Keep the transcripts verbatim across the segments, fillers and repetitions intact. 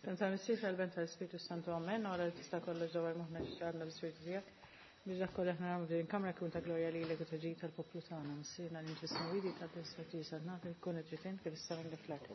F'isem tal-Missier, tal-Iben, tal-Ispirtu Santu, Amen. Ora li tista' kollox dawwar moħħna x'għandna l-Ispirtu tiegħek. Biex dak kollu aħna nagħmlu din kamra jkun ta' glorja lilek u ta' ġid tal-poplu tagħna. Missierna li inti fis-smewwiet jitqaddes ismek tiġi saltnatek, ikun trid int kif is-sema kif fl-art.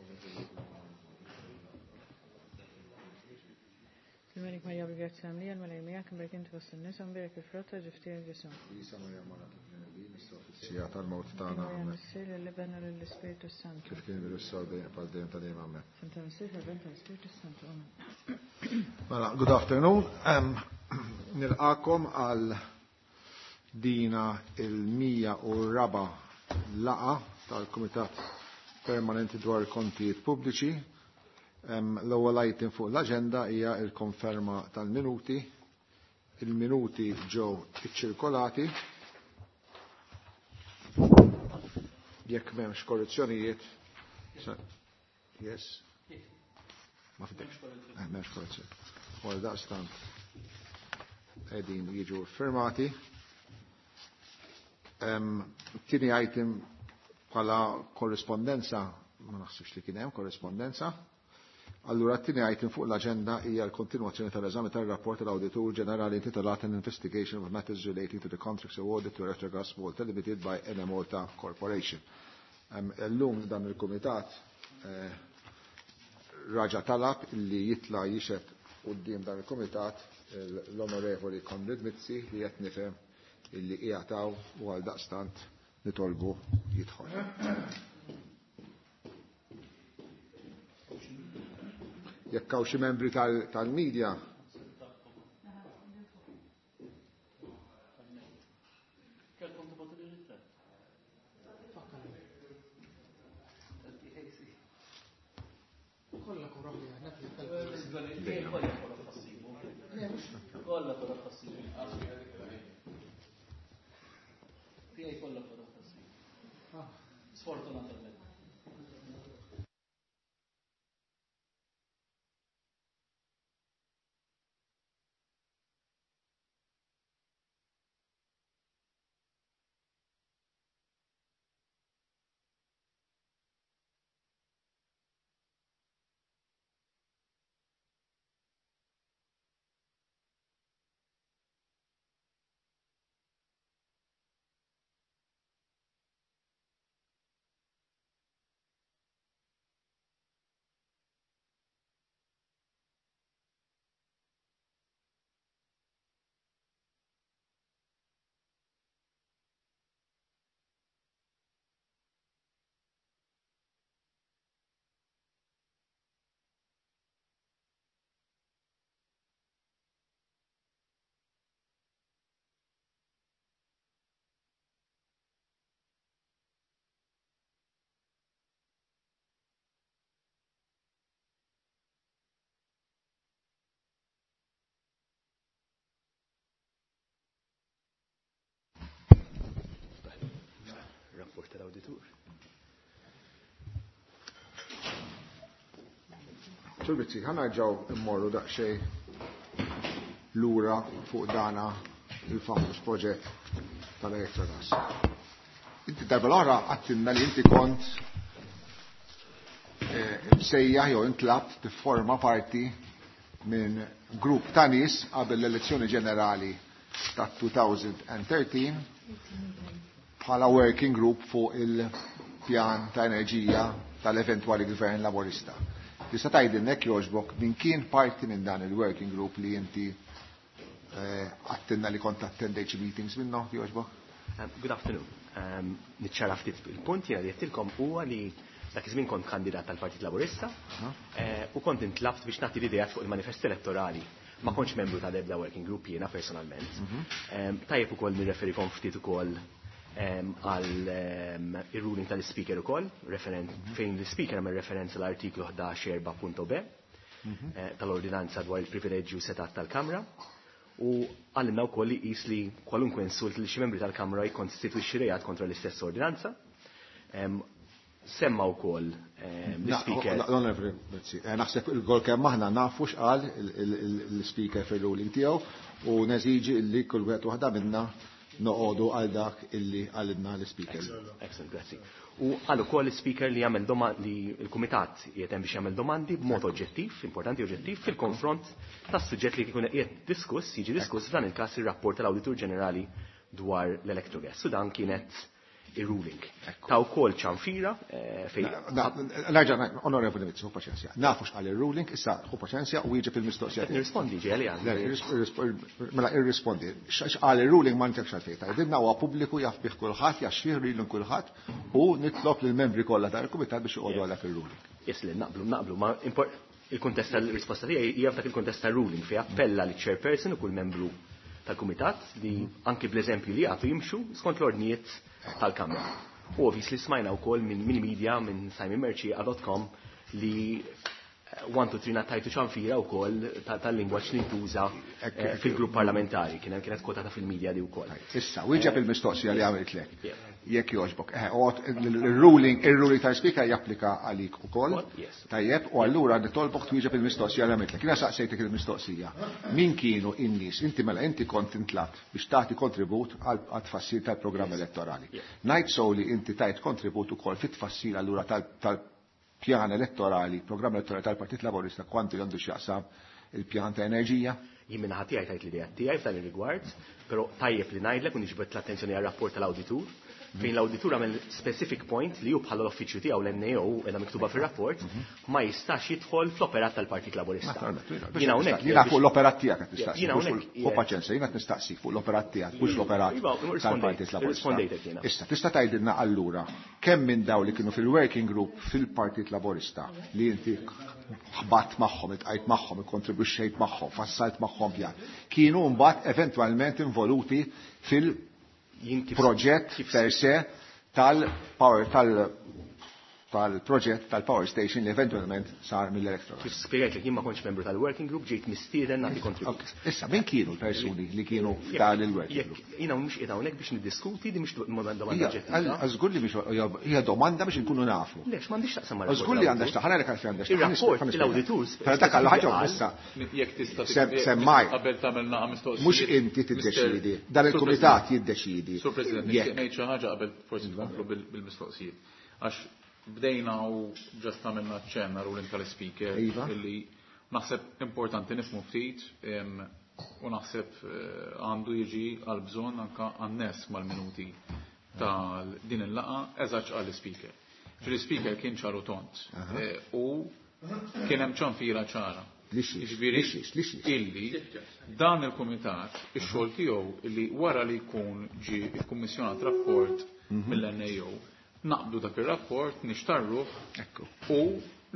Il-Melik Marija bil-grazzja mlija, l-Mulej miegħek, imbierek inti fost in-nisa, imbierek il-frott ta' ġuf tiegħek Ġesù. Isa Marija Mara tal-Bnedmin, issa fis-siegħa tal-mewt tagħna. Glorja Missier, lill-Iben u lill-Ispirtu Santu. Kif kien issa u dejjem bħal dejjem ta' dejjem amen. F'isem tal-Missier, tal-Iben, tal-Ispirtu Santu. Amen. Mela, good afternoon. Um, nilqakom għal dina il-mija u raba laqa tal-Kumitat Permanenti dwar Kontijiet Pubbliċi. L-ewwel item fuq l-aġenda hija l-konferma tal-minuti. Il-minuti ġew iċċirkolati. Jekk m'hemmx korrezzjonijiet. Yes. Ma fidekx. Eh, m'hemmx korrezzjoni. Wara daqstant qegħdin jiġu firmati. Tieni item bħala korrispondenza, ma naħsibx li kien hemm korrispondenza. Allura t-tieni item fuq l-aġenda hija l-kontinwazzjoni tal-eżami tar-rapport tal-Awditur Ġenerali intitolat An Investigation of Matters Relating to the Contracts Awarded to Electrogas Malta Limited by Enemalta Corporation. Illum dan il-kumitat eh, raġa talab li jitla jixed quddiem dan il-kumitat l-Onorevoli Konrad Mizzi li qed nifhem illi qiegħed u għal daqstant nitolbu jidħol. Jekk hawn xi membri tal-media. Sfortunatament. Rapport tal-awditur. Sur Mizzi, ħa nerġgħu immorru daqsxejn lura fuq dana il-famuż proġett tal-Electrogas. Inti darba l-oħra għedtilna li inti kont msejjaħ jew intlabt tifforma parti minn grupp ta' nies qabel l-elezzjoni ġenerali ta' twenty thirteen bħala working group fuq il-pjan ta' enerġija tal-eventwali gvern laborista. Tista' tgħidilna jekk jogħġbok min kien parti minn dan il-working group li inti għedtilna li kont attendejt xi meetings minnhom, jogħġbok? Um, good afternoon. Um, Niċċara ftit il-punt jiena li għedtilkom huwa li dak iż-żmien kont kandidat tal-Partit Laburista eh, u kont intlabt biex nagħti l-idejat fuq il-manifest elettorali. Ma kontx membru tal-ebda working group jiena personalment. Um, Tajjeb ukoll nirreferikom ftit ukoll għal il-ruling tal-speaker ukoll, fejn l-speaker għamel referenza l-artiklu ħdax erba punt B eh, tal-ordinanza dwar il-privileġġju setat tal-Kamra u għallinna wkoll li qis li kwalunkwe insult li xi membri tal-Kamra jikkonstitwixxi reat kontra l-istess ordinanza. Semma wkoll l-speaker. Eh, naħseb il-gol kemm aħna nafu x'qal l-speaker fil-ruling tiegħu u neżiġi li kull wieħed waħda minna noqogħdu għal dak illi għalidna l-speaker. Excellent, grazzi. U għal ukoll l-speaker li jagħmel li l-kumitat qiegħed hemm biex jagħmel domandi b'mod oġġettiv, importanti oġġettiv, fil-konfront tas-suġġett li jkun qiegħed diskuss, jiġi diskuss f'dan il-każ ir-rapport tal-Awditur Ġenerali dwar l-Electrogas. U dan kienet il-ruling. Ta' wkoll ċanfira fejn. Nerġa' Onorevoli Mizzi, ħu paċenzja. Nafu x'qal ir-ruling, issa ħu paċenzja u wieġeb il-mistoqsija. Nirrispondi ġeli għal. Mela irrispondi. X'qal ir-ruling ma ntekx għalfejn. Tgħidilna huwa pubbliku jaf bih kulħadd, jaf x'fih ruling kulħadd u nitlob lill-membri kollha tal-kumitat biex joqogħdu għal dak ir-ruling. Yes, li naqblu, naqblu, ma il-kuntest tal-risposta tiegħi hija f'dak il-kuntest tar-ruling fejn appella liċ-chairperson u kull membru tal-kumitat li anki bl-eżempju li għatu jimxu skont l-ordnijiet tal-Kamra. U obviously smajna wkoll minn min media minn Simon Mercieca dot com li one two three nattajtu ċanfira wkoll tal-lingwaġġ li ntuża fil-grupp parlamentari, kien kienet kwotata fil-media di wkoll. Issa, wieġeb il-mistoqsija li għamiltlek. Jekk jogħġbok. Il-ruling, il-ruling tal-speaker japplika għalik ukoll. Tajjeb, u allura nitolbok twieġeb il-mistoqsija li għamiltlek. Jiena saqsejtek il-mistoqsija. Min kienu in-nies? Inti mela inti kont intlabt biex tagħti kontribut għat-tfassil tal-programm elettorali. Ngħid sew li inti tajt kontribut ukoll fit-tfassil allura tal-pjan elettorali, programm elettorali tal-Partit Laburista kwantu għandu x'jaqsam il-pjan ta' enerġija? Jien minn ħadd tiegħi tajt l-idea tiegħi f'dan ir-rigward, però tajjeb li ngħidlek u niġbed l-attenzjoni għar-rapport tal-awditur, fejn l-awditur għamel specific point li hu bħala l-uffiċċju tiegħu l-N A O qiegħda miktuba fir-rapport ma jistax jidħol fl-operat tal-Partit Laburista. Jiena hawnhekk jiena fuq l-operat tiegħek qed nistaqsi. Jiena hawnhekk Hu paċenzja, jiena qed nistaqsik fuq l-operat tiegħek, mhux l-operat tal-Partit Laburista. Issa tista' tgħidilna allura kemm minn daw li kienu fil-working group fil-Partit Laburista li inti ħbatt magħhom, itqajt magħhom, ikkontribwixxejt magħhom, fassalt magħhom pjan, kienu mbagħad eventwalment involuti fil proġett per se tal-power tal-proġett tal-power station li eventualment sar mill-Electrogas. Kif spjegajt li jien ma kontx membru tal-working group, ġejt mistieden nagħti kontribut. Issa, min kienu l-persuni li kienu f'dan il-working group? Jiena mhux qiegħed hawnhekk biex niddiskuti, di mhux domanda oġġettiva. Żgur li mhix hija domanda biex inkunu nafu. Lex, m'għandix taqsam mar Żgur li għandha x'taħ, għalhekk għalfejn għandha x'taħ. Ir-rapport l-awditur. Però dak għal ħaġa issa. Jekk tista' semmaj. Qabel tagħmel naqa' mistoqsija. Mhux inti tiddeċiedi, dan il-kumitat jiddeċiedi. Sur President, nixtieq ngħid xi ħaġa qabel forsi tkomplu bil-mistoqsijiet. Għax bdejna u ġast għamilna ċenna ruling tal-speaker illi naħseb importanti nifhmu ftit u naħseb għandu jiġi għal bżonn anka għan-nies mal-minuti tal din il-laqa eżatt għal speaker. Fil-speaker kien ċaru tont u kien hemm ċanfira ċara. Jiġifieri illi dan il-kumitat ix-xogħol tiegħu illi wara li jkun ġie kkummissjonat rapport mill-N A O naqbdu dak ir-rapport, nixtarruh u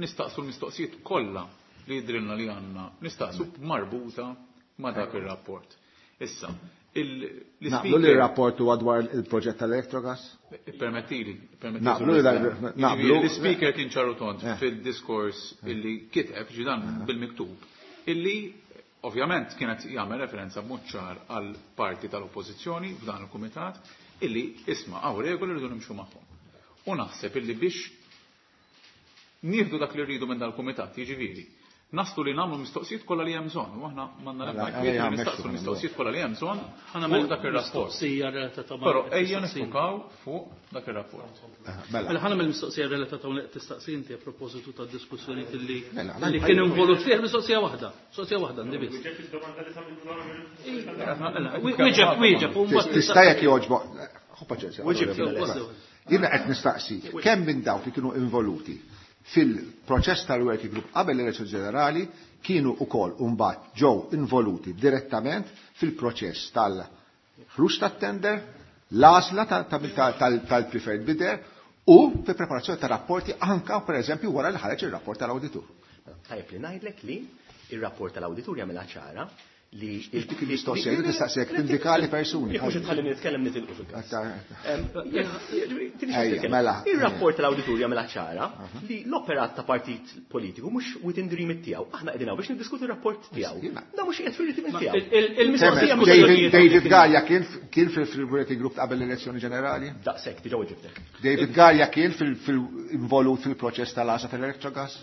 nistaqsu l-mistoqsijiet kollha li jidrilna li għandna, nistaqsu marbuta ma' dak ir-rapport. Issa, il- Naqblu li r-rapport huwa dwar il-proġett tal-Electrogas? Permettili, permettili. Naqblu li naqblu. L-speaker kien ċaru tont fil-diskors illi kiteb ġidan bil-miktub, illi ovvjament kienet jagħmel referenza b'mod ċar għal parti tal-oppożizzjoni f'dan il-kumitat illi isma' hawn regoli rridu nimxu magħhom. U naħseb illi biex nieħdu dak li rridu minn dal-kumitat, jiġifieri, naslu li nagħmlu mistoqsijiet kollha li hemm bżonn, u aħna m'għandna l-ebda kwiet nistaqsu l-mistoqsijiet kollha li hemm bżonn fuq dak ir-rapport. Mistoqsija relatata ma' Però ejja nifukaw fuq dak ir-rapport. Mela ħa nagħmel mistoqsija relatata ma' tistaqsi inti a propositu tad-diskussjoni li li kien involut fih mistoqsija waħda, mistoqsija waħda għandi biss. Wieġeb, wieġeb, u mbagħad Tista' jekk jogħġbok. Ħu paċenzja. Jiena qed nistaqsi kemm minn dawk li kienu involuti fil-proċess tal-working group qabel l-elezzjoni ġenerali kienu wkoll mbagħad ġew involuti direttament fil-proċess tal-ħruġ tat-tender, l-għażla tal-preferred bidder u fil-preparazzjoni ta' rapporti anka pereżempju wara li ħareġ ir-rapport tal-awditur. Tajjeb li ngħidlek li ir-rapport tal-awditur jagħmilha ċara li dik il-mistoqsija, jien nistaqsijek tindikali persuni. Jekk mhux tħalli nitkellem nitilqu fil-każ. Mela. Ir-rapport tal-awditur jagħmilha ċara li l-operat ta' partit politiku mhux within the remit tiegħu. Aħna qegħdin hawn biex niddiskutu r-rapport tiegħu. Da mhux qiegħed fir-remit tiegħu. Il-mistoqsija mhux David Galea kien kien fil-working group qabel l-elezzjoni ġenerali? Daqshekk diġà weġibtek. David Galea kien fil-involut fil-proċess tal-għażla tal-Electrogas?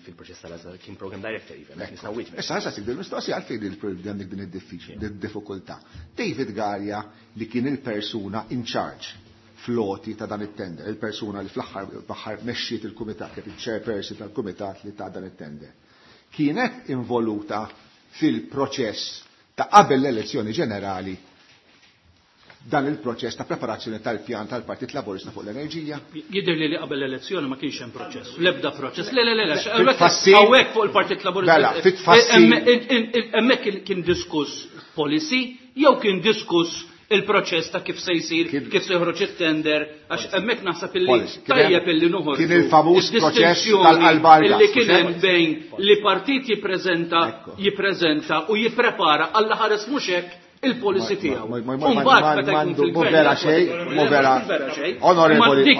fil-proċess tal-għażla, kien program director even, nista' wieġbek. Issa issa sik mistoqsija għalfejn għandek din id-diffikultà. David Galea li kien il-persuna in charge floti ta' dan it-tender, il-persuna li fl-aħħar mexxiet il-kumitat, kif il-chairperson tal-kumitat li ta' dan it-tender. Kienet involuta fil-proċess ta' qabel l-elezzjoni ġenerali dan il-proċess ta' preparazzjoni tal-pjan tal-Partit Laburista fuq l-enerġija? Jidher li li qabel l-elezzjoni ma kienx hemm proċess. L-ebda proċess. Le, le, le, le, hawnhekk fuq il-Partit Laburista. Mela, fit-tfassil. Hemmhekk kien diskuss policy jew kien diskuss il-proċess ta' kif se jsir, kif se joħroġ it-tender, għax hemmhekk naħseb illi tajjeb illi noħorġu. Kien il-famuż proċess tal-qalbar illi kien hemm bejn li partit jippreżenta, jippreżenta u jipprepara għall ħares mhux hekk il-policy tiegħu. Mbagħad meta jkun fil-gvern. Vera xejn, mhu vera. Onorevoli,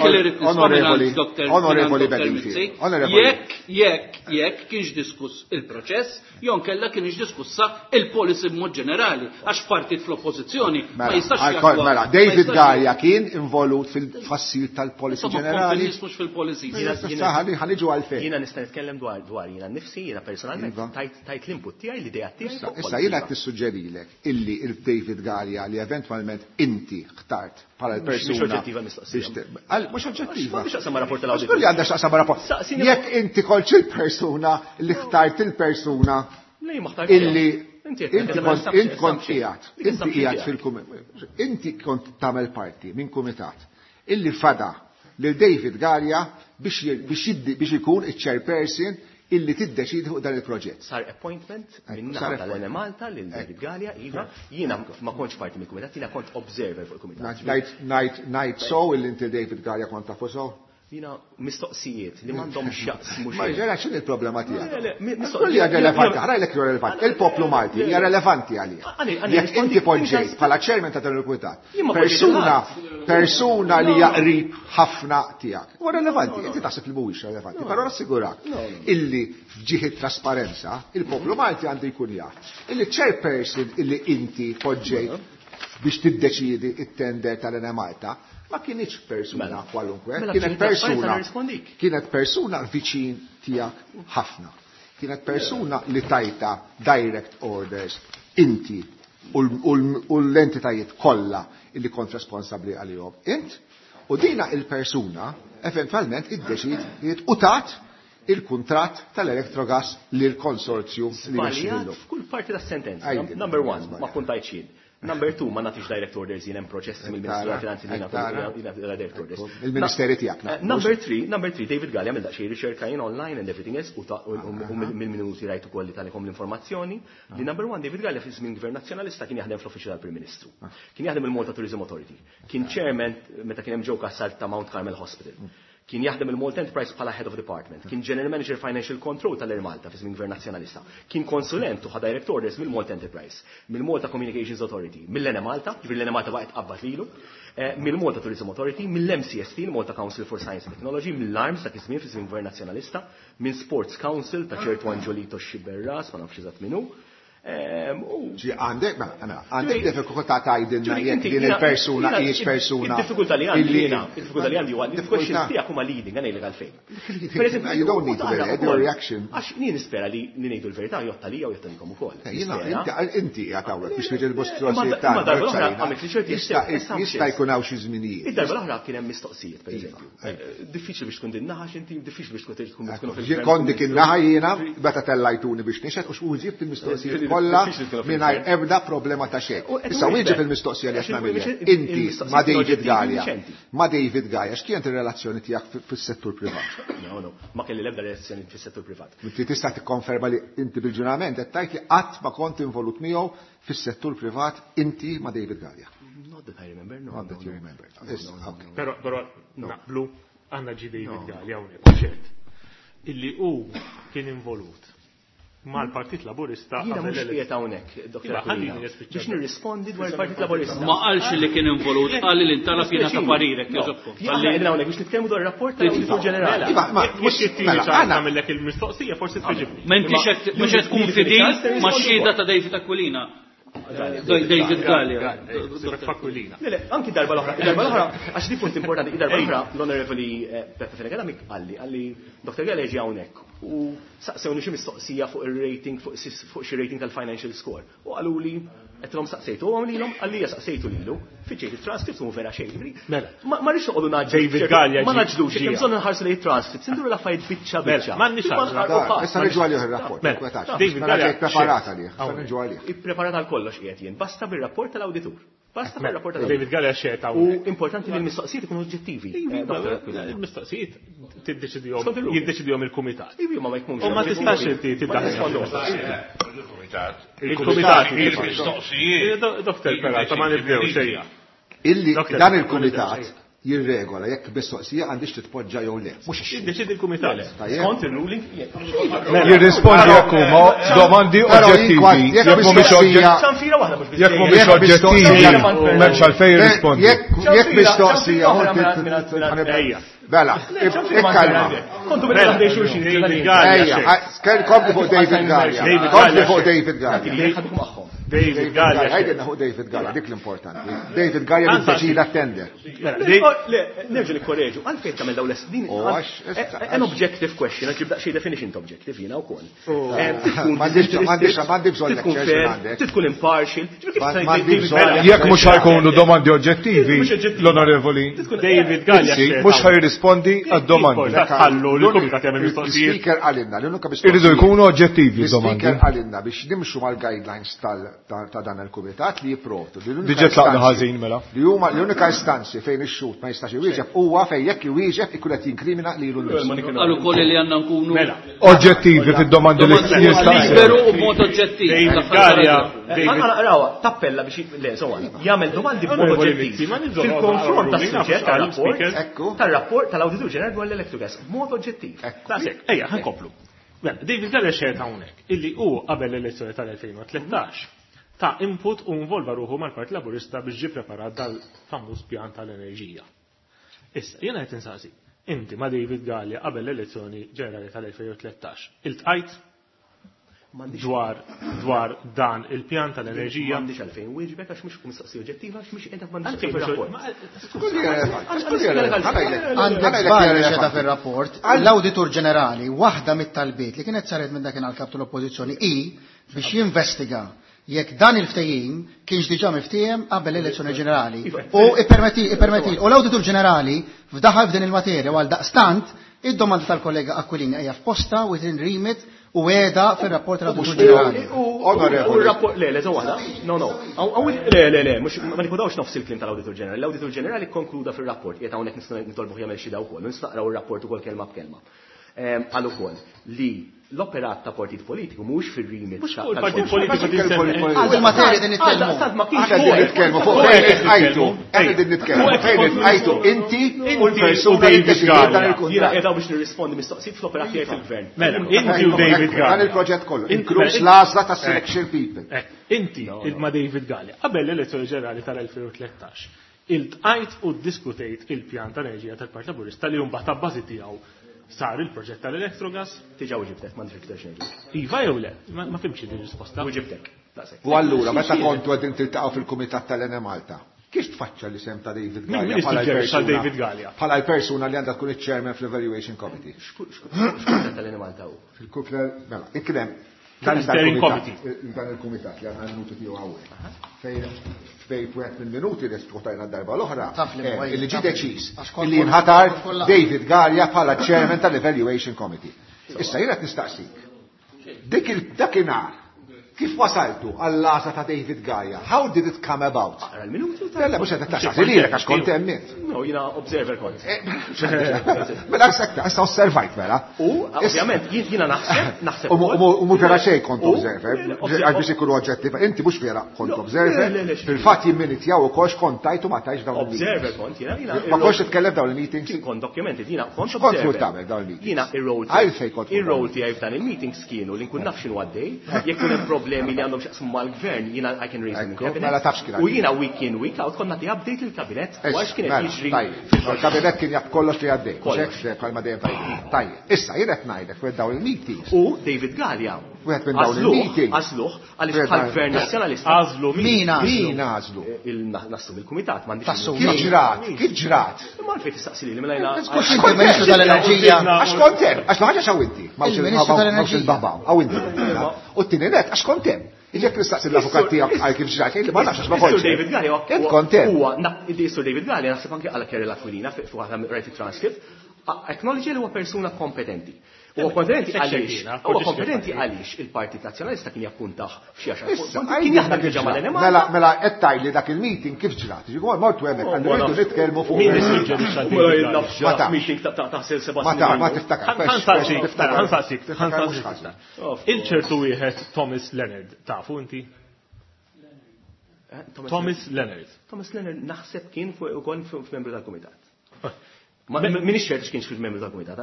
onorevoli, onorevoli Bedingfield. Jekk, jekk, jekk kienx diskuss il-proċess, jew nkella kienx diskussa il-policy b'mod ġenerali, għax partit fl-oppożizzjoni ma jistax jattwa. Mela, David Galea kien involut fil-tfassil tal-policy ġenerali. Mhux fil-policy. Ħaniġu għalfejn. Jiena nista' nitkellem dwar dwar jiena nnifsi, jiena personalment tajt l-input tiegħi, l-idea tiegħi. Issa jiena qed nissuġġerilek illi David Galea li eventwalment inti ħtart bħala l-persuna. Mhux oġġettiva mistoqsija. Mhux oġġettiva. Mhux x'aqsam ma' rapport tal-awditur. Mhux li għandha x'aqsam ma' rapport. Jekk inti kontx il-persuna li ħtart il-persuna illi inti kont qiegħed, inti qiegħed fil-kumitat. Inti kont tagħmel parti minn kumitat illi fada lil David Galea biex ikun iċ-chairperson illi tiddeċidi fuq dan il-proġett. Sar appointment minn naħa tal-Enemalta lil David Galea, iva, jiena ma kontx parti mill-kumitat, jiena kont observer fuq il-kumitat. Ngħid ngħid so illi inti David Galea kont tafu so? Jiena mistoqsijiet li m'għandhomx x'jaqsmu xejn. Ma ġera x'inhi l-problema tiegħek? Mistoqsija relevanti, ħrajlek li relevanti. Il-poplu Malti hija relevanti għalih. Jekk inti poġġejt bħala chairman ta' dan il-kumitat, persuna persuna li hija qrib ħafna tiegħek. Huwa relevanti, inti taħseb li mhuwiex relevanti, però nassigurak illi f'ġieħ trasparenza il-poplu Malti għandu jkun jaf illi chairperson illi inti poġġejt biex tiddeċiedi it-tender tal-Enemalta ma kienx persuna kwalunkwe, kienet persuna kienet persuna viċin tiegħek ħafna. Kienet persuna li tajta direct orders inti u l-entitajiet kollha illi kont responsabbli għalihom int, u dina il-persuna eventwalment iddeċidiet u tat il-kuntratt tal-Electrogas lil konsorzju li mexxilu. F'kull parti tas-sentenza. Number one, ma kuntajtx jien. Number two, ma nagħtix direct orders jien hemm proċessi mill-Ministru tal-Finanzi li nagħtu direct orders. Il-Ministeri tiegħek. Number three, number three, David Galea għamel daqsxejn riċerka jien online and everything else u mill-minuti rajt ukoll li talikom l-informazzjoni li number one, David Galea fi żmien Gvern Nazzjonalista kien jaħdem fl-Uffiċċju tal-Prim Ministru. Kien jaħdem il-Malta Tourism Authority. Kien chairman meta kien hemm Joe Cassar ta' Mount Carmel Hospital. Kien jaħdem il-Malta Enterprise bħala Head of Department, kien General Manager Financial Control tal-Air Malta fi żmien Gvern Nazzjonalista, kien konsulent u ħa direct orders mill-Malta Enterprise, mill-Malta Communications Authority, mill-Enemalta, ġifieri l-Enemalta baqgħet qabbat lilu, mill-Malta Tourism Authority, mill-M C S T, il-Malta Council for Science and Technology, mill-Arms dak iż-żmien fi żmien Gvern Nazzjonalista, minn Sports Council ta' ċertu Angiolito Sciberras, ma nafx eżatt min hu. Ġi għandek, mela, għandek diffikultà tgħidilna jekk din il-persuna hijiex persuna. Id-diffikultà li għandi jiena, id-diffikultà li għandi huwa li l-questions tiegħek huma leading, għan ngħidlek għalfejn. Per eżempju, you don't need to be your reaction. Għax jien nispera li ngħidu l-verità jotta lija u jotta lilkom ukoll. Inti qiegħed hawnhekk biex tiġi l-mistoqsijiet tagħna. Jista' jkun hawn xi żminijiet. Id-darba l-oħra kien hemm mistoqsijiet, pereżempju. Diffiċli biex tkun din naħa x'inti, diffiċli biex tkun tkun fil. Kont dik in-naħa jiena meta tellajtuni biex nixhed u x'uġibt il-mistoqsijiet kollha mingħajr ebda problema ta' xejn. Issa wieġeb il-mistoqsija li qed nagħmilek. Inti ma' David Galea. Ma' David Galea, x'kienet ir-relazzjoni tiegħek fis-settur privat? No, no, ma kelli l-ebda relazzjoni fis-settur privat. Inti tista' tikkonferma li inti bil-ġurament qed tgħid li qatt ma kont involut miegħu fis-settur privat inti ma' David Galea. Not that I remember, no. Not that you remember. Però però naqblu għandna ġi David Galea hawnhekk ċert. Illi hu kien involut mal-Partit Laburista. Jiena mhux qiegħed hawnhekk, Doktor Aquilina, biex nirrispondi dwar il-Partit Laburista. Ma qalx li kien involut, qal li intalab jiena ta' parirek jogħġobkom. Aħna qegħdin hawnhekk biex nitkellmu dwar ir-rapport tal-Awditur Ġenerali. Mhux it-tieni ċans nagħmellek il-mistoqsija forsi tweġibni. Ma intix qed mhux qed tkun fidil max-xhieda ta' David Aquilina. David Galea. Le, le, anki darba l-oħra, darba l-oħra, għax di punt importanti, darba l-oħra l-Onorevoli Beppe Fenech Adami qalli, qalli Dottor Galea ġie hawnhekk u saqsewni xi mistoqsija fuq ir-rating, fuq xi rating tal-financial score. U qaluli għedtilhom saqsejtu, u għamlilhom qalli hija saqsejtu lilu, fiċċejt it-transcripts u vera xejn. Mela. Ma rridx noqogħdu naġġlu. David Galea Ma naġġlux, hemm bżonn nħarsu lejn it-transcripts, induru l-affarijiet biċċa biċċa. M'għandniex għażla. Issa niġu għalih ir-rapport. Mela, David Galea preparat għalih, issa niġu għalih. Ippreparat għal kollox qiegħed jien, basta bir-rapport tal-awditur. Basta bir-rapport tal-awditur. David Galea xejn U importanti li l-mistoqsijiet ikunu oġġettivi. Il-mistoqsijiet tiddeċidihom jiddeċidihom il-kumitat. Iva ma jkunx. U ma tistax inti tiddaħħal. Il-kumitat. Il-kumitat. Il-mistoqsijiet. Doktor Peralta ma nibdew xejja. Illi dan il-kumitat jirregola jekk mistoqsija għandix titpoġġa jew le. Mhux Jiddeċidi il-kumitat. Skont il-ruling. Jirrispondi jekk huma domandi oġġettivi. Jekk mhumiex oġġettivi. Jekk mhumiex oġġettivi, m'hemmx għalfejn jirrispondi. Jekk mistoqsija Bela, ikkalma. Kontu bil għandej xulxin. Ejja, kompli fuq David Galea. Kompli fuq David Galea. David Galea. Għajdilna fuq David Galea, dik l-importanti. David Galea li tender. Le, nerġa' nikkoreġu, għalfejn tagħmel dawn l-din. An objective question, għax jibda xi definition ta' objective jiena wkoll. M'għandix m'għandi bżonn lectures Tkun impartial. Jekk mhux ħajkunu domandi oġġettivi, l-onorevoli David Galea mhux ħajrispondi għad-domandi. Ħallu l-kumitat jagħmel mistoqsijiet. Speaker għalinna, l-unika mistoqsija. Irridu jkunu oġġettivi domandi. Speaker għalinna biex nimxu mal-guidelines ta' dan il-kumitat li jipprovdu. Diġà tlaqna ħażin mela. Li huma l-unika istanzi fejn ix-xut ma jistax iwieġeb huwa fejn jekk iwieġeb ikun qed jinkrimina lilu nnifsu. Qalu wkoll li għandna nkunu oġġettivi fid-domandi li jistaqsew. Liberu u b'mod oġġettiv. David Galea. Rawha, tappella biex le, insomma, jagħmel domandi b'mod oġġettiv. Fil-konfront tas-suġġett tar-rapport, tar-rapport tal-Awditur Ġenerali dwar l-Electrogas, b'mod oġġettiv. Daqshekk, ejja, ħankomplu. Mela, David Galea xejn hawnhekk illi hu qabel l-elezzjoni tal-elfejn u tlettax ta' input u involva ruħu mal-Partit Laburista biex ġie preparat dal-famuż pjan tal-enerġija. Issa, jiena qed insaqsi, inti ma' David Galea qabel l-elezzjoni ġenerali tal-elfejn u tlettax, iltqajt dwar dwar dan il-pjan tal-enerġija? M'għandix għalfejn wieġbek għax mhux mistoqsija oġġettiva għax mhux qiegħda m'għandix fir-rapport. Għandek żball qiegħda fir-rapport. L-Awditur Ġenerali waħda mit-talbiet li kienet saret minn dakinhar kap tal-Oppożizzjoni hi biex jinvestiga jekk dan il-ftehim kienx diġà miftiehem qabel l-elezzjoni ġenerali. U ippermetti ippermetti u l-Awditur Ġenerali fdaħal f'din il-materja għal daqstant id-domanda tal-kollega Aquilini hija f'posta within remit u għeda fil-rapport tal-Awditur Ġenerali. U r-rapport, le, le, waħda. No, no. Le, le, le, ma nikudawx nofs il-klim tal-Awditur Ġenerali. L-Awditur Ġenerali konkluda fil-rapport, qiegħed hawnhekk nistgħu nitolbuh jagħmel xi daw ukoll, nistaqraw ir-rapport ukoll kelma b'kelma. Qal ukoll li l-operat ta' partit politiku mhux fir-remit. Mhux fuq il-partit politiku tinsemmi. Il-materja din nitkellmu. Aħna din nitkellmu fuq fejn itqajtu. Aħna din nitkellmu fejn itqajtu inti u l-persuna li ddeċidiet dan il-kuntratt. Jiena qiegħda biex nirrispondi mistoqsijiet fl-operat tiegħi fil-gvern. Mela, inti u David Galea. Dan il-proġett kollu, inkluż l-għażla ta' selection people. Inti ma' David Galea qabel l-elezzjoni ġenerali tal-elfejn u tlettax iltqajt u ddiskutejt il-pjan tal-enerġija tal-Partit Laburista li mbagħad ta' bażi tiegħu sar il-proġett tal-Electrogas. Tiġa uġibtek, m'għandix iktar xejn. Iva jew le? Ma fimx din risposta. Uġibtek. U allura meta kontu qegħdin tiltaqgħu fil-kumitat tal-Enemalta, kif tfaċċa l-isem ta' David Galea bħala l-persuna David Galea? Bħala l-persuna li għandha tkun iċ-chairman fl-Evaluation Committee. X'kumitat tal-Enemalta hu? Fil-kumitat, mela, ikkrem dan il-kumitat li għandna l-minuti tiegħu hawnhekk. Fejn fejn wieħed mill-minuti li diskutajna d-darba l-oħra, illi ġie deċiż illi jinħatar David Galea bħala chairman tal-Evaluation Committee. Issa jien qed nistaqsik. Dik dakinhar kif wasaltu għall-għażla ta' David Galea? How did it come about? Aqra l-minuti u Le, mhux qed taqsaqsi lilek għax kont hemm int. No, jiena observer kont. Mela sekta, issa osservajt mela. U ovvjament jiena naħseb, naħseb. U mhux vera xejn kont observer, għax biex ikunu oġġettiv, inti mhux vera kont observer. Fil-fatt jimminitjaw ukoll x'kont tajt u ma tajtx dawn il-meetings. Observer kont jiena, jiena. Ma kontx titkellem dawn il-meetings. Kien kont documented, jiena kont observer. Kont tagħmel dawn il-meetings. Jiena ir-role Għalfejn kont. Ir-role tiegħi f'dan il-meetings kienu li nkun naf x'inhu għaddej, jekk hemm problemi li għandhom x'jaqsmu mal-gvern, jiena I can raise them in cabinet. U jiena week in week out kont nagħti update lill-kabinet u għax kien qed jiġri. Il-kabinet kien jaf kollox li għaddej. Mhux hekk bħalma dejjem tajjeb. Tajjeb. Issa jien qed ngħidlek fuq dawn il-meetings. U David Galea Wieħed minn dawn il-meeting. Għażluh għaliex bħal gvern nazzjonalista. Għażlu min? Min għażlu? Nassum il-kumitat m'għandix. Kif ġrat? Kif ġrat? Imma għalfejn tistaqsi lili mela jiena. Għax il-Ministru tal-Enerġija. Għax kont hemm, għax ma ħaġa x'hawn inti. M'hawnx il-babaw, hawn inti. U t-tieni net għax kont hemm. Jekk nistaqsi l-avukat tiegħek għal kif ġrat, jgħid li ma nafx għax ma kontx. Sur David Galea kont hemm. Huwa Sur David Galea naħseb anke għal Kerry Aquilina fuq waħda rajt it-transcript, acknowledge li huwa persuna kompetenti. Huwa kompetenti għaliex, huwa kompetenti għaliex il-Partit Nazzjonalista kien jappuntah f'xi għaxar. Kien jaħdem diġà mal-Enemalta. Mela mela qed tgħidli dak il-meeting kif ġrat. Ġifieri mortu hemmhekk għandu rridu nitkellmu fuq. Meeting ta' taħsel seba' Ma ta' ma tiftakar. Ħansaqsik, ħansaqsik. Il-ċertu wieħed Thomas Leonard tafu inti? Thomas Leonard. Thomas Leonard naħseb kien fuq ukoll f'membru tal-kumitat. Minix ċert x'kienx fil-membru tal-kumitat.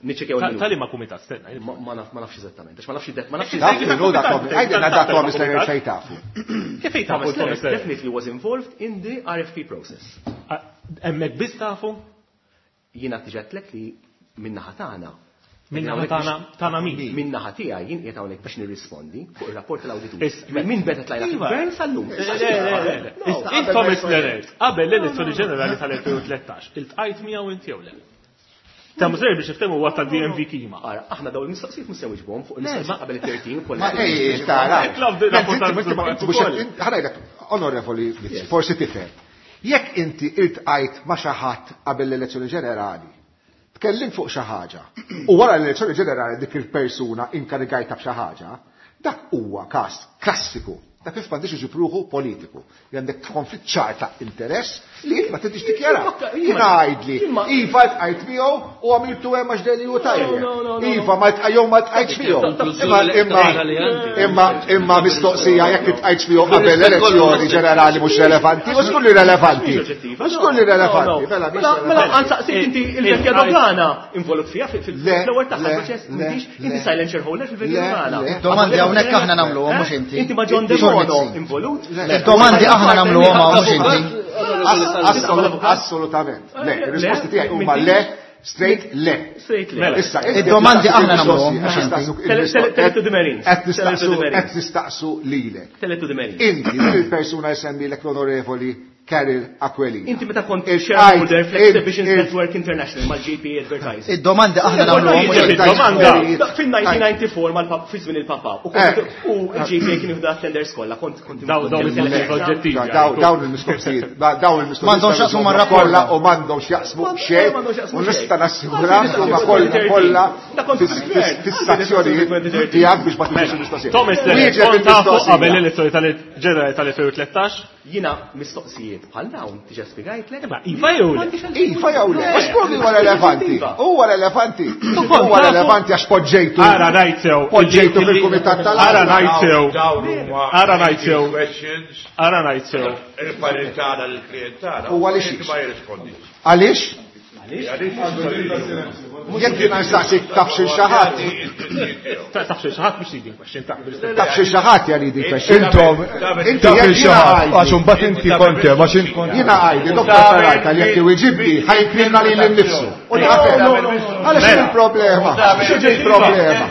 Niċċekkjaw il Tali ma kumitat, stenna. Ma nafx eżattament. Għax ma nafx ma nafx Għajdilna dak Thomas Leonard fejn tafu. Kif fejn tafu Thomas Leonard definitely was involved in the R F P process. Hemmhekk biss tafu? Jiena tiġetlek li min-naħa tagħna. Minna tagħna tagħna min? Minna tiegħi jien qiegħed hawnhekk biex nirrispondi fuq ir-rapport tal-awditur. Min beda tlajna fil-gvern sal-lum. Il Thomas Leonard qabel l-elezzjoni ġenerali tal-elfejn u tlettax, iltqajt miegħu inti jew le? Thomas Leonard biex niftehmu huwa tal-D M V Kima. Ara, aħna dawn il-mistoqsijiet mhux se nwiġbuhom fuq il-mistoqsijiet qabel it-thirteen kollha. Ma ej, tara. Rapport Ħanajlek, onorevoli, forsi tifhem. Jekk inti iltqajt ma' xi ħadd qabel l-elezzjoni ġenerali, tkellim fuq xi ħaġa u wara l-elezzjoni ġenerali dik il-persuna inkarigajta b'xi ħaġa, dak huwa każ klassiku ta' kif m'għandix iġib ruħu politiku. Li għandek konflitt ċar ta' interess li inti ma tridx tikkjara. Jiena għajdli, iva ltqajt miegħu u għamiltu hemm għax deli u tajjeb. Iva ma ltqajjew ma ltqajtx miegħu. Imma imma imma imma mistoqsija jekk iltqajtx miegħu qabel l-elezzjoni ġenerali mhux relevanti, u żgur li relevanti. U żgur li relevanti. Mela, mela għansaqsik inti il-vecchia dogana involut fiha fil-ewwel tagħha proċess m'intix inti silent shareholder fil-vecchia dogana. Domandi hawnhekk aħna nagħmluhom mhux inti. Inti ma John Debono involut. Domandi aħna nagħmluhom mhux inti. Assolutament. Le, ir-risposti tiegħi huma le, straight le. Straight le. Issa, id-domandi aħna nagħmluhom mhux inti. Tell it to the Marines. Qed nistaqsu qed nistaqsu lilek. Tell it to the Marines. Inti il-persuna jsemmilek l-onorevoli Karol Aquilina. Inti meta kont shareholder fl-Exhibitions Network International mal-J P Advertising. Id-domandi aħna nagħmluhom mhux inti. Id-domanda fin-nineteen ninety-four mal-pap fi żmien il-papa u l-J P kien jieħdu tenders kollha kont kont Dawn il-mistoqsijiet oġġettivi. Dawn il-mistoqsijiet, dawn il-mistoqsijiet. M'għandhomx jaqsmu mar-rapport kollha u m'għandhomx jaqsmu xejn u nista' nassigura huma kollha kollha fis-sazzjonijiet tiegħek biex ma tiġix il-mistoqsijiet. Thomas Leonard, kont tafu qabel l-elezzjoni tal-ġenerali tal-elfejn u tlettax? Jiena mistoqsijiet bħal dawn diġà spjegajtlek. Imma iva jew le? Iva jew le? Mhux provi huwa relevanti. Huwa relevanti. Huwa relevanti għax poġġejtu. Ara ngħid sew. Poġġejtu fil-kumitat tal Ara ngħid sew. Ara ngħid sew. Ara ngħid sew. Il-parir tagħna lill-klijent tagħna. U għaliex? Ma jirrispondix. Għaliex? Jekk jiena nsaqsik taf xi xi ħadd. Taf xi xi ħadd mhux leading question, taf bil-istess. Taf xi xi ħadd hija leading question. Intom, Inti taf jekk xi jiena ħadd, għajdi. għax imbagħad inti kont hemm, għax int kont Jiena għajdi, Doktor Ferrajta li jekk iwiġibni ħajkrimna lil innifsu. U naqbel. Għaliex x'inhi l-problema? X'inhi l-problema?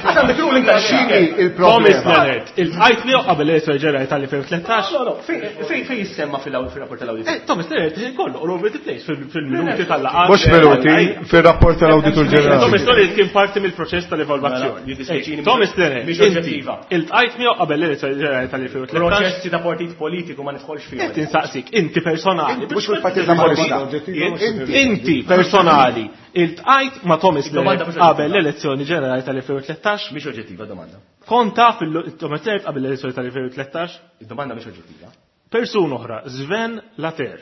X'inhi l-problema? Thomas Leonard, iltqajt miegħu qabel l-elezzjoni ġenerali tal-elfejn u tlettax? No, no, fejn fejn jissemma fil-rapport tal-awditur? Eh, Thomas Leonard kollu all over the place fil-minuti tal-laqgħat. Mhux minuti, fir-rapport tal-awditur ġenerali. Thomas Leonard kien parti mill-proċess tal-evalwazzjoni. Thomas Leonard, Mhix oġġettiva. iltqajt miegħu qabel l-elezzjoni ġenerali tal-elfejn u tlettax? Proċessi ta' partit politiku ma nidħolx fihom. Qed insaqsik, inti personali. Mhux fil-Partit Laburista. Inti personali, iltqajt ma' Thomas Domanda Leonard mhux qabel oġġettiva. l-elezzjoni ġenerali tal-elfejn u tlettax? Mhix oġġettiva domanda. Kont taf il-Thomas Leonard qabel l-elezzjoni tal-elfejn u tlettax? Id-domanda mhix oġġettiva. Persuna oħra, Sven Later.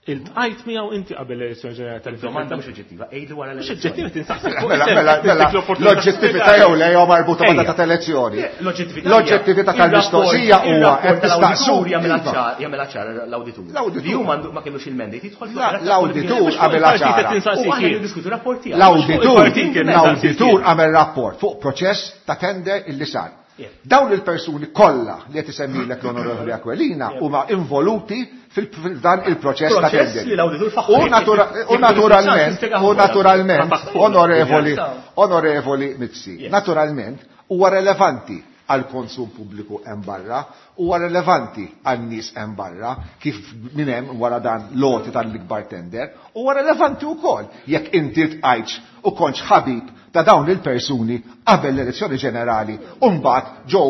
Iltqajt miegħu inti qabel l-elezzjoni ġenerali tal-elfejn u Domanda tlettax? mhux oġġettiva, ejdu wara Mhux l-elezzjoni. oġġettiva tinsaqsik. Mela, mela, mela, l-oġġettività jew le jew marbuta ma' data ta' elezzjoni. L-oġġettività L-oġġettività tal-mistoqsija huwa qed tistaqsu. jagħmilha ċar, jagħmilha ċar l-awditur. L-awditur. Li hu m'għandu ma kellux il-mandate jidħol La- L-awditur għamel ċara. U aħna niddiskutu rapport tiegħu. L-awditur, Il-partit kien l-awditur għamel rapport fuq proċess ta' tender illi sar. Dawn il-persuni kollha li qed isemmilek l-Onorevoli Aquilina huma involuti fil-dan il-proċess ta' Proċess tender. li l-awditur faħħu. U natura- u naturalment, u naturalment, onorevoli, onorevoli Mizzi, naturalment, Huwa relevanti għal konsum pubbliku hemm barra, huwa relevanti għan nies hemm barra kif minn hemm wara dan loti tal-ikbar tender, huwa relevanti wkoll jekk inti tqajtx u kontx ħabib ta' dawn il-persuni qabel l-elezzjoni ġenerali u mbagħad ġew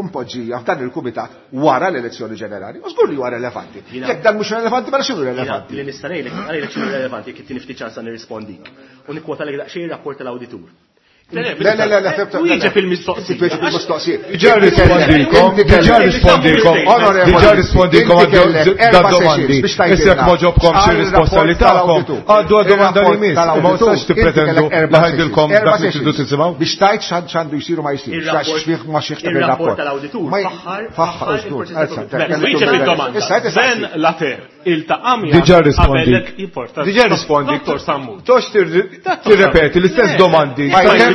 mpoġġija f'dan il-kumitat wara l-elezzjoni ġenerali. U żgur li huwa relevanti. Jekk dan mhux relevanti, mela x'inhu relevanti? Li nista' ngħidlek, ngħidlek x'inhu relevanti jekk ittini ftit ċansa nirrispondik. U nikkwotalek daqsxejn ir-rapport tal-awditur. Le, le, le, le, Wieġeb il-mistoqsija. Wieġeb il-mistoqsija. Diġà rispondikom, diġà rispondikom, diġà rispondikom għad domandi. Issa jekk ma ġobkom xi risposta li tagħkom, għaddu għad domanda li miss. Ma tistax tippretendu li ħajdilkom dak li tridu tisimgħu. Biex tajt x'għandu jsiru ma jsirx, x'fih ma xiex Ir-rapport tal-awditur faħħar faħħar Wieġeb il-domanda. Ben Later iltaqa' miegħek. Diġà rispondik. Diġà rispondik. Tox tirrepeti l-istess domandi.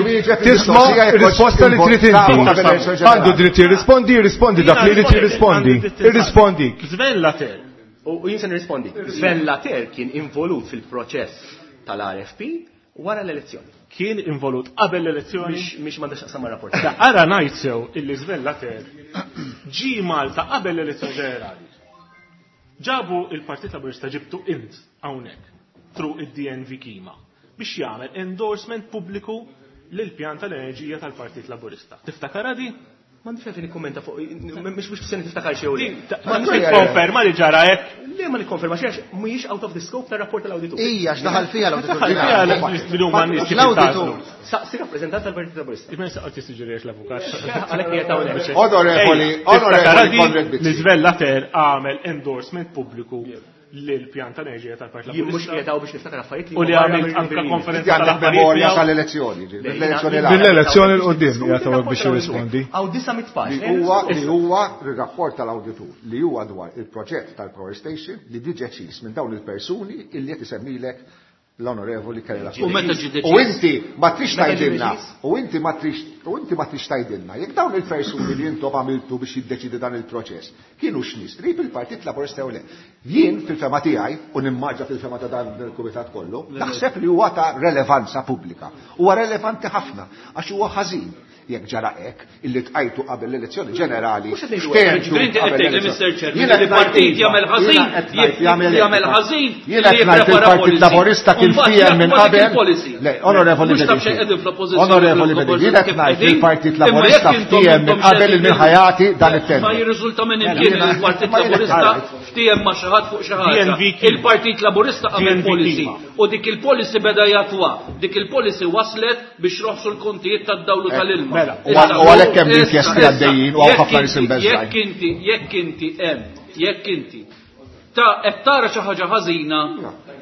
Tisma' risposta li trid inti. Għandu dritt jirrispondi, jirrispondi dak li jrid jirrispondi. Irrispondi. Sven Later. U jien se nirrispondi. Sven Later kien involut fil-proċess tal-R F P wara l-elezzjoni. Kien involut qabel l-elezzjoni? Mhix m'għandax x'taqsam mar-rapport. Ara ngħid sew illi Sven Later ġie Malta qabel l-elezzjoni ġenerali. Ġabu il-Partit Laburista ġibtu int hawnhekk through id-D N V Kima biex jagħmel endorsement pubbliku lil pjan tal-enerġija tal-Partit Laburista. Tiftakar di? M'għandix għalfejn nikkummenta fuq, mhux mhux se niftakar xejn le. Ma nikkonferma li ġara hekk. Le ma nikkonferma xejn għax mhijiex out of the scope tar-rapport tal-awditur. Ija, x'daħal fiha l-awditur. L-awditur. Saqsi rappreżentant tal-Partit Laburista. Imma saqgħod jissuġġerix l-avukat. Għalhekk qiegħed hawnhekk. Onorevoli, onorevoli Konrad Mizzi. Li Sven Later għamel endorsement pubbliku lil-pjan tal-enerġija tal-Partit Jien mhux Laburista. qiegħed hawn biex niftakar affarijiet li U li huma għamilt barra anke mill-rinviju. konferenza Għandek tal-aħbarijiet memorja tiegħu. tal-elezzjoni, l-elezzjoni Le, Mill-elezzjoni l qudiem qiegħed hawnhekk biex jirrispondi. Hawn disa' mitt paġna. Li huwa li huwa r-rapport tal-awditur li huwa dwar il-proġett tal-Power Station li ġie deċiż minn dawn il-persuni illi qed isemmilek l-onorevoli Kerry Lafuria. U meta ġie deċiż? U inti ma trix Meta ġie tgħidilna, deċiż? u inti ma trix, u inti ma trix tgħidilna, jekk dawn il-persuni li intom għamiltu biex jiddeċidi dan il-proċess, kienu x'nies qrib il-Partit Laburista jew le. Jien fil-fema tiegħi, u nimmaġa fil-fema ta' dan il-kumitat kollu, naħseb li huwa ta' relevanza pubblika. Huwa relevanti ħafna għax huwa ħażin jekk ġara hekk illi tqajtu qabel l-elezzjoni ġenerali. Mhux qed ngħidu ftehmtu hekk. Ġifieri inti qed qabel tgħid li l-elezzjoni. Mister Chairman, Jiena li qed ngħid partit iva, jagħmel ħażin, jiena qed ngħid jagħmel jagħmel hekk. ħażin, Jiena li qed ngħid jipprepara il-Partit policy. Laburista kien U mbagħad fiehem minn jaħdmu dik qabel. il-policy. Le, onorevoli Mhux taf xejn Bedingfield. qegħdin fl-oppożizzjoni Onorevoli fl-oppożizzjoni Bedingfield, jiena qed kif ngħid qegħdin. il-Partit Imma jekk Laburista intom ftiehem minn intom qabel xejn minn ħajati dan it-tender. Ma jirriżulta minn imkien Jiena- li l-Partit ma jiena Laburista qed ftiehem ma' xi ħadd fuq xi ħaġa. D N V Kima. Il-Partit Laburista għamel D N V policy Kima. u dik il-policy beda jatwa. Dik il-policy waslet biex roħsu l-kontijiet tad-dawlu tal-ilma. Mela, U għal- u għalhekk hemm Issa, inkjesti issa, għaddejjin u hawn jekk ħafna nies inti- imbeżżgħin. Jekk inti, jekk inti hemm, jekk inti ta' qed tara xi ħaġa ħażina,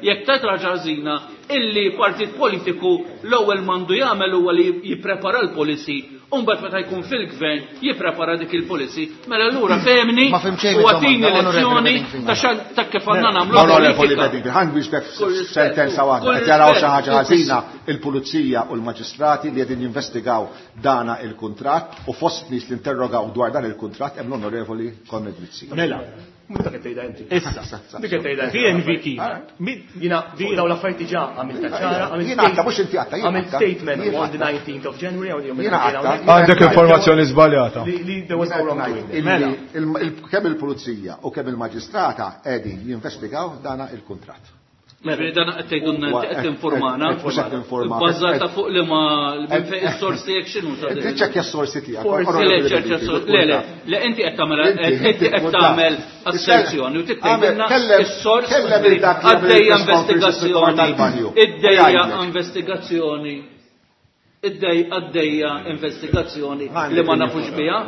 jekk tara xi ħaġa ħażina, illi partit politiku l-ewwel m'għandu jagħmel huwa li jipprepara l-policy, u mbagħad meta jkun fil-gvern jipprepara dik il-policy, mela allura fehmni Ma fhimt xejn u mid-domanda, għatini onorevoli lezzjoni Bedingfield. ta' xan ta' kif għandna nagħmlu Onorevoli politika. Bedingfield, ħa nwieġbek Kull rispett, sentenza waħda. kull Qed jaraw xi rispett. ħaġa ħażina il-pulizija u l-maġistrati li qegħdin jinvestigaw dana il-kuntratt u fost nies li interrogaw dwar dan il-kuntratt hemm l-Onorevoli Konrad Mizzi. Mela, Mhux dak qed tgħidha inti. issa. Dik qed tgħidha inti. D N V Kima. Jiena fuq dawn l-affarijiet diġà għamilta ċara, għamilt Jiena għatta, mhux inti għatta, jiena għamilt għatta. statement Jiena on the għatta. nineteenth of January, hawn jum Jiena il-ġimgħa għatta. hawnhekk. Għandek informazzjoni żbaljata. Li li there was no wrongdoing. Illi il- il- kemm il-pulizija u kemm il-maġistrata qegħdin jinvestigaw dana il-kuntratt. Ġifieri dan qed tgħidulna inti qed tinformana. Mhux qed tinforma. Bbażata fuq li ma minn fejn is-sorsi tiegħek x'inhu ta' Inti ċekkja s-sorsi tiegħek. Forsi le, ċerċa s-sorsi. Le, le, le, inti qed tagħmel Inti- inti qed inti tagħmel tkun taf. asserzjoni u tgħidilna Kellem- is-sors kellem il dak li għamel għaddejja il-press conference investigazzjoni. tal-banju. Iddejja Jgħidlek. investigazzjoni. Iddej għaddejja investigazzjoni li ma nafux biha.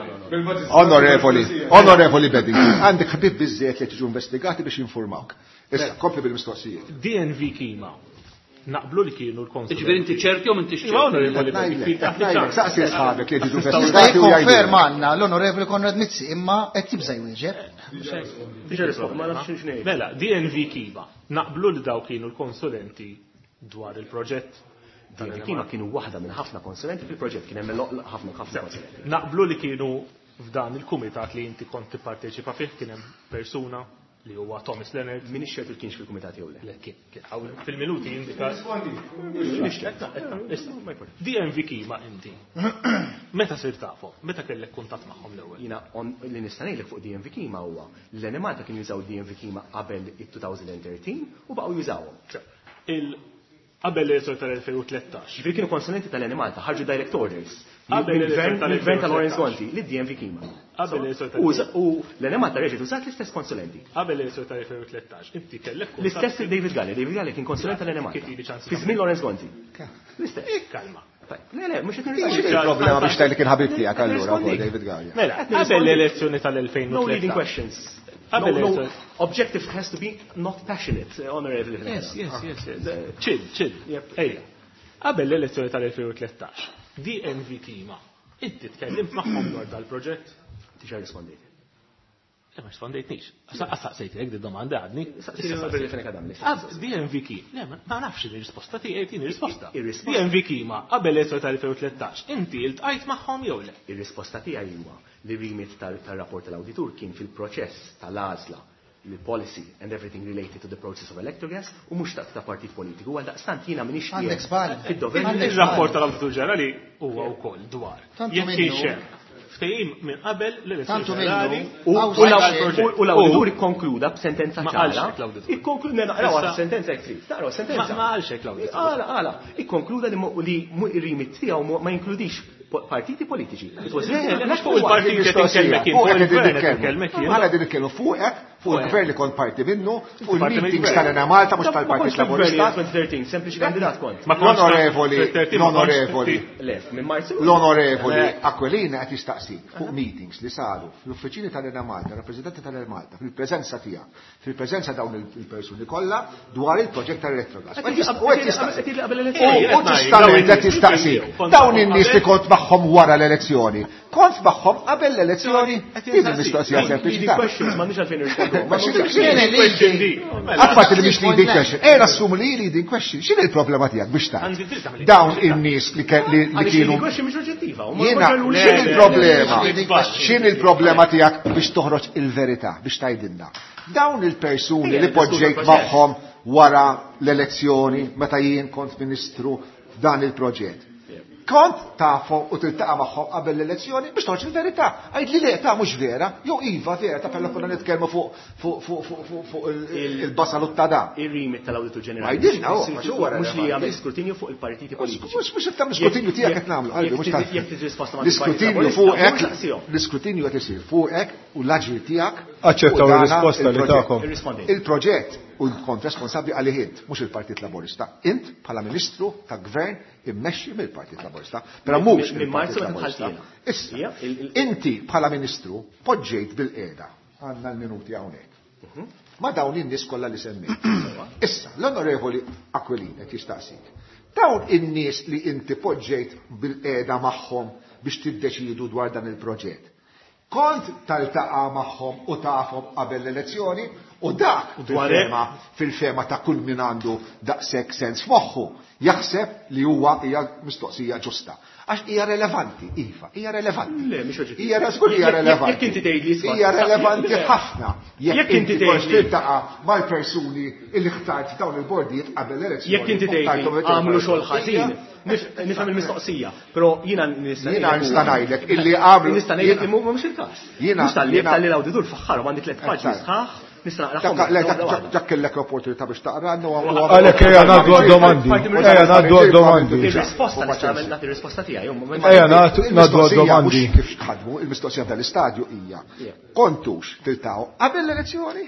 Onorevoli, onorevoli Bedingfield, għandek ħbib biżżejjed li tiġu investigati biex jinformawk. Issa, kompli bil-mistoqsijiet. D N V Kima. Naqblu li kienu l-konsulenti. Ġifieri inti ċerti jew m'intix Iva, ċerti? onorevoli Bedingfield, Ngħidlek, taħt ngħidlek, iċ-ċans. saqsi sħabek li jiġu Jista' investigati u jgħidulek. jikkonferma għandna l-Onorevoli Konrad Mizzi, imma qed jibża' jwieġeb. Diġà rispost, ma nafx x'ngħid. Mela, D N V Kima. Naqblu li daw kienu l-konsulenti dwar il-proġett. D N V Kima kienu waħda minn ħafna konsulenti fil-proġett, kien hemm ħafna ħafna konsulenti. Naqblu li kienu f'dan il-kumitat li inti kont tipparteċipa fih kien hemm persuna li huwa Thomas Leonard. Min ix-xert kienx fil-kumitat jew le? Le, kien, kien, hawn fil-minuti jindika. Issa, D N V Kima inti. Meta sir tafhom? Meta kellek kuntatt magħhom l-ewwel? Jiena li nista' ngħidlek fuq D M V Kima huwa li l-Enemalta kienu jużaw D M V Kima qabel it-twenty thirteen u baqgħu jużawhom. Qabel l-elezzjoni tal-elfejn u tlettax. Ġifieri kienu konsulenti tal-Enemalta, ħarġu direct orders. Qabel l-elezzjoni Mill-gvern ta' Lawrence Gonzi, li D M V Kima. Qabel l-elezzjoni tal-elfejn U l-Enemalta reġgħet użat l-istess konsulenti. Qabel l-elezzjoni tal-elfejn u tlettax, inti kellek kuntatt L-istess David Galea, David Galea kien konsulent tal-Enemalta. Kif ili ċans Fi żmien Lawrence Gonzi. L-istess. Ikkalma. Le, le, mhux qed X'inhi nirrispondi. il-problema biex tgħid li kien ħabib tiegħek allura wkoll David Galea? Mela, qabel l-elezzjoni tal-elfejn u No leading tlettax. questions. Qabel No, no, l-elezzjoni. objective has to be not passionate, honorable. Yes, yes, yes, yes. Chill, chill. Ejja. Qabel l-elezzjoni tal-elfejn u tlettax, D M V Kima, inti tkellimt magħhom dwar dal-proġett? Diġà rispondejt. Le, ma rispondejtnix. Saqsejtek di domanda għadni. Saqsejtek Issa li fenek għadam li. Għad, D M V Kima. Le, ma nafx il-risposta tiegħi, tini risposta. Ir-risposta. D M V Kima, qabel l-elezzjoni tal-elfejn u tlettax, inti iltqajt magħhom jew le? Ir-risposta tiegħi huwa li remit tal-rapport tal-awditur kien fil-proċess tal-għażla, il-policy and everything related to the process of electrogas u mhux ta' ta' partit politiku, għal daqstant jiena m'iniex Għandek qiegħed żball. fid-dover. Għandek Ir-rapport żball. tal-Awditur Ġenerali huwa wkoll dwar. Tantu Jekk minnu. kienx hemm ftehim minn qabel l-elezzjoni Tantu minnu. ġenerali U Għaw u żgħar l-awditur- xejn. u l-awditur ikkonkluda b'sentenza Ma ċara. qalx hekk l-awditur. Ikkonkluda, ne, naqraw Issa- sentenza jekk trid. Naqraw sentenza. Ma- ma qalx hekk l-awditur. Għala, għala. Ikkonkluda li mo-, li mu-, ir-remit tiegħu mo-, ma jinkludix po-, partiti politiċi. It was Le, written le, mhux fuq il-partiti qed inkellmek jien, Fuq fuq qed il-gvern qed nitkellmu. inkellmek jien. Aħna qegħdin nitkellmu fuqek, fuq il-gvern li kont parti minnu, fuq Parti il-meetings mill-gvern. tal-Enemalta mhux Ma tal-Partit kontx fil-gvern Laburista. jien twenty thirteen, sempliċi kandidat kont. Ma kontx L-onorevoli, twenty thirteen, ma kontx l-onorevoli. Le, minn Marzu. L-onorevoli Le. Aquilina qed jistaqsik fuq meetings li saru fl-uffiċini tal-Enemalta, rappreżentanti tal-Enemalta, fil-preżenza tiegħek, fil-preżenza dawn il-persuni kollha dwar il-proġett tal-Electrogas. Qed U qed jistaqsik. qed jistaqsik qabel U l-elezzjoni. u ġustament qed jistaqsik. Dawn in-nies li kont magħhom wara l-elezzjoni, kont magħhom qabel l-elezzjoni? Din il-mistoqsija sempliċi. Leading questions, m'għandix għalfejn nirrispondu. Ma x'inhi di? Apparti li mhix leading question. Ejja nassumu li leading question. X'inhi l-problema tiegħek biex tgħid? Għandi dritt tagħmel Dawn in-nies li ke-, li, li Għaliex kienu leading question mhix oġġettiva, u ma Jiena, ma ġarrux x'inhi le, l-problema? le, le, le, X'inhi l-problema tiegħek biex toħroġ il-verità, biex tgħidilna? Dawn il-persuni Ejja, li poġġejt diskutu l-proċess. magħhom wara l-elezzjoni meta jien kont ministru f'dan il-proġett. Kont tafhom u tiltaqa' magħhom qabel l-elezzjoni biex toħroġ il-verità. Għid li le ta' mhux vera, jew iva vera, ta' pella konna nitkellmu fuq fuq fuq fuq fuq fuq il-, il-basal u t-tada. Ir-remit tal-Awditur Ġenerali. Ma jidilna, oh, għax huwa Mhux li relevanti. jagħmel skrutinju fuq il-partiti politiċi. Mhux mhux qed tagħmel skrutinju tiegħek qed nagħmlu, qalbi, mhux ta' Jekk tiġi risposta ma' L-iskrutinju fuqek, l-iskrutinju qed isir fuqek u l-aġir tiegħek. Aċċettaw u dana ir-risposta li il-proġett. tagħkom. Irrispondejt. Il-proġett u kont responsabbli għalih int, mhux il-Partit Laburista. Int bħala Ministru ta' Gvern immexxi mill-Partit Laburista, però mhux Minn il-Partit Marzu meta Laburista. dħalt jiena. Issa, Ija, il- il- inti bħala Ministru poġġejt bil-qiegħda għandna l-minuti hawnhekk. Ma dawn in-nies kollha li semmejt. Issa, l-Onorevoli Aquilina qed jistaqsik. Dawn in-nies li inti poġġejt bil-qiegħda magħhom biex tiddeċidu dwar dan il-proġett. Kont taltaqa' magħhom u tafhom qabel l-elezzjoni u dak dwar fil-fema, fil-fema ta' kull min għandu daqshekk sens f'moħħu jaħseb li huwa hija mistoqsija ġusta. Għax hija relevanti, iva, hija relevanti. Le, mhix oġġettiva. Hija żgur hija Jekk- relevanti. jekk inti tgħid li isma' Hija relevanti Le. ħafna. Jekk Jekk inti inti kont tgħid li- tiltaqa' mal-persuni li ħtart dawn il-bordijiet qabel l-elezzjoni. Jekk inti u tgħid li ħtarthom għamlu xogħol il-partijiet. ħażin, nif-, nifhem il-mistoqsija, però jiena nista' Jiena ngħidlek nista' huwa- ngħidlek illi għamlu- Nista' ngħidlek li jiena- mhux il-każ. Jiena- Mhux tal-li jiena- tal-li l-awditur faħħarhom għandi tliet paġni Eżatt. sħaħ, nista' naqrahom. Dak- le, dak- dak- dak kellek l-opportunità biex taqra, għandu għu- Għalhekk ejja ngħaddu għad-domandi. Ejja ngħaddu għad-domandi. Ir-risposta nista' nagħmel nagħti ir-risposta tiegħi. jum, ma- Ejja nagħtu ngħaddu Il-mistoqsija għad-domandi. mhux kif tħadmu, il-mistoqsija tal-istadju hija kontux tiltaw qabel l-elezzjoni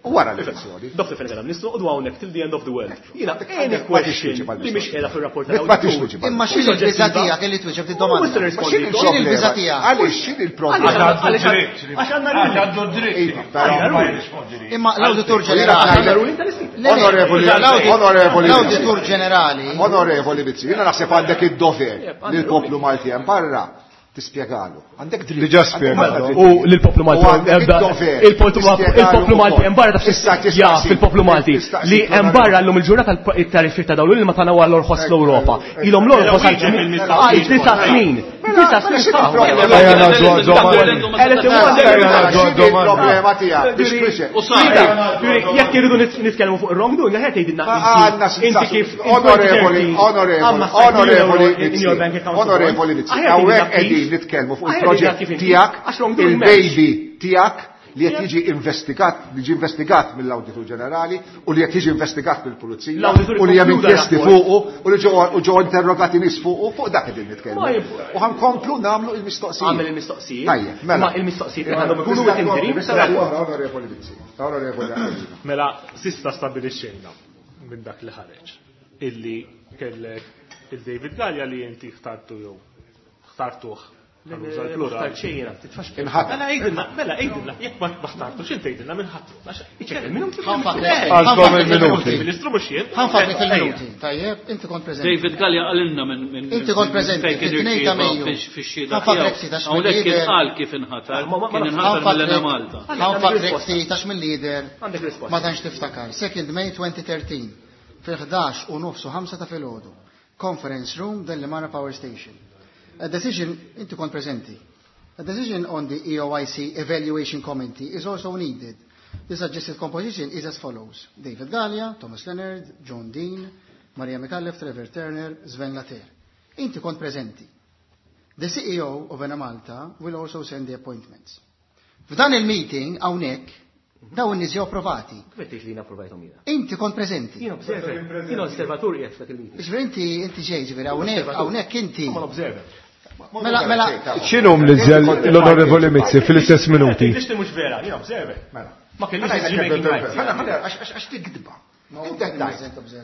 u wara l-elezzjoni. Doktor Fenech, nistgħu noqogħdu hawnhekk till the end of the world. Jiena any Ma tixtieġ question mal-mistoqsija. li mhix qiegħda fir-rapport Ma tal-awditur. tixtieġ Imma x'inhi l-biża' tiegħek illi twieġeb di-domanda? Mhux se nirrispondi. Ma x'inhi X'inhi l-biża' il-problema? tiegħek? Għaliex x'inhi il-problema? Għaliex għax għandna Għax għandu dritt. Iva, però- Ma jirrispondi li. Imma l-Awditur Ġenerali. Għandna ruling tal-ispeaker. Le, le, Onorevoli, l-Awditur- onorevoli L-Awditur Mizzi. Ġenerali. Onorevoli Mizzi, jiena naħseb għandek id-dover li l-poplu Malti hemm barra tispjegalu. Għandek dritt. Diġà spjegalu. Għandek dritt. U l-poplu Malti U għandek id-dover il-poplu tispjegalu Malti hemm barra taf Issa ja tistaqsi- fil-poplu Malti tistaqsi li hemm barra llum il-ġurnata it-tariffi ta' dawn li ma tagħna huwa l-orħos l-Ewropa. Ilhom l-orħos għal disa' snin. Disa snin Problema tiegħek biex biex. Jekk irridu nitkellmu fuq wrongdoing, aħjar tgħidilna inti kif onorevoli, onorevoli, onorevoli, onorevoli, hawnhekk qegħdin nitkellmu fuq il-proġett tiegħek, il-baby tiegħek li qed jiġi investigat, li ġi investigat mill-Awditur Ġenerali u li qed jiġi investigat mill-Pulizija u li hemm inkjesti fuqu u li ġew interrogati nies fuqu, fuq dak qegħdin nitkellmu. U ħankomplu nagħmlu il-mistoqsijiet. Għamel il-mistoqsijiet. Tajjeb, mela. Ma il-mistoqsijiet għandhom ikunu within Onorevoli Mizzi, onorevoli Aquilina. Mela, sista stabilixxejna minn dak li ħareġ illi kellek il-David Gallia li inti ħtartu jew ħtartuh. Mela għidilna, mela għidilna, jekk ma ħtartux inti għidilna minn ħatru. Għandkom il-minuti. Ministru mhux jien. Ħanfakri fil-minuti. Tajjeb, inti kont preżenti. David Gallia qalilna minn Inti kont preżenti fit-tnejn ta' Mejju. Ħanfakrek ftit għax Hawnhekk kien qal kif inħatar, kien inħatar mill-Enemalta. Ħanfakrek ftit għax mill-lider ma tantx tiftakar. Second May twenty thirteen fil-ħdax u nofs u ħamsa ta' filgħodu. Conference room Delimara Power Station. A decision, inti kont preżenti. A decision on the E O I C Evaluation Committee is also needed. The suggested composition is as follows. David Gallia, Thomas Leonard, John Dean, Maria Micallef, Trevor Turner, Sven Later. Inti kont preżenti. The C E O of Enemalta will also send the appointments. F'dan il-meeting hawnhekk dawn in-nies ġew approvati. Kif qed tgħid li jien approvajthom jiena? Inti kont preżenti. Jien observer. Jien osservatur qiegħed f'dak il-meeting. Ġifieri inti inti ġej, ġifieri hawnhekk hawnhekk inti. Ma observer. Mela, mela. X'inhu mniżel l-Onorevoli Mizzi fil-istess minuti? Tixti mhux vera, jien observer. Mela. Ma kellix decision-making rights. Ħana, ħana, għax tikdba. Inti qed tgħid.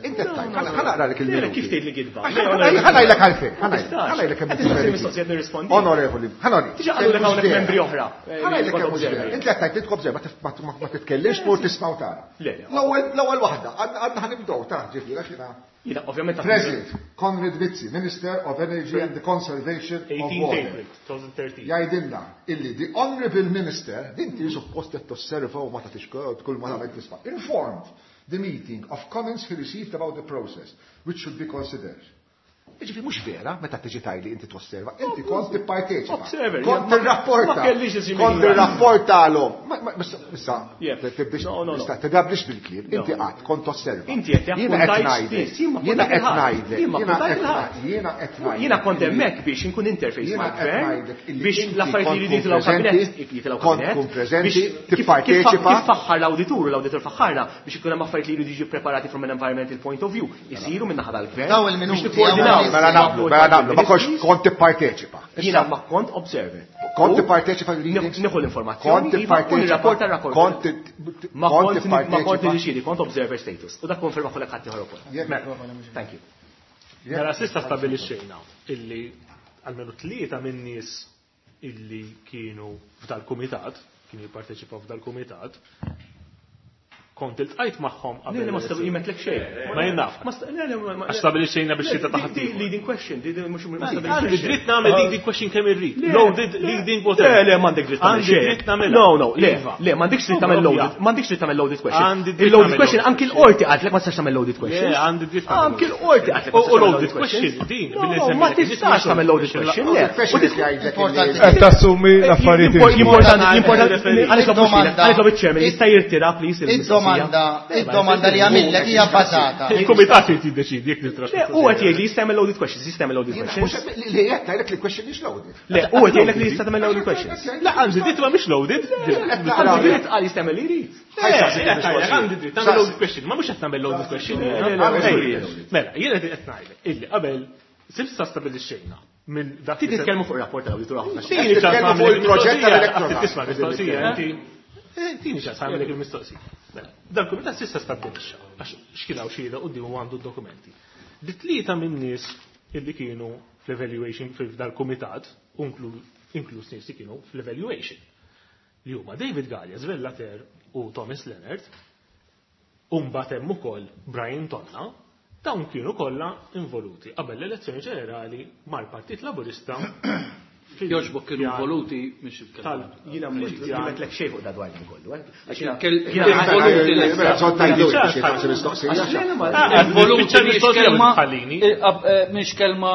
Inti qed tgħid. Ħana naqralek il-minuti. Kif tgħid li gidba? Ħana ngħidlek għalfejn. Ħana ngħidlek kemm mistoqsijiet nirrispondi. Onorevoli, ħana ngħid. Diġà qalulek hawnhekk membri oħra. Ħana ngħidlek kemm mhux vera. Inti qed tgħid li tkobżer ma titkellimx tmur tisma' u tara. L-ewwel waħda, għadna ħanibdew ta' ġifieri għax jiena. Jiena ovvjament President Konrad Mizzi, Minister of Energy and the Conservation of Water. Jgħidilna illi the Honorable Minister, din ti suppost qed tosserva u ma tagħtix kull ma tagħmel tisma', informed the meeting of comments he received about the process, which should be considered. Jiġifieri mhux vera meta tiġi tgħidli inti tosserva, inti kont tipparteċipa. Kont tirrapporta. Kont tirrapportalhom. Issa, tibdix tidablix bil-kliem, inti qatt kont tosserva. Inti qed Jiena qed ngħidlek. Jiena qed ngħidlek. Jiena qed ngħidlek. Jiena kont hemmhekk biex inkun interface mal-gvern biex l-affarijiet li jridu jitilgħu kabinett jitilgħu kabinett. Kont tkun preżenti, tipparteċipa. Kif faħħar l-awditur u l-awditur faħħarna biex ikun hemm affarijiet li jridu jiġu preparati from an environmental point of view, isiru minn naħa tal-gvern. Daw il-minuti. Mela naqblu, mela naqblu, ma kontx kont tipparteċipa. Jiena ma kont observer. Kont tipparteċipa l-meetings? Nieħu l-informazzjoni. Kont tipparteċipa. Kont ma kont ma kont niddeċiedi, kont observer status. U dak konferma kollha ħadd ieħor ukoll. Thank you. Mela s'issa stabilixxejna illi almenu tlieta minn nies illi kienu f'dal-kumitat, kienu jipparteċipaw f'dal-kumitat, kont iltqajt magħhom qabel. Le, ma stabilixxejt xejn. Ma jien naf. Għax stabilixxejna biex xita ta' ħadd. Leading question, mhux Għandi dritt nagħmel leading question kemm irrid. Loaded leading whatever. Le, le, m'għandek dritt tagħmel Għandi dritt nagħmel. No, no, le, le, m'għandekx dritt tagħmel loaded, m'għandekx dritt tagħmel loaded question. Għandi dritt Il-loaded question anki l-qorti qaltlek ma tistax tagħmel loaded question. Le, għandi dritt Anki l-qorti qaltlek. U loaded question din. Ma tistax tagħmel loaded question. Le. Qed tassumi l-affarijiet. Importanti, importanti, għaliex iċ-chairman jista' jirtira please il-domanda, id-domanda li għamillek hija bbażata. Il-kumitat irid jiddeċidi jekk nitrax. Le, huwa qed jgħid li jista' jagħmel loaded questions, jista' jagħmel loaded questions. Li qed ngħidlek li question mhix loaded. Le, huwa qed jgħidlek li jista' tagħmel loaded questions. La, għandi dritt ma mhix loaded. Għandi dritt qal jista' jagħmel li jrid. Għandi dritt tagħmel loaded question, ma mhux qed nagħmel loaded question. Mela, jiena qed ngħidlek illi qabel sibsa stabilixxejna minn dak. Ti titkellmu fuq ir-rapport tal-awditur ħafna. Titkellmu fuq il-proġett tal-elettorali. Tisma' mistoqsija, inti. Tini ċans għamilek il-mistoqsija. Mela, dal-kumitat s'issa stabbilixxa, għax x'kien hawn xhieda qudiemu għandu d-dokumenti. Li tlieta minn nies illi kienu fl-evaluation f'dal-kumitat, inkluż nies li kienu fl-evaluation, li huma David Gallia, Sven Later u Thomas Leonard, u mbagħad hemm ukoll Brian Tonna, dawn kienu kollha involuti qabel l-elezzjoni ġenerali mal-Partit Laburista. Joġbok kienu involuti mhix il-kelma. Jiena mhux jgħidlek xejn fuq dwar dan kollu. Involuti mhix kelma mhix kelma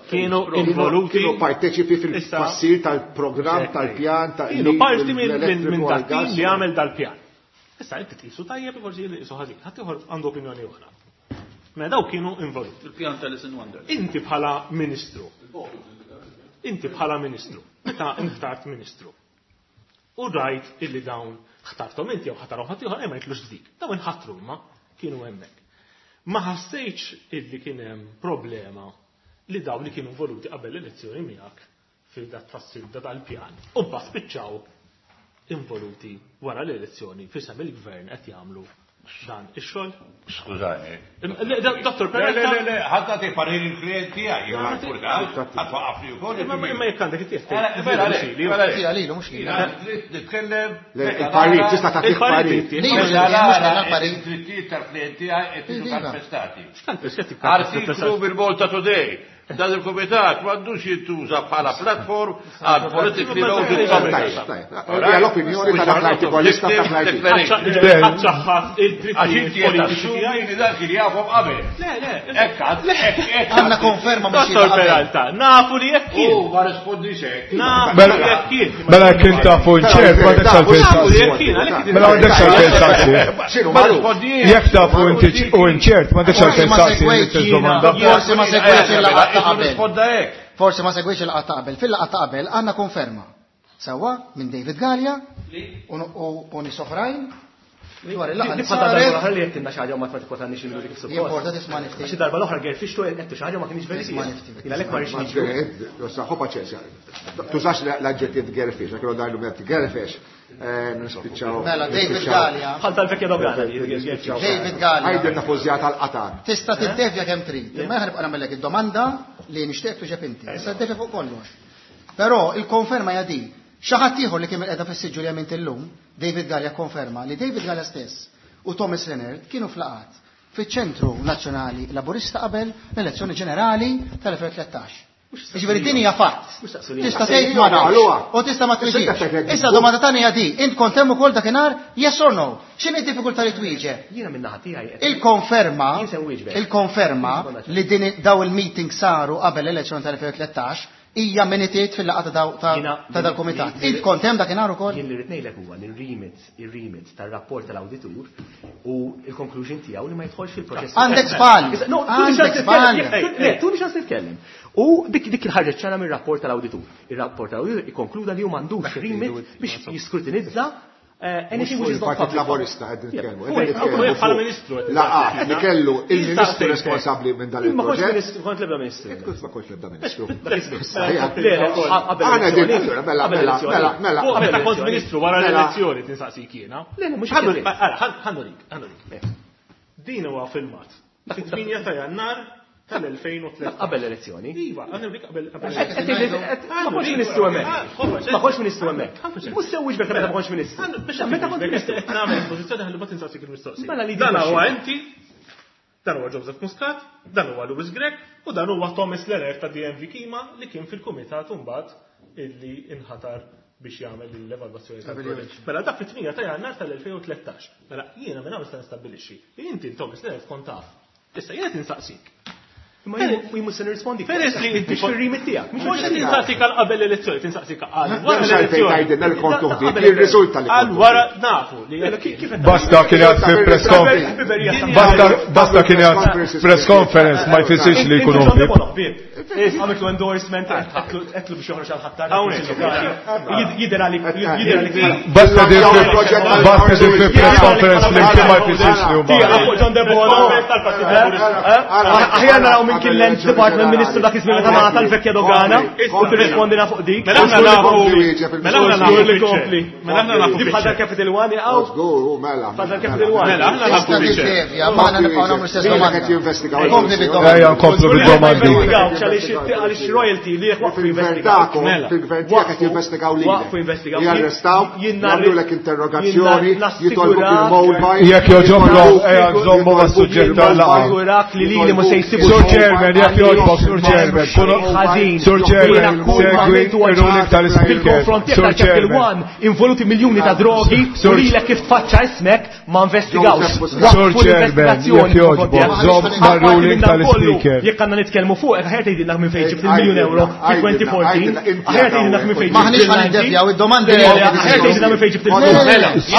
Kienu involuti. Kienu parteċipi fil-tfassir tal-programm, tal-pjan, tal Kienu parti minn dak li għamel dal-pjan. Issa inti tqisu tajjeb, forsi tqisu ħażin. Ħadd ieħor għandu opinjoni oħra. Mela daw kienu involuti. Il-pjan tal-Alice in Wonderland. Inti bħala ministru. Inti bħala ministru. Meta inħtart ministru. U rajt illi dawn ħtartom inti jew ħatarhom ħadd ieħor ma jitlux dik. Dawn inħatru imma kienu hemmhekk. Ma ħassejtx illi kien hemm problema li dawn li kienu involuti qabel l-elezzjoni miegħek fil-dat tfassil da tal-pjan. U mbagħad spiċċaw involuti wara l-elezzjoni fisem il-gvern qed jagħmlu dan ix-xogħol. Skużani. Dottor Peralta. Le, le, le, ħadd tagħti parir il-klient tiegħi, jien infurtat, ħadd waqafni wkoll. Imma jekk għandek it-tieħ. Mela, mela, lilu mhux lili. Nitkellem. Il-parir, tista' tagħtih parir. Id-drittijiet tal-klient tiegħi qed jiġu kalpestati. Artiklu bil-Malta Today. Dan il-komitat m'għandux jintuża bħala platform għal politically loaded comments. Hija l-opinjoni ta' dak l-artikolista ta' l-artikol. Ħadd id-drittijiet politiċi tiegħi. Li dak li jafhom qabel. Le, le. Hekk hekk. Għandna konferma mhux Dottor Peralta, nafu li jekk kien. U ma rispondix hekk. Nafu li jekk kien. Mela kien tafu nċert, ma għandekx għalfejn saqsi. Mela għandekx għalfejn saqsi. Ma rispondix. Jekk tafu u nċert, ma għandekx għalfejn saqsi l-istess domanda. Forsi ma segwejtx il-laqgħa ta' qabel. Risponda hekk. Forsi ma segwejtx il-laqgħa ta' qabel. Fil-laqgħa ta' qabel għandna konferma. Sewwa minn David Galea u nies oħrajn dwar il-laqgħa li Bħal darba saret. l-oħra li qed xi ħaġa u ma tkwatannix il-minuti kif suppost. Jimporta tisma' nifti. Għax darba l-oħra gerfixtu qed xi ħaġa ma kienx Tisma' veritiera. nifti. Jien għalhekk ma rridx niġu. Ħu paċenzja. Tużax l-aġġettiv gerfix, għak darlu meta gerfix. Nispiċċaw. Mela David Galea. Bħal tal-vekja dogana. David Galea. Għajdilna fużja tal-qatar. Tista' tiddevja kemm trid. Imma aħna nibqa' nagħmellek id-domanda li nixtieq tuġeb inti. Tista' tiddevja fuq kollox. Però il-konferma hija di. Xi ħadd ieħor li kien qiegħda fis-siġġu li għamilt illum, David Galea konferma li David Galea stess u Thomas Leonard kienu flaqat fiċ-Ċentru Nazzjonali Laburista qabel l-elezzjoni ġenerali tal-elfejn tlettax. Jiġifieri din hija fatt. Tista' tgħid ma nafx u tista' ma twieġibx. Issa domanda tagħna hija di, int kont hemm ukoll dakinhar yes or no? X'inhi d-diffikultà li twieġeb? Jiena minn naħa tiegħi. Il-konferma Jien se nwieġbek. il-konferma li din daw il-meeting saru qabel l-elezzjoni tal-elfejn tlettax hija minitiet fil-laqgħa ta' ta' ta' dal-kumitat. Int kont hemm dakinhar ukoll? Jien li rrid ngħidlek huwa li r-remit, ir-remit tar-rapport tal-awditur u l-conclusion tiegħu li ma jidħolx fil-proċess. Għandek żball. Issa, no, tuni ċans Għandek titkellem. żball. Le, tuni ċans titkellem. U dik dik il-ħarġet ċara mir-rapport tal-awditur. Ir-rapport tal-awditur ikkonkluda li hu m'għandux remit biex jiskrutinizza eh, anything which is not Il-Partit public. Laburista qed nitkellmu. Fuq, fuq, bħala ministru qed Laqat li kellu il-ministru Jistaqsejtek. responsabbli minn dan Ma kontx il-proġett. ministru, kont l-ebda ministru. Kont ma kontx l-ebda ministru. Le, le, qabel Aħna din, l-elezzjoni. allura, mela, Qabel mela, l-elezzjoni. mela, mela. Fuq meta kont Qabel ministru wara Mela. l-elezzjoni tinsaqsik jiena. Le, le, mhux Ħannu- hekk. Ara, ħannu dik, ħannu dik. Din huwa filmat. Fit-tmienja ta' Jannar tal-elfejn u tlettax. Qabel l-elezzjoni. Iva, għannu dik qabel qabel. Ma kontx ministru hemmhekk. Ma kontx ministru hemmhekk. Mhux se wieġbek meta ma kontx ministru. Meta kont ministru. Qed nagħmel pożizzjoni ħalli ma tinsaqsik il-mistoqsija. Mela li Dan di huwa inti, dan huwa Joseph Muscat, dan huwa Louis Grech u dan huwa Thomas Leonard ta' D M V Kima li kien fil-kumitat mbagħad illi inħatar biex jagħmel l-evalwazzjoni tal-proġett. Mela dak fit-tmienja ta' Jannar tal-elfejn u tlettax. Mela jiena minn hawn nista' nistabbilixxi li inti Thomas Leonard kont taf. Issa jiena tinsaqsik. Imma jien mhux se nirrispondi. Peress li inti mhux fir-remit tiegħek. Mhux qed tinsaqsik għal qabel l-elezzjoni, tinsaqsik għal wara M'hemmx għalfejn l-elezzjoni. tgħidilna li kont uħdiet, Qabel jirriżulta li Għal kont wara nafu li jekk Kif qed Basta kien għad fi press conference. Basta basta kien għad press conference ma jfissirx li jkunu ħbieb. Għamiltu endorsement, għetlu biex joħroġ għal ħattar. Hawnhekk. Jidher għalik, jidher għalik. Basta din fi basta din fi press conference flimkien ma jfissirx li huma. Tiegħek John Debono. Aħjar naraw minn kien l-Land Department Ministru dak iż-żmien meta ngħata l-vekja dogana u tirrispondina fuq dik. Mela aħna nafu. Mela aħna nafu Żgur li kompli. Mela aħna nafu. Di bħal dal-Capital One jaqgħu. Żgur, u mela. Bħal dal-Capital One. Mela aħna nafu Tista' biċċer. tiddevja, ma aħna nibqgħu nagħmlu l-istess Lilek domanda. qed jinvestigaw Kompli il-Kummissjoni. bid-domanda. Ejja nkomplu bid-domandi. Għaliex għaliex royalty li jekk waqfu Fil-gvern investigaw. tagħkom, Mela. fil-gvern tiegħek qed jinvestigaw lilek. Waqfu investigaw. Jarrestaw, Jien jagħmlulek interrogazzjoni, jien jitolbuk nassigurak- il-mobile. Jekk joġobkom, ejja nżommu mas-suġġett tal-laqgħa. Nassigurak li lili mhux se jsibu Sur Chairman, jekk jogħġbok, Sur Chairman, kunu- ħażin. Sur Chairman, segwi ir-ruling tal-Speaker. Fil-konfront tiegħek Sur tal-Capital Chairman. One involuti miljuni ta' drogi u Sur- lilek kif tfaċċa ismek Ma investigawx. Sur Chairman, jekk jogħġbok, żomm mar-ruling tal-Speaker. Jekk għandna nitkellmu fuq, aħjar tgħidilna minn fejn ġibt il-miljun euro fi twenty fourteen, aħjar tgħidilna minn fejn ġibt. Maħniex ħa niddevjaw id-domandi. Aħjar tgħidilna minn fejn ġibt il-miljun.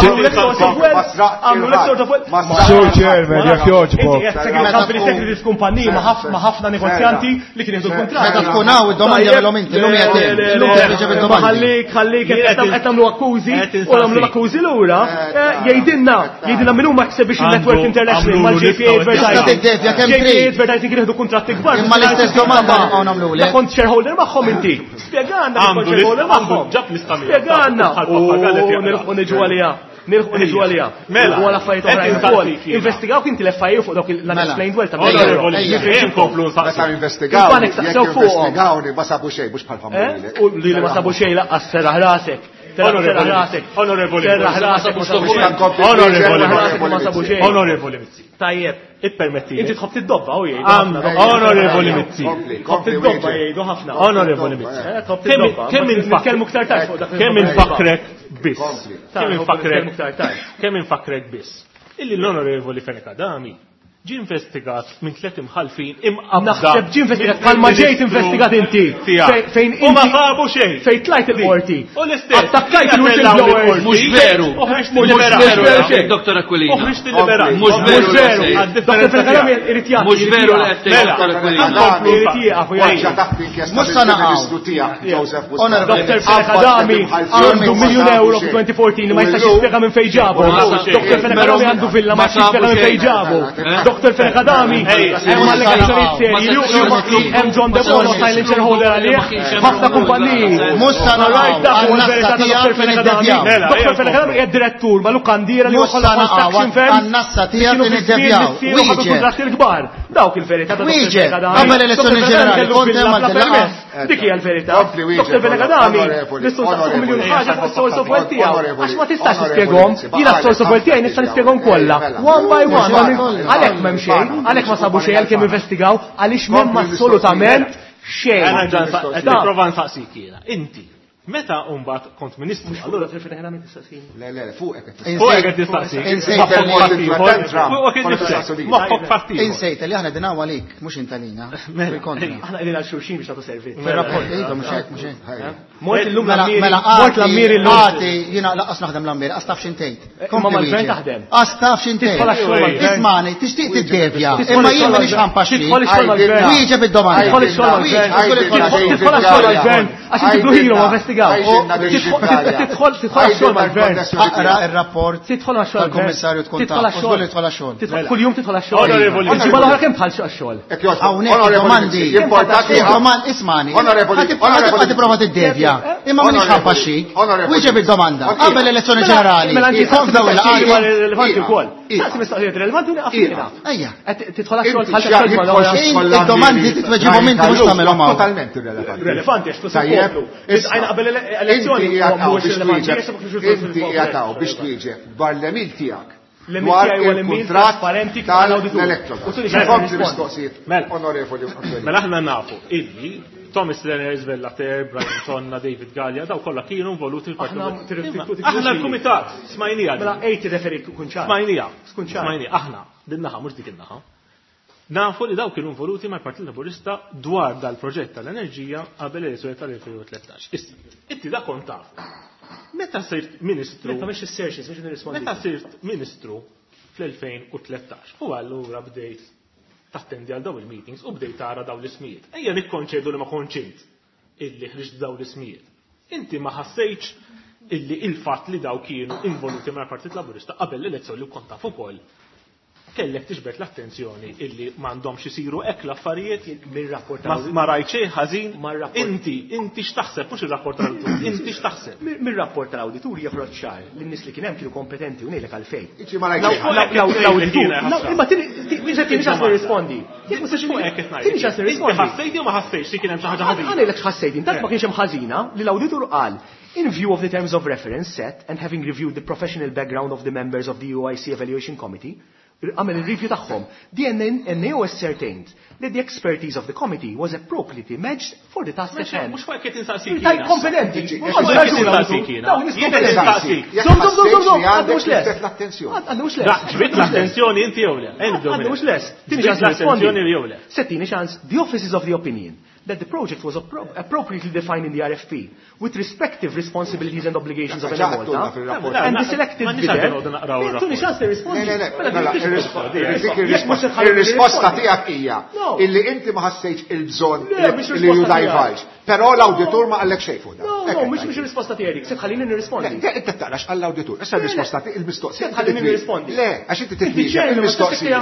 Għamlu l-sort of wealth. Sur Chairman, jekk jogħġbok. Inti qed segretarju f'kumpaniji ma' ħafna negozjanti li kienu jieħdu l-kuntratt. Meta tkun hawn id-domandi għamilhom inti, llum qiegħed illum tirriċevi d-domandi. Ħallik, ħallik qed tagħmlu akkużi u nagħmlu l-akkużi lura, jgħidilna, jgħidilna min huma Exhibition Network International mal-J P A Advertising. Tista' tiddevja kemm J P A trid. Advertising jieħdu kuntratti kbar. Imma l-istess domanda nibqgħu nagħmlu La kont shareholder magħhom inti. Spjegana li kont shareholder magħhom. Spjegana. U nilħu niġu għaliha. Nilħu niġu għaliha. Mela, U għal affarijiet oħrajn qed ukoll. insaqsik jiena. Investigawk inti l-F I A fuq dawk l-unexplained wealth ta' Onorevoli, Ejja. ejja, nkomplu nsaqsu. Meta investigaw, Il-banek jekk saqsew fuqhom. investigawni ma sabu xejn, mhux bħal familji. Eh? U li ma sabu xejn laqqas serraħ rasek. Onorevoli, onorevoli, Serraħ rasek, ma sabu xejn. Onorevoli, ma sabu xejn. Onorevoli Mizzi. Tajjeb. Ippermetti. Inti tħobb tiddobba u jgħidu. Onorevoli Mizzi. Tħobb tiddobba jgħidu ħafna. Onorevoli Mizzi. Eh, tħobb tiddobba. Kemm Nitkellmu iktar tard fuq dak li Kemm tħobb infakrek biss. Kompli. Kemm infakrek Nitkellmu iktar tard. Kemm infakrek biss. Illi l-Onorevoli Fenech Adami ġie investigat minn tliet imħalfin imqabda. Naħseb ġie investigat bħalma ġejt investigat inti. Tiegħek. Fejn U ma inti sabu xejn. Fejn tlajt il-qorti. U l-istess. Attakkajt il-whistleblowers. Mhux veru. U ħriġt Mhux il-liberat. veru, xejn. Doktor Aquilina. U ħriġt il-liberat. Mhux veru. Mhux veru. li Doktor Fenech Adami irid jagħti. Mhux veru li qed tgħid, Mela. Doktor Aquilina. Irid jieqaf u jgħid. Waġġa taħt inkjesta Mhux sa naqgħu. mill-Ministru tiegħek, Joseph Muscat. Onorevoli. Doktor Fenech Adami għandu miljun euro fi twenty fourteen li ma jistax jispjega minn fejn ġabu. Doktor Fenech Adami għandu villa ma jistax jispjega minn fejn ġabu. Doktor Fenech Adami hemm allegazzjonijiet serji li hemm John Debono silent shareholder għalih, ħafna kumpaniji. Mhux sa naqgħu. Right, dak huwa l-verità ta' Doktor Fenech Adami. Mela, Doktor Fenech Adami hija direttur ma' lukandiera li Mhux waħħal sa naqgħu construction firm. għan-nassa tiegħek Kienu li fi żmien niddevjaw. missier u ħadu Wieġeb. kuntratti l-kbar. Dawk il-verità ta' Doktor Wieġeb. Fenech Adami. Qabel elezzjoni Doktor Fenech Adami ġenerali, kellu kont villa hemm bla għal dil-laqgħa. permess. Dik hija l-verità. Kompli wieġeb, Doktor Fenech Adami onorevoli, nistgħu nsaqsu onorevoli. miljun ħaġa fuq is-source of wealth tiegħu. Onorevoli, Għax ma tistax onorevoli, tispjegahom. Jiena s-source of wealth tiegħi nista' nispjegahom kollha. One by one. Għalhekk m'hemm xejn, għalhekk ma sabu xejn għalkemm investigaw, għaliex m'hemm assolutament xejn. Għana ġan sa- qed Da. nipprova nsaqsik jiena. Inti, meta mbagħad kont ministru, Allura Fenech Adami tistaqsini. Le, le, fuqek qed tistaqsi. Fuqek qed tistaqsi. Insejt Moħħok li- fattiħor. Fuqek qed Kont tistaqsi. tistaqsi. Moħħok fattiħor. Insejt li aħna dinaw għalik, mhux inta lina. Fil-kontra. Aħna qegħdin għal xulxin biex nagħtu servizz. Fil-rapport, iva, mhux hekk, mhux hekk. Mort illum Mela, l-ammiri, mela, mort l-ammiri għati, llum. għati, jiena laqqas naħdem l-ammiri, għas taf x'intejt. Imma mal-gvern taħdem. Għas taf x'intejt. Tidħol għax-xogħol mal-gvern. Ismani, tixtieq tiddevja, Tidħol imma jien ix-xogħol m'iniex ħampaxxi. Tidħol ix-xogħol mal-gvern. Wieġeb id-domanda. Tidħol ix-xogħol mal-gvern. Wieġeb, Tidħol għax-xogħol mal-gvern. Għax inti blue hero ma investigaw. Tidħol tidħol għax-xogħol mal-gvern. Aqra ir-rapport Tidħol għax-xogħol. tal-kummissarju tkun Tidħol taf. għax-xogħol. U żgur li tidħol għax-xogħol. Tidħol- Kuljum tidħol għax-xogħol. Onorevoli. Il-ġimgħa l-oħra kemm tħall għax-xogħol? Hawnhekk id-domandi. Id-domandi, ismani. Onorevoli, Ħa tipprova tiddevja. Imma m'iniex ħampaxxik. Wieġeb id-domanda. Qabel l-elezzjoni ġenerali. Mela inti Kont dawn mistoqsijiet il-laqgħat. rilevanti wkoll. Saqsi mistoqsijiet rilevanti u nieqaf jiena. Ejja. Qed tidħol għax-xogħol Inti tħall għax-xogħol x'jaqbel mal-oħra. Id-domandi titweġibhom inti mhux tagħmilhom hawn. Totalment irrelevanti. Relevanti għax flus Tajjeb, il-poplu. issa, Għajna qabel elezzjoni inti qiegħed hawn mhuwiex biex rilevanti. twieġeb- Inti qiegħed hawn biex twieġeb dwar l-emil tiegħek. L-emil Dwar tiegħi huwa l-emil il-kuntratt trasparenti tal-awditur. tal-Electrogas. U tuni xi Kompli rispond. mistoqsijiet. Mela. Onorevoli. Aquilina. Mela aħna nafu illi Thomas Lenner, Vellater, Brian Tonna, David Gallia, daw kollha kienu involuti fil-Partit. Aħna tir- Imma tir- tir- Aħna l-kumitat smajnija. Mela ejti referi kun ċar. Smajnija. Skun ċar. Smajnija. Aħna, din naħa mhux dik in-naħa. Nafu li daw kienu involuti mal-Partit Laburista dwar dal-proġett tal-enerġija qabel l-elezzjoni tal-elfejn u tlettax. Issa, inti da kont taf. Meta sirt ministru? Meta mhix is-searches biex nirrispondi. Meta sirt ministru fl-elfejn u tlettax u allura bdejt tattendi għal daw il-meetings u bdejt tara daw l-ismijiet. Ejja nikkonċedu li ma konċint illi ħriġt daw l-ismijiet. Inti ma ħassejtx illi il-fatt li daw kienu involuti mal-Partit Laburista qabel l-elezzjoni u kont taf ukoll kellek tiġbed l-attenzjoni illi m'għandhomx isiru hekk l-affarijiet Mir-rapport ma ma rajt xejn ħażin. Mar-rapport. Inti, inti x'taħseb mhux ir-rapport tal-awditur, inti x'taħseb. Mir-rapport tal-awditur joħroġ ċar li n-nies li kien hemm kienu kompetenti u ngħidlek għalfejn. Iċi ma rajt xejn. Law- law- L-awditur. Jiena ħasra. Imma tini tini ċans nirrispondi. Jekk ma Fuq hekk qed ngħid. tini ċans Inti nirrispondi. ħassejt jew ma ħassejtx li kien hemm xi ħaġa ħażina? Għana ngħidlek x'ħassejt, intant ma kienx hemm ħażina li l-awditur qal in view of the terms of reference set and having reviewed the professional background of the members of the U I C Evaluation Committee, Għamel il-review tagħhom. The N A O ascertained that the expertise of the committee was appropriately matched for the task at hand. Mhux fuq qed insaqsik. Taj kompetenti. Mhux fuq qed insaqsik jiena. Jien qed insaqsik. Żomm, żomm, żomm, żomm, għandu mhux lest. Għandu mhux lest. Ġbit l-attenzjoni inti jew le. Għandu mhux lest. Tini ċans l-attenzjoni jew le. Settini ċans, the office is of the opinion that the project was appropriately defined in the R F P with respective responsibilities and obligations of Enemalta and the selected bidder. Tuni ċans nirrispondi. Il-risposta tiegħek hija illi inti ma ħassejtx il-bżonn li ju divulge. Però l-awditur ma qallek xejn fuq dan. No, no, mhux mhux ir-risposta tiegħek, se tħallini nirrispondi. Inti taqrax għall-awditur. Issa r-risposta tiegħek il-mistoqsija. Tħallini nirrispondi. Le, għax inti titwieġeb il-mistoqsija.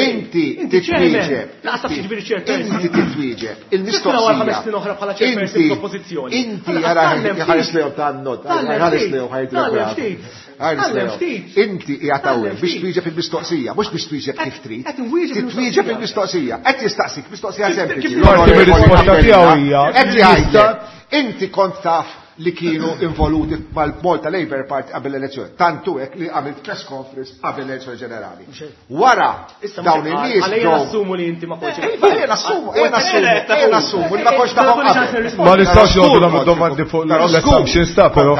Inti titwieġeb. Laqas taf x'jiġifieri chairperson. Inti titwieġeb il-mistoqsija. Inti inti ħares lejhom tan-not, ħares lejhom ħajdrek. Inti qiegħed hawnhekk biex twieġeb il-mistoqsija, mhux biex twieġeb kif trid. Titwieġeb il-mistoqsija. Qed jistaqsik mistoqsija sempliċi. Qed jgħidlek, inti kont taf li kienu involuti mal-Malta Labour Party qabel l-elezzjoni. Tantu hekk li għamilt press conference qabel l-elezzjoni ġenerali. Wara dawn in-nies ġew assumu li inti ma kontx. Iva, jien assumu, jien assumu, jien assumu li ma kontx tafhom qabel. Ma nistax noqogħdu nagħmlu domandi fuq l-assumptions ta' però.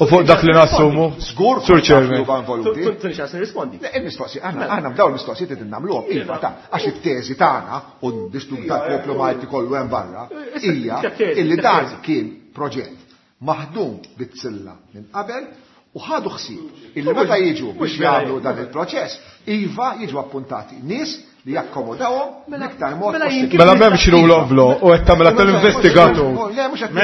U fuq dak li nassumu. Żgur Sur Chairman. Tuni ċans nirrispondi. Le, il-mistoqsija, aħna aħna f'dawn il-mistoqsijiet qed nagħmluhom iva ta' għax it-teżi tagħna u d-distub tal-poplu Malti kollu hemm barra hija illi dan kien proġett maħdum bit-tsilla minn qabel u ħadu ħsieb illi meta jiġu biex jagħmlu dan il-proċess, iva jiġu appuntati nies li jakkomodawhom l-iktar mod possibbli. Mela m'hemmx rule of law u qed tagħmilha tal-investigatur. Le, mhux qed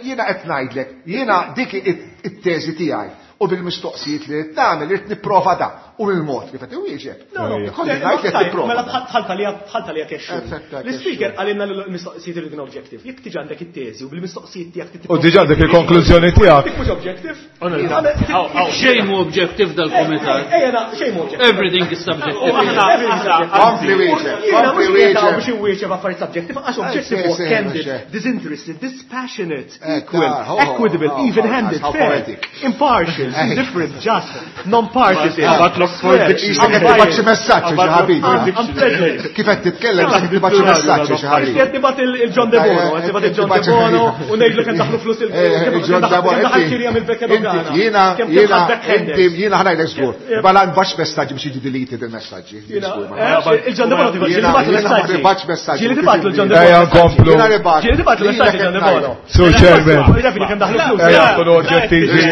jiena qed ngħidlek, jiena dik it-teżi tiegħi u bil-mistoqsijiet li qed tagħmel irid nipprova da u bil-mod kif qed iwieġeb. Kolli ngħid li qed nipprova. Mela bħalta li bħalta li kexxu. L-ispeaker qalilna l-mistoqsijiet irid objective. Jekk tiġi għandek it-teżi u bil-mistoqsijiet tiegħek U diġà għandek il-konklużjoni tiegħek. Mhux objective. Xejn mhu objective dal-kumitat. Ejja, xejn mhu objective. Everything is subjective. Kompli wieġeb. Jiena mhux qiegħed biex inwieġeb affarijiet subjective għax objective huwa candid, disinterested, dispassionate, equal, equitable, even-handed, fair, impartial, indifferent, just, non-partisan. Qed tibgħat xi messaġġ xi ħabib. Kif qed titkellem qed tibgħat xi messaġġ xi ħabib. Qed tibgħat il-John De Bono, qed tibgħat il-John De Bono u ngħidlu kemm daħlu flus il-John De Bono. Jiena jiena inti jiena ħa ngħidlek żgur. Bala nbax messaġġi biex jiġu deleted il-messaġġi. Il-John De Bono tibgħat messaġġi. Nibgħatx messaġġi. Ġieli tibgħatlu l-John De Bono. Ejja nkomplu. Ġieli tibgħatlu messaġġi John De Bono. Sur Chairman. Ejja nkunu oġġettivi u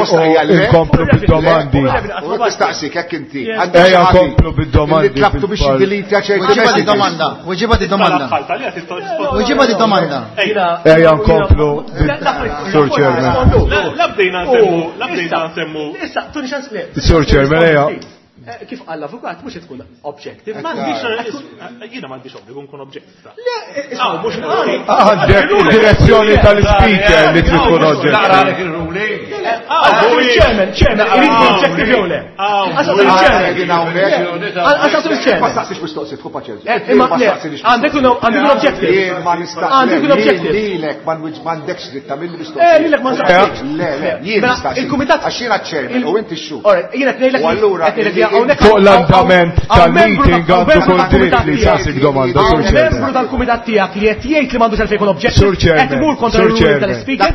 nkomplu bid-domandi. U tistaqsik hekk inti. Ejja nkomplu bid-domandi. Tlabtu biex jiddelitja ċerti Weġiba di domanda, weġiba di domanda. Weġiba di domanda. Ejja nkomplu Sur Chairman. La bdejna nsemmu, la bdejna nsemmu. Issa, tuni ċans le. Sur Chairman, ejja. Kif qal l-avukat mhux tkun objective. M'għandix jiena m'għandix obbligu nkun objective. Le, mhux għandek id-direzzjoni tal-speaker li trid tkun objective. Chairman, chairman, irid ikun objective jew le. Għasas il-chairman. Ma staqsix mistoqsijiet, tkun paċenzja. Imma le, għandek un objective. Għandek un objective. Lilek m'għandekx dritt tagħmel mistoqsijiet. Eh, lilek ma nistaqsix. Le, le, jien nistaqsi. Il-kumitat għax jiena chairman u inti x-xhur. Jiena tnejlek. U allura fuq l-andament tal-meeting għandu kull dritt li jsaqsik domanda, Sur Chairman. Membru tal-kumitat tiegħek li qed jgħid li m'għandux għalfejn jkun objective. Sur Chairman. Qed imur kontra r-ruling tal-speaker.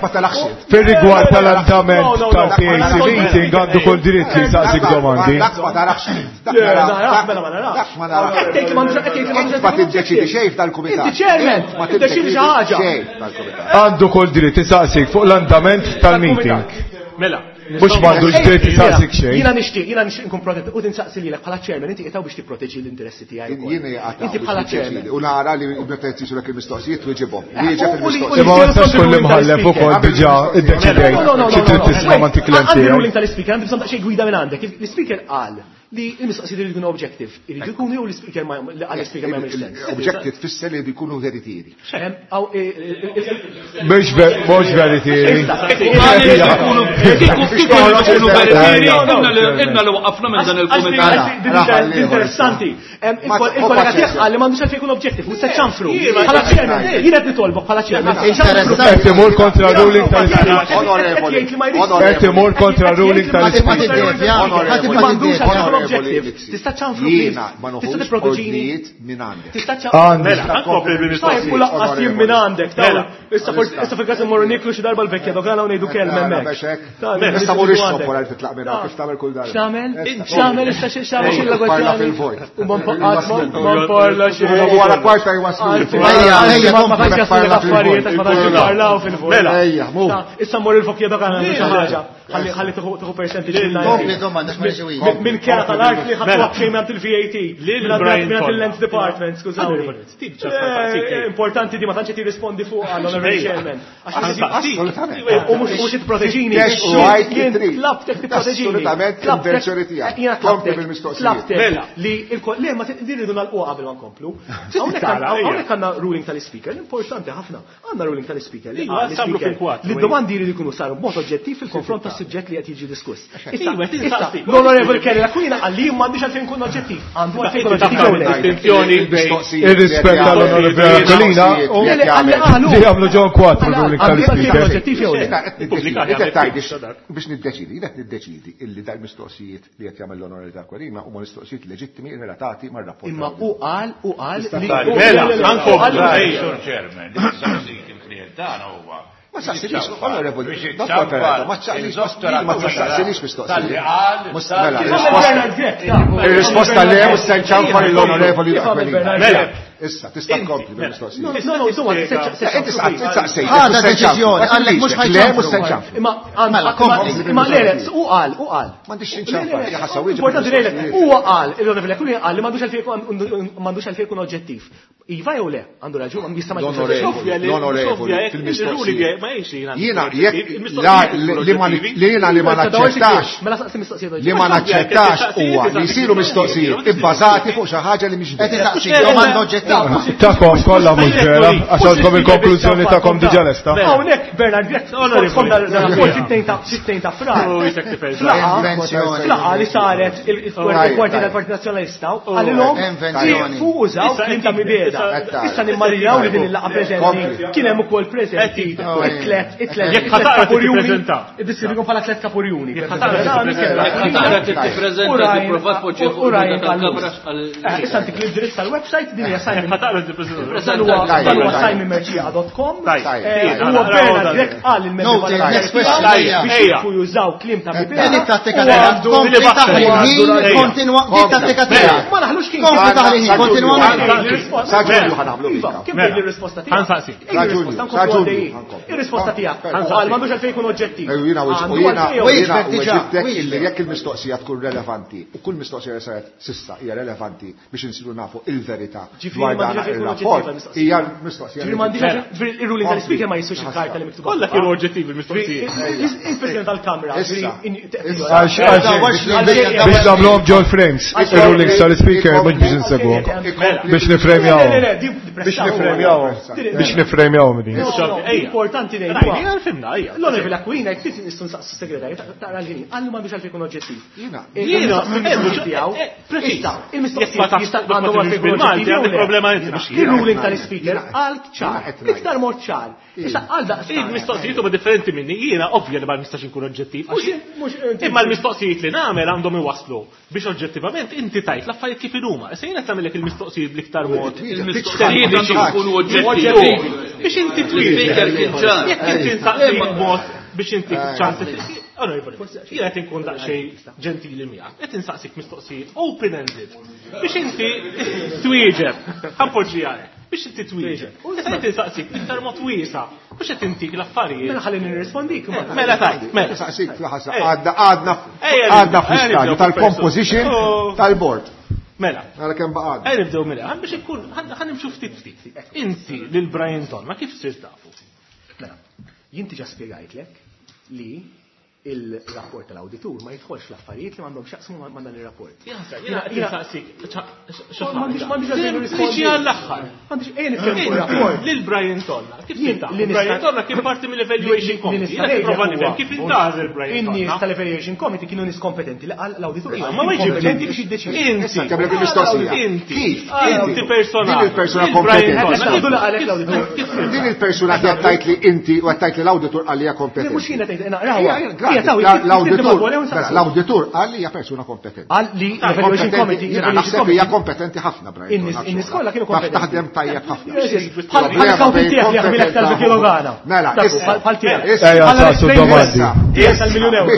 Fir-rigward tal-andament tal-P A C meeting għandu kull dritt li jsaqsik domandi. Dak ma tarax. Dak ma narax. Dak ma narax. Qed tgħid li m'għandux qed tgħid li m'għandux Ma tiddeċidi xejn tal-kumitat. Inti chairman, Ma tiddeċidi xi ħaġa. Xejn tal-kumitat. Għandu kull dritt isaqsik fuq l-andament tal-meeting. Mela. Mhux m'għandux dritt isaqsik xejn. Jiena nixtieq, jiena nixtieq nkun protett u tinsaqsi lilek bħala chairman, inti qiegħed biex tipproteġi l-interessi tiegħi. Jien qiegħed Inti bħala chairman. U nara li meta jsiru il-mistoqsijiet twieġibhom. Wieġeb il-mistoqsijiet. Imma ma tistax tkun l-imħallef ukoll diġà iddeċidejt xi trid tisma' ma tiklem Għandi tiegħek. ruling tal-speaker, għandi bżonn daqsxejn gwida minn għandek. L-speaker qal li l-mistoqsijiet iridu jkunu objective, iridu jkunu jew l-speaker ma għal-speaker ma jagħmilx sens. Objective tfisser li jkunu veritieri. Mhux mhux veritieri. Inna li waqafna minn dan il-kumitat. Interessanti. Il-kollega tiegħek qal li m'għandux għalfejn jkun objective, mhux se ċanfru. Bħala chairman, jien qed nitolbok bħala chairman. Qed imur kontra ruling tal-speaker. Onorevoli. Qed imur kontra ruling tal-speaker. objective. Tista' ċanfru. Jiena ma noħux ordnijiet minn għandek. Tista' ċanfru. Mela, nkompli bil-mistoqsijiet. U laqqas jien minn għandek. Issa issa fil-każ immorru niklu xi darba l-vekja dogana u ngħidu kelma hemmhekk. Tista' mur ixrob wara li titlaq minn hawn kif tagħmel kull darba. X'tagħmel? X'tagħmel issa x'tagħmel xi Parla fil-vojt. U ma ma nparla xejn. Wara kwarta jwaslu. Ejja, ejja, ma tantx jaslu l-affarijiet għax ma tantx jipparlaw fil-vojt. Mela. Ejja, mur. Issa mmur il-vokja dogana xi ħaġa. Ħalli ħalli tieħu percentage minn Kompli domanda x'ma niġi Minn kera tal-art li ħadtu xejn minn il-V A T. Minn il-Lands Department, skużawni. Importanti di ma tantx qed jirrispondi fuq għall-Honorable Chairman. U mhux tipproteġini. Jien tlabtek tipproteġini. Assolutament l-intenzjoni tiegħek. Kompli bil-mistoqsijiet. Li le ma rridu nagħlquha qabel ma nkomplu. Hawnhekk għandna ruling tal-Speaker, importanti ħafna. Għandna ruling tal-Speaker li li d-domandi jridu jkunu saru b'mod oġġettiv fil-konfront tas-suġġett li qed jiġi diskuss. Issa, l-Honorable Kelly Aquilina qal li m'għandix għalfejn nkun oġġettiv. Għandu għalfejn nkun oġġettiv jew le. Ir-rispett tal-Honorable Aquilina u li jagħmlu ġon kwatru ruling tal-Speaker. Biex niddeċidi, qed niddeċidi illi dal-mistoqsijiet li qed jagħmel l-Onorevoli Aquilina huma mistoqsijiet leġittimi relatati mar-rapport. Imma u qal u qal li Mela, ankomplu. Sur Chairman, li saqsik il-klient tagħna huwa. Ma saqsinix, Onorevoli, Dottor Peralta, ma saqsinix mistoqsijiet. Il-risposta le u s-senċanfar l-Onorevoli Aquilina. Mela. Issa, tista' tkompli bil-mistoqsijiet. No, no, insomma, Inti saqsejt. Ħada deċiżjoni, għallek mhux Le, mhux senċanfar. Imma imma le, le, u qal, u qal. M'għandix xinċanfar, jaħasha wieġeb. Importanti le, huwa qal, il-Onorevoli Aquilina qal li m'għandux għalfejn m'għandux għalfejn ikun oġġettiv. Iva jew le, għandu raġun, jista' ma L-Onorevoli, l-Onorevoli, fil-mistoqsijiet. Jiena jekk li jiena li ma naċċettax. Mela saqsi mistoqsijiet. Li ma naċċettax huwa li jsiru mistoqsijiet ibbażati fuq xi ħaġa li mhix Qed isaqsik domanda oġġettiva. Takom kollha mhux vera, għax għandkom il-konklużjoni takom diġà lesta. Hawnhekk Bernard Grech skont rapport sittejn ta' frar. Flaqa li saret il-kwarti tal-Partit Nazzjonalista qalilhom fuq użaw kliem ta' mibeda. Issa nimmarjaw li din il-laqgħa preżenti kien hemm ukoll preżenti it-tlet it-tlet Jekk ħataqra tippreżenta. Iddeskrivikom bħala tlet kapurjuni. Jekk ħataqra tippreżenta tipprova tpoġġi fuq tal-kamra. Issa ntik l-indirizz tal-website din hija Simon. Ħataqra tippreżenta. Dan huwa simon mercieca dot com. Huwa Bernard Grech qal il-membri biex jieqfu jużaw kliem ta' mibeda. Din it-tattika tiegħek. Kompli taħli ħin, kontinwa din tattika tiegħek. Ma naħlux kien. Kompli taħli ħin, kontinwa. Sa Ġunju ħanagħmlu. Kif tgħid ir-risposta tiegħek? Ħansaqsi. Ir-risposta tiegħek. Qal m'għandux għalfejn jkun oġġettiv. Jiena jiena weġibtek illi jekk il-mistoqsija tkun relevanti u kull mistoqsija li saret sissa hija relevanti biex insiru nafu il-verità dwar dan ir-rapport hija mistoqsija. Ġifieri m'għandix ir-ruling tal-Speaker ma jiswix il-karta li miktuba. Kollha kienu oġġettivi l-mistoqsijiet. Il-President tal-Kamra. Biex nagħmluhom ġol frames, ir-ruling tal-Speaker mhux biex insegwhom. Biex nifremjawhom. Biex nifremjawhom. Biex nifremjawhom din. Importanti ngħidu. Rajna fimna hija. L-Onorevoli Aquilina jekk trid nistgħu nsaqsu segretarju taqra l-ħin. Għallu m'għandux għalfejn ikun oġġettiv. Jiena. Jiena, tiegħu. Issa, il-mistoqsijiet jista' għandhom għalfejn ikun oġġettiv. Għandek problema inti. Il-ruling tal-Speaker għal ċar, iktar mod ċar. Issa għal daqs. Il-mistoqsijiet huma differenti minni, jiena ovvja li ma nistax inkun oġġettiv. Imma l-mistoqsijiet li nagħmel għandhom iwasslu biex oġġettivament inti tajt l-affarijiet kif inhuma. Issa jiena qed nagħmellek il-mistoqsijiet bl-iktar mod. Il-mistoqsijiet għandhom ikunu oġġettivi. Biex inti L-Speaker kien ċar. Jekk inti nsaqsi mod biex inti ċans. Onorevoli, jiena qed inkun daqsxejn ġentili miegħek, qed insaqsik mistoqsijiet open-ended biex inti twieġeb. Ħanpoġġiha hekk. Biex inti twieġeb. Issa qed insaqsik iktar mod wiesa' biex qed intik l-affarijiet. Mela ħalli nirrispondik. Mela tajt, mela. Saqsik fl-ħasa għadna għadna għadna fl-istadju tal-composition tal-board. Mela. Mela kemm baqa' Ejja nibdew mela, ħan biex ikun ħan nimxu ftit ftit. Inti lil Brian Tonna kif sirt tafu? Mela, jien diġà spjegajtlek li il-rapport tal-awditur ma jidħolx l-affarijiet li m'għandhom x'jaqsmu ma' dan ir-rapport. Jiena saqsik M'għandix m'għandix għalfejn nirrispondi għall-aħħar. M'għandix ejja nitkellmu fuq ir-rapport. Lil Brian Tonna, kif tintaq? Brian Tonna kien parti mill-Evaluation Committee. Jiena nipprova nifhem kif intgħażel Brian Tonna. In-nies tal-Evaluation Committee kienu nies kompetenti li qal l-awditur. Ma kompetenti biex jiddeċiedi. Inti. Inti. Kif? Inti persona. Din il-persuna kompetenti. Din il-persuna qed tgħid li inti u qed tgħid li l-awditur għalija kompetenti. Mhux jiena tgħid naqrawha. L-awditur qal li hija persuna kompetenti. Qal li l-Evaluation Committee naħseb hija kompetenti ħafna, Brian. In-nies kollha kienu kompetenti. Taħdem tajjeb ħafna. Bħal accountant tiegħek li jaħmilek tal-kilogana. Mela, bħal tiegħek. Ejja saqsu domandi. Tal-miljun euro.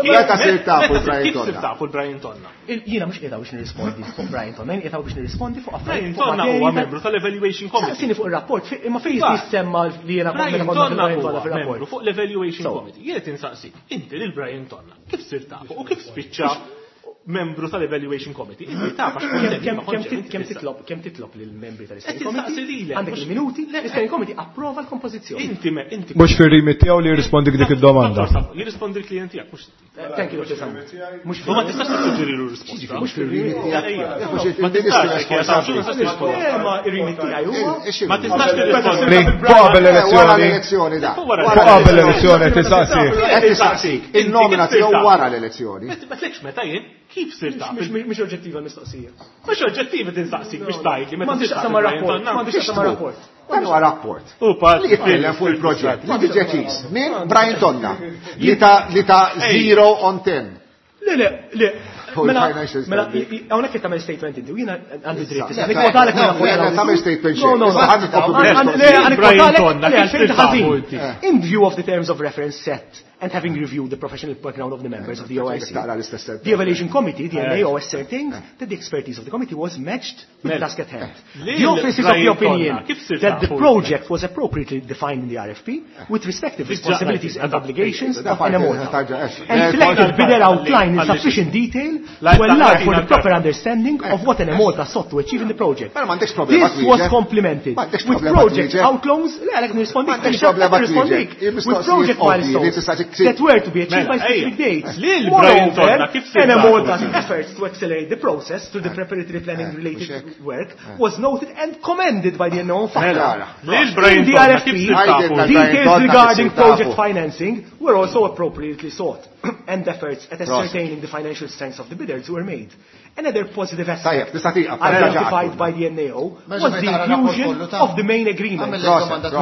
Meta sir tafu Brian Kif Tonna? sir tafu l-Brian Tonna? Jiena mhux qiegħda biex nirrispondi fuq Brian Tonna, jien qiegħda biex nirrispondi fuq Brian Tonna huwa membru tal-Evaluation Committee. Saqsini fuq ir-rapport, imma fejn jissemma li jiena Brian kont Tonna Brian Tonna huwa fir-rapport. membru fuq l-Evaluation Committee. Jien qed insaqsik, inti lil Brian Tonna, kif sir tafu u kif spiċċa membru tal-Evaluation Committee? Inti taf għax kont hemm, Kemm ma kontx hemm, kemm inti titlob kemm titlob lill-membri tal-Steering Qed insaqsi Committee? lilek, Għandek mhux- il-minuti, l-Steering Committee approva l-kompożizzjoni. Inti me, inti Mhux fir-rimit tiegħu li jirrispondik dik id-domanda. Dottor Samu, jirrispondi l-klient tiegħek mhux inti. Thank you, Dottor Samu. Mhux U ma tistax tissuġġerilu risposta. Mhux fir-rimit Ma tistax, jekk hija taf, x'nu tistax tirrispondi. Ma ir-rimit tiegħi huwa Ma tistax tirrispondi. Li fuq qabel Wara elezzjoni, l-elezzjoni da. Fuq wara fuq qabel elezzjoni tisaqsi. Qed tisaqsik, il-nomina tiegħu wara l-elezzjoni. Ma tlekx meta jien, kif sir taf? Mhux oġġettiva l-mistoqsija. Mhux oġġettivi tinsaqsik biex tgħidli meta M'għandix sir taf x'taqsam ma' il-Brian rapport, Tonna. m'għandix x'taqsam ma' rapport. Dan huwa rapport. U part Li jitkellem fuq il-proġett li ġie deċiż minn Brian Tonna li ta' li ta' zero on ten. Le, le, le. Fuq Mela, il-financial mela, statement. hawnhekk qed tagħmel statement inti, u jiena għandi dritt. Issa, Nikkwotalek le, minn le, le, tagħmel statement xejn. No, no, no. Issa, ħa nkomplu Għan- bil- Le, għan Brian nikwotalek, Tonna, le, kif għalfejn sir tafu ħażin. inti? In view of the terms of reference set and having reviewed the professional background of the members of the O I C, Taqra l-istess sentence. the Evaluation Committee, the N A O, ascertained that the expertise of the committee was matched with the task at hand. Lil The office is of the Brian opinion Tonna, kif sir that the tafu? project was appropriately defined in the R F P with respective responsibilities and obligations of Enemalta and selected bidder outline in sufficient detail to allow for the proper understanding of what Enemalta sought to achieve in the project. Mela m'għandekx problema This was twieġeb. complemented M'għandekx with problema project twieġeb. outlines, le, għalek nirrispondik, M'għandekx problema nirrispondik, twieġeb. with Il-mistoqsijiet project ovvji li milestones tista' tiksib. that were to be achieved by Mela, specific ejja. dates. Lil Brian Moreover, Tonna, kif sir Enemalta's tafu? efforts to accelerate the process through the preparatory planning related mhux hekk. work was noted and commended by the N A O Mela, lil In Brian the Tonna, kif R F P, sir tafu? Brian details Tonna, kif regarding sir tafu? project financing were also appropriately sought, and efforts at ascertaining the financial strengths of the bidders were made. Another positive Tajjeb, aspect tista' tieqaf, identified by the N A O was the inclusion of the main agreement,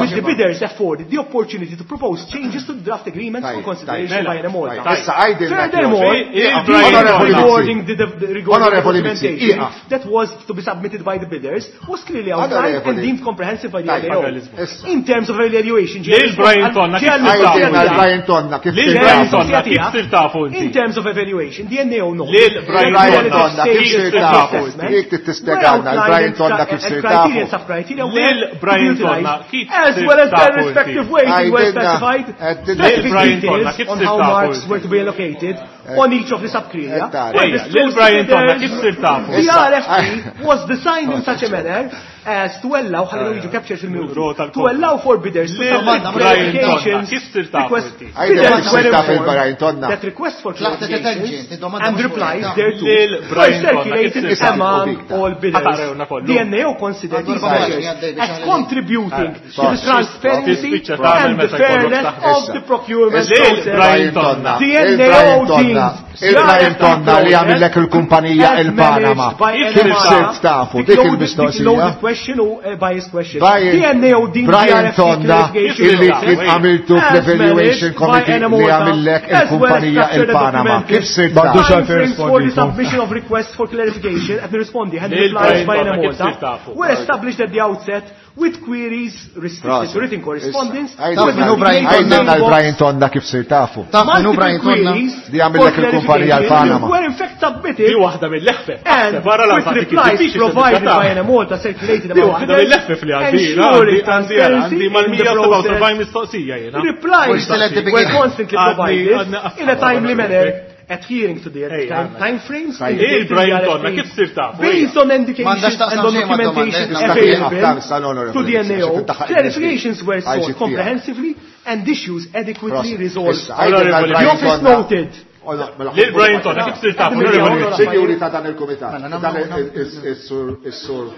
which the bidders afforded the opportunity to propose changes to the draft agreement for Tajjeb, consideration tajjeb. by Enemalta. Tajjeb. Issa għajdilna Furthermore, Il-Brian regarding the, the, the, regarding the Onorevoli Mizzi, documentation ieqaf. that was to be submitted by the bidders was clearly outlined and Onorevoli. deemed comprehensive by the Tajjeb. N A O. Issa. In terms of evaluation, Lil Brian Tonna, kif sir tafu? Għajdilna l-Brian Tonna kif Lil sir Brian tafu. Tonna, kif sir tafu In inti? terms of evaluation, the N A O noted Lil Brian Brian Tonna, Tonna, kif sir tafu? Jek tispjegana l-Brian Tonna kif sir criteria and tafu. sub-criteria were Lil to be Brian utilized, Tonna, kif as sir well as their tafu inti? respective weighting were Għajdilna, specified, għajdilna. Lil specific Brian Tonna, details kif on sir how tafu marks inti? were to be allocated on each of the sub-criteria. Ettari. Were Ejja, disclosed Lil Brian to Tonna, bidders. kif sir tafu? The R F P was designed in Oh, such a manner as to allow, ħalli jiġu captured fil-minuti, Rota to l-kontra. allow for bidders to Lil submit Brian Tonna, clarifications, kif sir tafu request, inti? Għajdilna bidders kif were sir tafu informed il-Brian Tonna. that request for Tlaqtet clarifications it-tangent, id-domanda and mhux replies fuq thereto Lil were Brian Tonna, circulated kif sir tafu? among all bidders. Ħatarewna kollu. The N A O considered these Għandu measures għaddej biex as għalli. contributing to the transparency Tispiċċa tagħmel and the meta jkollok fairness taħdem. of the procurement Lil process. Brian Tonna. The Il-Brian N A O Tonna, deems il-Brian Tonna li għamillek il-kumpanija as il-Panama. managed by Kif Enemalta, sirt tafu? the Dik loaded- the il-mistoqsija. loaded question u eh, biased question. Brian- The N A O deemed Brian the R F P Tonna clarification illi process kien għamiltu as fl-Evaluation managed by Committee li Enemalta, għamillek as well as il-kumpanija structured and il-Panama. documented Kif sirt M'għandux tafu? għalfejn timeframes for the rispondikom. submission of requests for clarification and responding and Lil replies Brian by Tonna, kif sir Enemalta tafu? were established at the outset with queries restricted to written correspondence Għajdilna Taf minnu Brian għajdilna Tonna? l-Brian Tonna kif sir tafu. Taf minnu Multiple Brian Tonna? queries Li għamillek for il-kumpanija clarification l-Panama. were in fact submitted Di waħda mill-leħfef. and Barra with l-għalfati kif replies diffiċli provided tiddikata. by Enemalta circulated Di among waħda bidders, mill-leħfef li għandi. ensuring Għandi transparency għandi in the mal-mija sebgħa u sebgħin process. mistoqsija jiena. Replies We're still at the were beginning. constantly Għadni- provided għadni- in a timely manner, adhering to the Ej, time, għandna. time frames Tajjeb. indicated in the Il-Brian Tonna, R F P. kif sir tafu? Based on indications M'għandax and taqsam on xejn mad-domanda, documentation eh, available to the N A O, clarifications were sought comprehensively and issues adequately resolved. The office noted Lil Brian Tonna, kif sir tafu? Onorevoli Mizzi. Sinjuri ta' dan il-komitat, Mela, dan nagħmlu- il- il- il-sur il-sur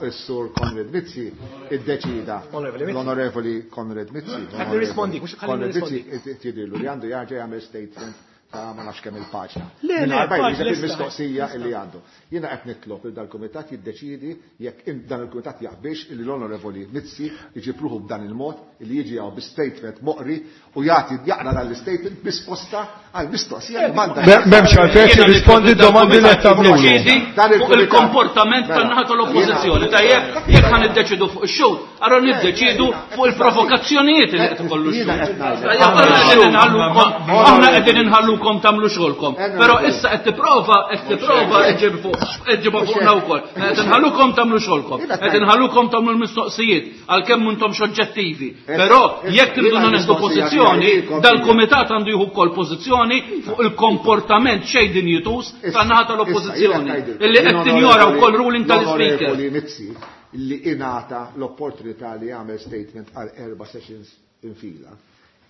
il-sur Konrad Mizzi iddeċida. Onorevoli Mizzi. L-Onorevoli Konrad Mizzi. Qed nirrispondi, mhux ħalli Konrad nirrispondi. Mizzi jidhirlu li għandu jarġa' jagħmel statement ta' ma nafx kemm il-paġna. Le, le, Mingħajr ma paġna jwieġeb lesta. il-mistoqsija li għandu. Jiena qed nitlob li dal-kumitat jiddeċiedi jekk in- dan il-kumitat jaqbilx illi l-Onorevoli Mizzi jġib ruħu b'dan il-mod illi jiġi hawn bi statement moqri u jagħti jaqra dan l-statement bi risposta għal mistoqsija li m'għandha. M'hemmx għalfejn tirrispondi d-domandi li qed tagħmlulu. Deċidi Dan fuq il-kumitat- il-komportament Mela, tan-naħa tal-oppożizzjoni. Tajjeb, jekk ħa niddeċidu fuq ix-xhud, allora niddeċidu fuq il-provokazzjonijiet li qed ikollu Jiena x-xhud. qed ngħidlek. Tajjeb, aħna qegħdin inħallukom, aħna qegħdin inħallukom tagħmlu xogħolkom. Però issa qed tipprova, qed tipprova ġġib fuq ġġibha fuqna wkoll. Qed inħallukom tagħmlu xogħolkom. Qed inħallukom tagħmlu l-mistoqsijiet għalkemm m'intomx oġġettivi. Però jekk tridu nieħdu pożizzjoni, dal-kumitat għandu jieħu wkoll pożizzjoni fuq il-komportament xejn dinjitus tan-naħa tal-oppożizzjoni. Illi qed tinjora wkoll ruling tal-Speaker. L-Onorevoli Mizzi li ingħata l-opportunità li jagħmel statement għal erba' sessions infila.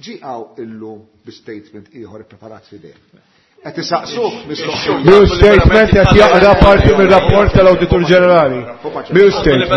Ġie hawn illum bi statement ieħor ippreparat f'idejh. Qed isaqsuh mistoqsija. Mhu statement qed jaqra parti mir-rapport tal-Awditur Ġenerali. Mhu statement.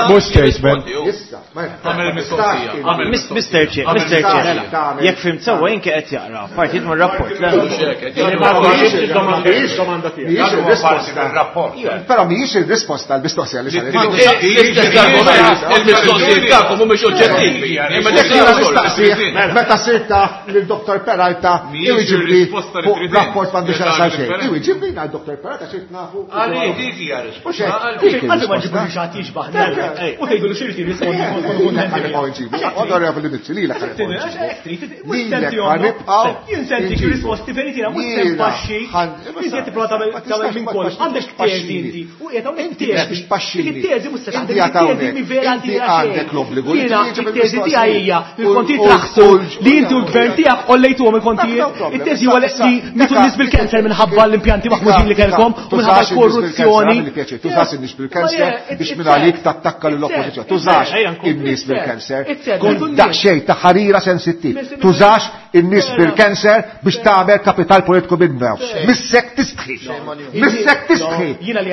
Mhu statement. Issa, ma Għamel mistoqsija, għamel Mister Chair, Mister Chair, jekk fhimt sewwa inti qed jaqra partijiet mir-rapport. le? Domanda tiegħek. Mhijiex Dan huwa parti il-risposta. mir-rapport. Però mhijiex il-risposta għall-mistoqsija li saret. L-istess argument, il-mistoqsijiet tagħkom mhumiex oġġettivi. Imma Jekk jiena tistgħu nistaqsih meta sirt taf lil Dottor Peralta Mhijiex iwiġibli il-risposta li fuq trid rapport m'għandux int. x'jaqsam xejn. Differenti. Iwiġibli għal Dottor Peralta sirt nafu. Għalli dik hija Mhux risposta. hekk, dik Għalfejn ma il-risposta. ġibux xi ħadd jixbaħ u tgħidu li xirti rispondi kont kuntenti. Ħanibqgħu nġibu. Onorevoli Mizzi, lilek ħanibqgħu nġibu. Lilek ħanibqgħu Jien senti nġibu. risposti veritiera mhux se Jiena npaxxi. ħan- Inti qed tipprova tagħmel Ma tagħmel tistax minn ma kollox. tistax Għandek tezi tpaxxini. inti. U qiegħed hawnhekk Inti teżi. biex tpaxxini. Dik it-teżi mhux se Inti taħdem, għad it-teżi hawnhekk. mi vera Inti tira għandek l-obbligu li Jiena twieġeb it-teżi il-mistoqsijiet. tiegħi hija li l-kontijiet U- u- raħsu u- li inti u l-gvern tiegħek ollejtuhom il-kontijiet. No problem. It-teżi huwa li Issa- mitu issa- nies bil-kanser minħabba l-impjanti maħmuġin li kellkom u minħabba Tużax in-nies bil-kanser, l-korruzzjoni. għamilli pjaċir, tużax in-nies bil-kanser biex minn għalik tattakka lill-oppożizzjoni. Tużax in-nies bil-kanser. Kun daqsxejn ta' ħarira sensittiv. Tużax in-nies bil-kanser biex tagħmel kapital politiku minnhom. Missek tistħi. Missek tistħi.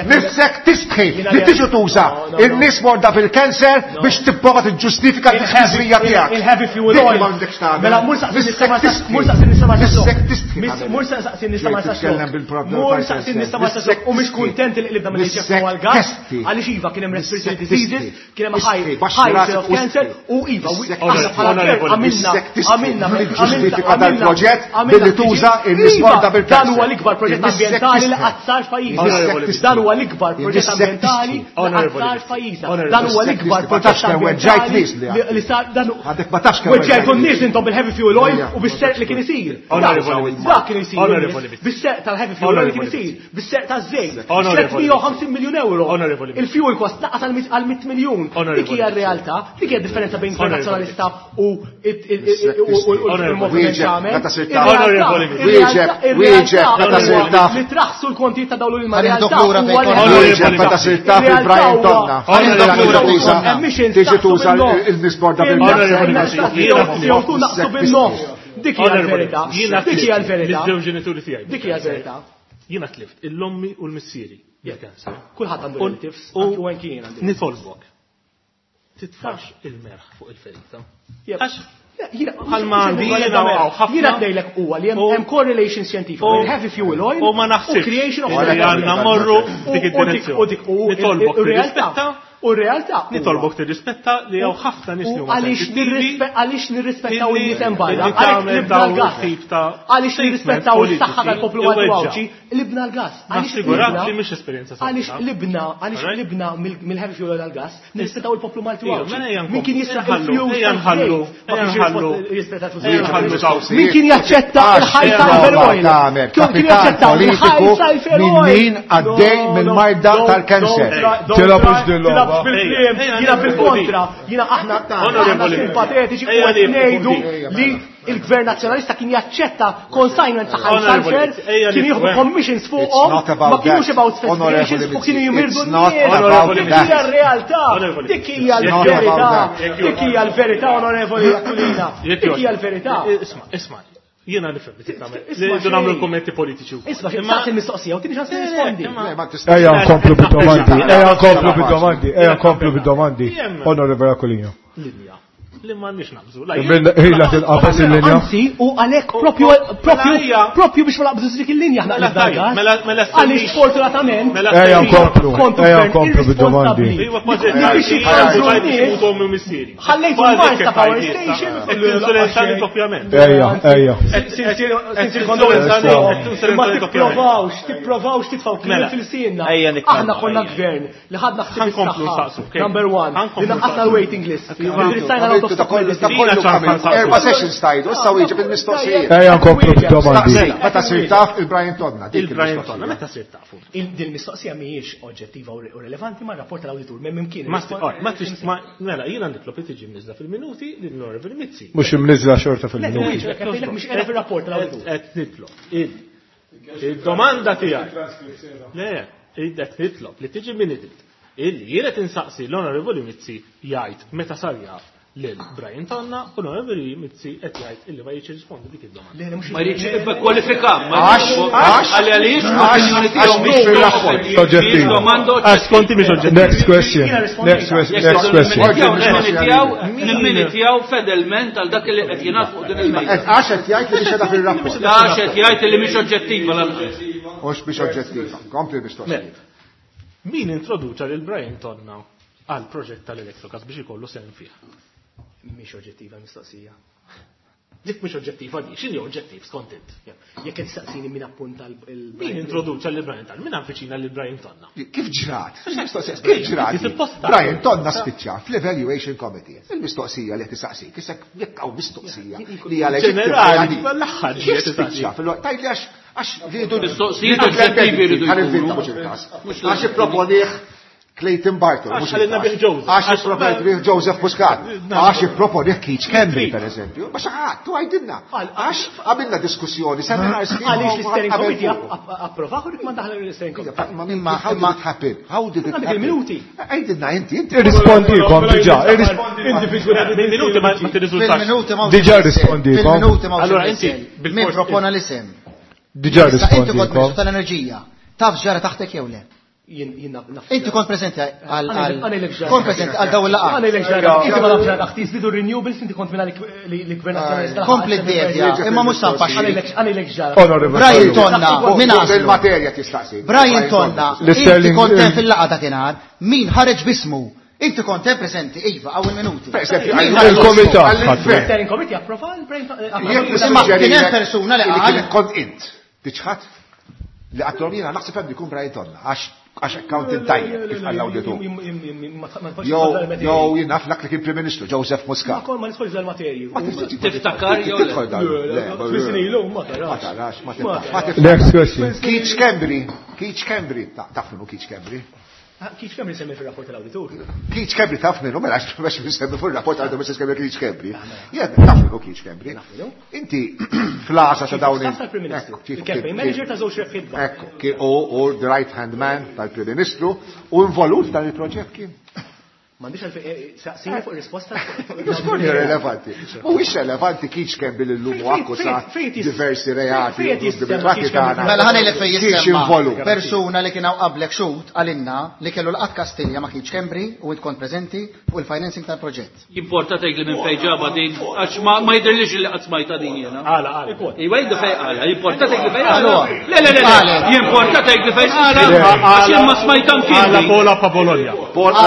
Missek tistħi li tiġu tuża in-nies morda bil-kanser biex tipprova tiġġustifika l-ħażrija tiegħek. Il-heavy fuel Dik oil. m'għandekx tagħmel. Mela mur saqsi Missek tistħi. mur saqsi nista' ma Missek tistħi. Mur saqsi nista' ma Titkellem bil-problem Mur saqsi nista' ma u mhix kuntent li qlibna mill Missek għal gas. testi. Għaliex iva kien hemm respiratory Missek diseases, tistħi. kien hemm high Istħi, baxxi high rate rasek of cancer u iva Missek aħna bħala gvern Onorevoli, għamilna missek tistħi. għamilna Li ġustifika dal-proġett għamilna billi tuża in-nies Iva, morda bil-kanser. Dan huwa l-ikbar proġett Missek ambjentali li tistħi. qatt sar f'pajjiżna. Onorevoli, Dan huwa l-ikbar proġett Missek ambjentali li tistħi. qatt sar f'pajjiżna. Onorevoli, Dan huwa Missek l-ikbar tistħi. Ma proġett tafx kemm weġġajt ambjentali nies li li li sar dan Għadek ma tafx kemm Weġġajtu weġġajt n-nies intom bil-heavy fuel oil Ejja. u bis-serq li kien isir. Onorevoli. Dak kien isir. Onorevoli. Bis-serq tal-heavy fuel oil kien Onorevoli. isir. Bis-serq taż-żejt. Onorevoli. tliet mija u ħamsin miljun euro. Onorevoli. Il-fuel cost naqas għal mit- għal mitt miljun. Onorevoli. Dik hija r-realtà, dik hija differenza bejn Gvern Onorevoli. Nazzjonalista u il-moviment Wieġeb, tagħmel. meta sirt taf. Onorevoli. Wieġeb, wieġeb, meta sirt taf. Li traħsu l-kontijiet ta' dawlu Ħanieħdok l-realtà lura fejn huwa li- konna. Wieġeb meta sirt taf il-Brian Tonna. Onorevoli. Tiġi Tiġi tuża il-nies morda bil-kanser. Jew tu naqsu bin-nofs. Dik hija l-verità. Jiena Dik hija l-verità. Miż-żewġ ġenituri tiegħi. Dik hija l-verità. Jiena tlift il-ommi u l-missieri bil-kanser. Kulħadd għandu U- relatives, u anki u anki jien għandi. Nitolbok. Titfax il-merħ fuq il-ferita. Yep. Għax Jiena Bħalma għandi jiena u ħafna. Jiena ngħidlek huwa li hemm U- hemm correlation scientific u- bejn heavy fuel oil u ma naħsibx creation of li għandna morru dik U dik u id-direzzjoni. dik u Nitolbok ir-realtà. tirrispetta U r-realtà. huwa- Nitolbok tirrispetta li hawn ħafna nies li U huma għaliex sensittivi nirrispe- għaliex nirrispettaw illi- in-nies hemm barra, illi għalhekk tagħmel libna dawn l-gas. tip ta' Għaliex statement nirrispettaw is-saħħa politiċi tal-poplu Malti u iweġġa'. Għawdxi, libna l-gas. Għaliex Nassigurak libna- li mhix esperjenza sabiħa. Għaliex libna, għaliex Alright? libna mill- mill-heavy fuel oil għal-gas, nirrispettaw il-poplu Malti u Ija, Għawdxi. mela ejja Min kien jisraq nħallu, il-fuel ejja nħallu, tal-żejt, ma ejja kienx nħallu. jirrispetta l-flus. Ejja nħallu dawn. Min kien jaċċetta il-ħajt tal-fuel oil? Tagħmel Kien kien kapital jaċċetta il-ħajt politiku tal-fuel minn oil? min għaddej No, minn no, marda don't- tal-kanser. don't try- don't Tilgħabux try- din l-logħba. tilgħabx bil-kliem, Ejja, jiena ejja, bil-kontra, jiena aħna aħna Onorevoli. simpatetiċi u Ejja, qed ngħidu ejja, li il-Gvern Nazzjonalista kien jaċċetta consignment ta' high Onorevoli, sulfur, ejja kien jieħdu nifhem. commissions It's fuqhom, not about ma kienux that. about specifications Onorevoli u kienu Mizzi, jimirdu it's not n-nies. about Dik that. hija r-realtà, Onorevoli. dik hija It's not l-verità, about that. dik hija l-verità, onorevoli Aquilina, Jekk dik hija jogħġbok. l-verità. Isma, isma, jiena nifhem li tagħmel. Isma' Li xejn. nagħmlu kummenti politiċi. wkoll. Isma' Imma- saqsi il-mistoqsija u tini ċans nirrispondi. Le, ma tistax- Ejja nkomplu bid-domandi, ejja nkomplu bid-domandi, ejja nkomplu bid-domandi. Onorevole Aquilina. Linja li m'għandniex naqbżu. Ila tinqabes il-linja. Anzi, u għalhekk propju propju propju biex ma naqbżux dik il-linja aħna Mela tajjeb, mela mela Għaliex sfortunatament. Ejja nkomplu, ejja nkomplu bid-domandi. Iva kważi qed ommi u missieri. Ħallejtu l-Marsa Power Station. Insolenzani doppjament. Ejja, ejja. Sincere condolences. Ma tipprovawx, tipprovawx titfgħu kliem fil-sinna. Aħna konna gvern li ħadna ħsieb is-saħħa. Number one. Li naqqasna l-waiting list. Erba' sessions tajdu, issa wieġeb il-mistoqsijiet. Ejja nkomplu bid-domandi. Meta sir taf il-Brian Tonna. Il-Brian Tonna, meta sir tafu? Din mistoqsija mhijiex oġġettiva u relevanti ma' rapport tal-awditur, m'hemm imkien. Ma trix ma mela jiena nitlob li tiġi mniżla fil-minuti lil Onorevoli Mizzi. Mhux imniżla xorta fil-minuti. Mhux qiegħda fir-rapport tal-awditur. Qed nitlob. Il-domanda tiegħi. Le, qed nitlob li tiġi minuted. Illi jiena tinsaqsi l-Onorevoli Mizzi jgħid meta sar jaf lil Brian Tonna u l-Onorevoli Mizzi qed jgħid illi ma jridx jirrispondi dik id-domanda. Ma jridx kwalifika, ma għax għaliex l-opinjoni tiegħu mhix fir-rapport. Oġġettiva. Għax konti mhix oġġettiva. Next question. Next question. Next question. Nimmini tiegħu fedelment għal dak li qed jingħad fuq din il-mejda. Għax qed jgħid li mhix qiegħda fir-rapport. Għax qed jgħid li mhix oġġettiva lanqas. Mhux biex oġġettiva. Kompli mistoqsijiet. Min introduċa lil Brian Tonna għal proġett tal-Electrogas biex ikollu sehem fih? Mhix oġġettiva mistoqsija. Dik mhix oġġettiva di, x'inhi oġġettiv skont int? Jekk qed tistaqsini min appunta l Min introduċa lil Brian Tonna? Min avviċina lil Brian Tonna? Kif ġrat? Kif ġrat? Brian Tonna spiċċa fl-Evaluation Committee. Il-mistoqsija li qed tistaqsik, issa jekk hawn mistoqsija li hija ġenerali, l-aħħar ġiet spiċċa fil-waqt tgħidli għax għax rridu mistoqsijiet oġġettivi rridu jkunu. Għax ipproponih Clayton Barton. Għax għalina bih Joseph. Għax ipproponih Joseph Muscat. Għax ipproponih Keith Schembri, per eżempju. Ma xaħat, tu għajdinna. Għax għamilna diskussjoni, seminar sħiħ. Għaliex l-steering committee approvaħu rik ma daħlu l-steering committee. Imma how did it happen? How did it happen? Minuti. Għajdinna inti, inti. Irrispondikom diġà, Minuti ma tirriżultax. Diġà rispondikom. Fil-minuti ma Allora inti min propona l-isem? Diġà Inti kont Ministru rispondikom. tal-Enerġija. Taf ġara taħtek jew le? Inti kont preżenti għal kont preżenti għal dawn il-laqgħa. Għana ilek ġara. Inti ma nafx ġara taħti, żdiedu renewables, inti kont minna li gvern nazzjonalista. Kompli d-devja, imma mhux sanfaxxi. Għana ilek ġara. Onorevoli. Brian Tonna, min għażlu? Il-materja tistaqsi. Brian Tonna, inti kont hemm fil-laqgħa dakinhar, min ħareġ bismu? Inti kont hemm preżenti, iva, hawn minuti. Il-komitat ħatru. Steering committee approva l-Brian Tonna. Imma kien hemm persuna li qal Kont int. Tiċħat? Li għattom jiena naħseb hemm jkun Brian Tonna, għax għax accountant tajjeb kif għall awditur. Jew jien naf dak li kien Prim Ministru Joseph Muscat. Ma kol ma nidħolx dal-materji. Tiftakar jew le? Tidħol dan. Tfissni ilu, ma Ma tarax. tarax, ma tarax. Ma tiftax. Next question. Keith Schembri, Keith Schembri, taf minnu Keith Schembri? Kif kemm insemmi fir-rapport tal-awditur? Keith Schembri taf minnu, mela għax biex nsemmi fuq il-rapport għadu biex nsemmi Keith Schembri. Jien taf minnu Keith Schembri. Inti fl-għasa ta' dawn Staff tal-Prim Ministru. Il-campaign manager ta' żewġ rebħiet. Ekku, kien u u the right hand man tal-Prim Ministru u involut dan il-proġett kien. M'għandix għalfejn saqsini fuq ir-risposta. Rispondi relevanti. Mhuwiex relevanti Keith Schembri li llum akkużat diversi reati tagħna. Mela ħa ngħidlek fejn Kiex jissemma involut. persuna li kien hawn qablek xhud għalinna li kellu laqgħat Kastilja ma' Keith Schembri u int kont preżenti fuq il-financing tal-proġett. Jimporta tgħid li minn fejn ġaba din, għax ma ma jidhirlix li qatt smajta din jiena. Għala, għala. Iva jgħidu fejn qala, jimporta tgħid li fejn qala. Għaluha. Le, le, le, le, jimporta tgħid li fejn qala, għax jien ma smajta Għala mkien. Pola pa Bologna. Pola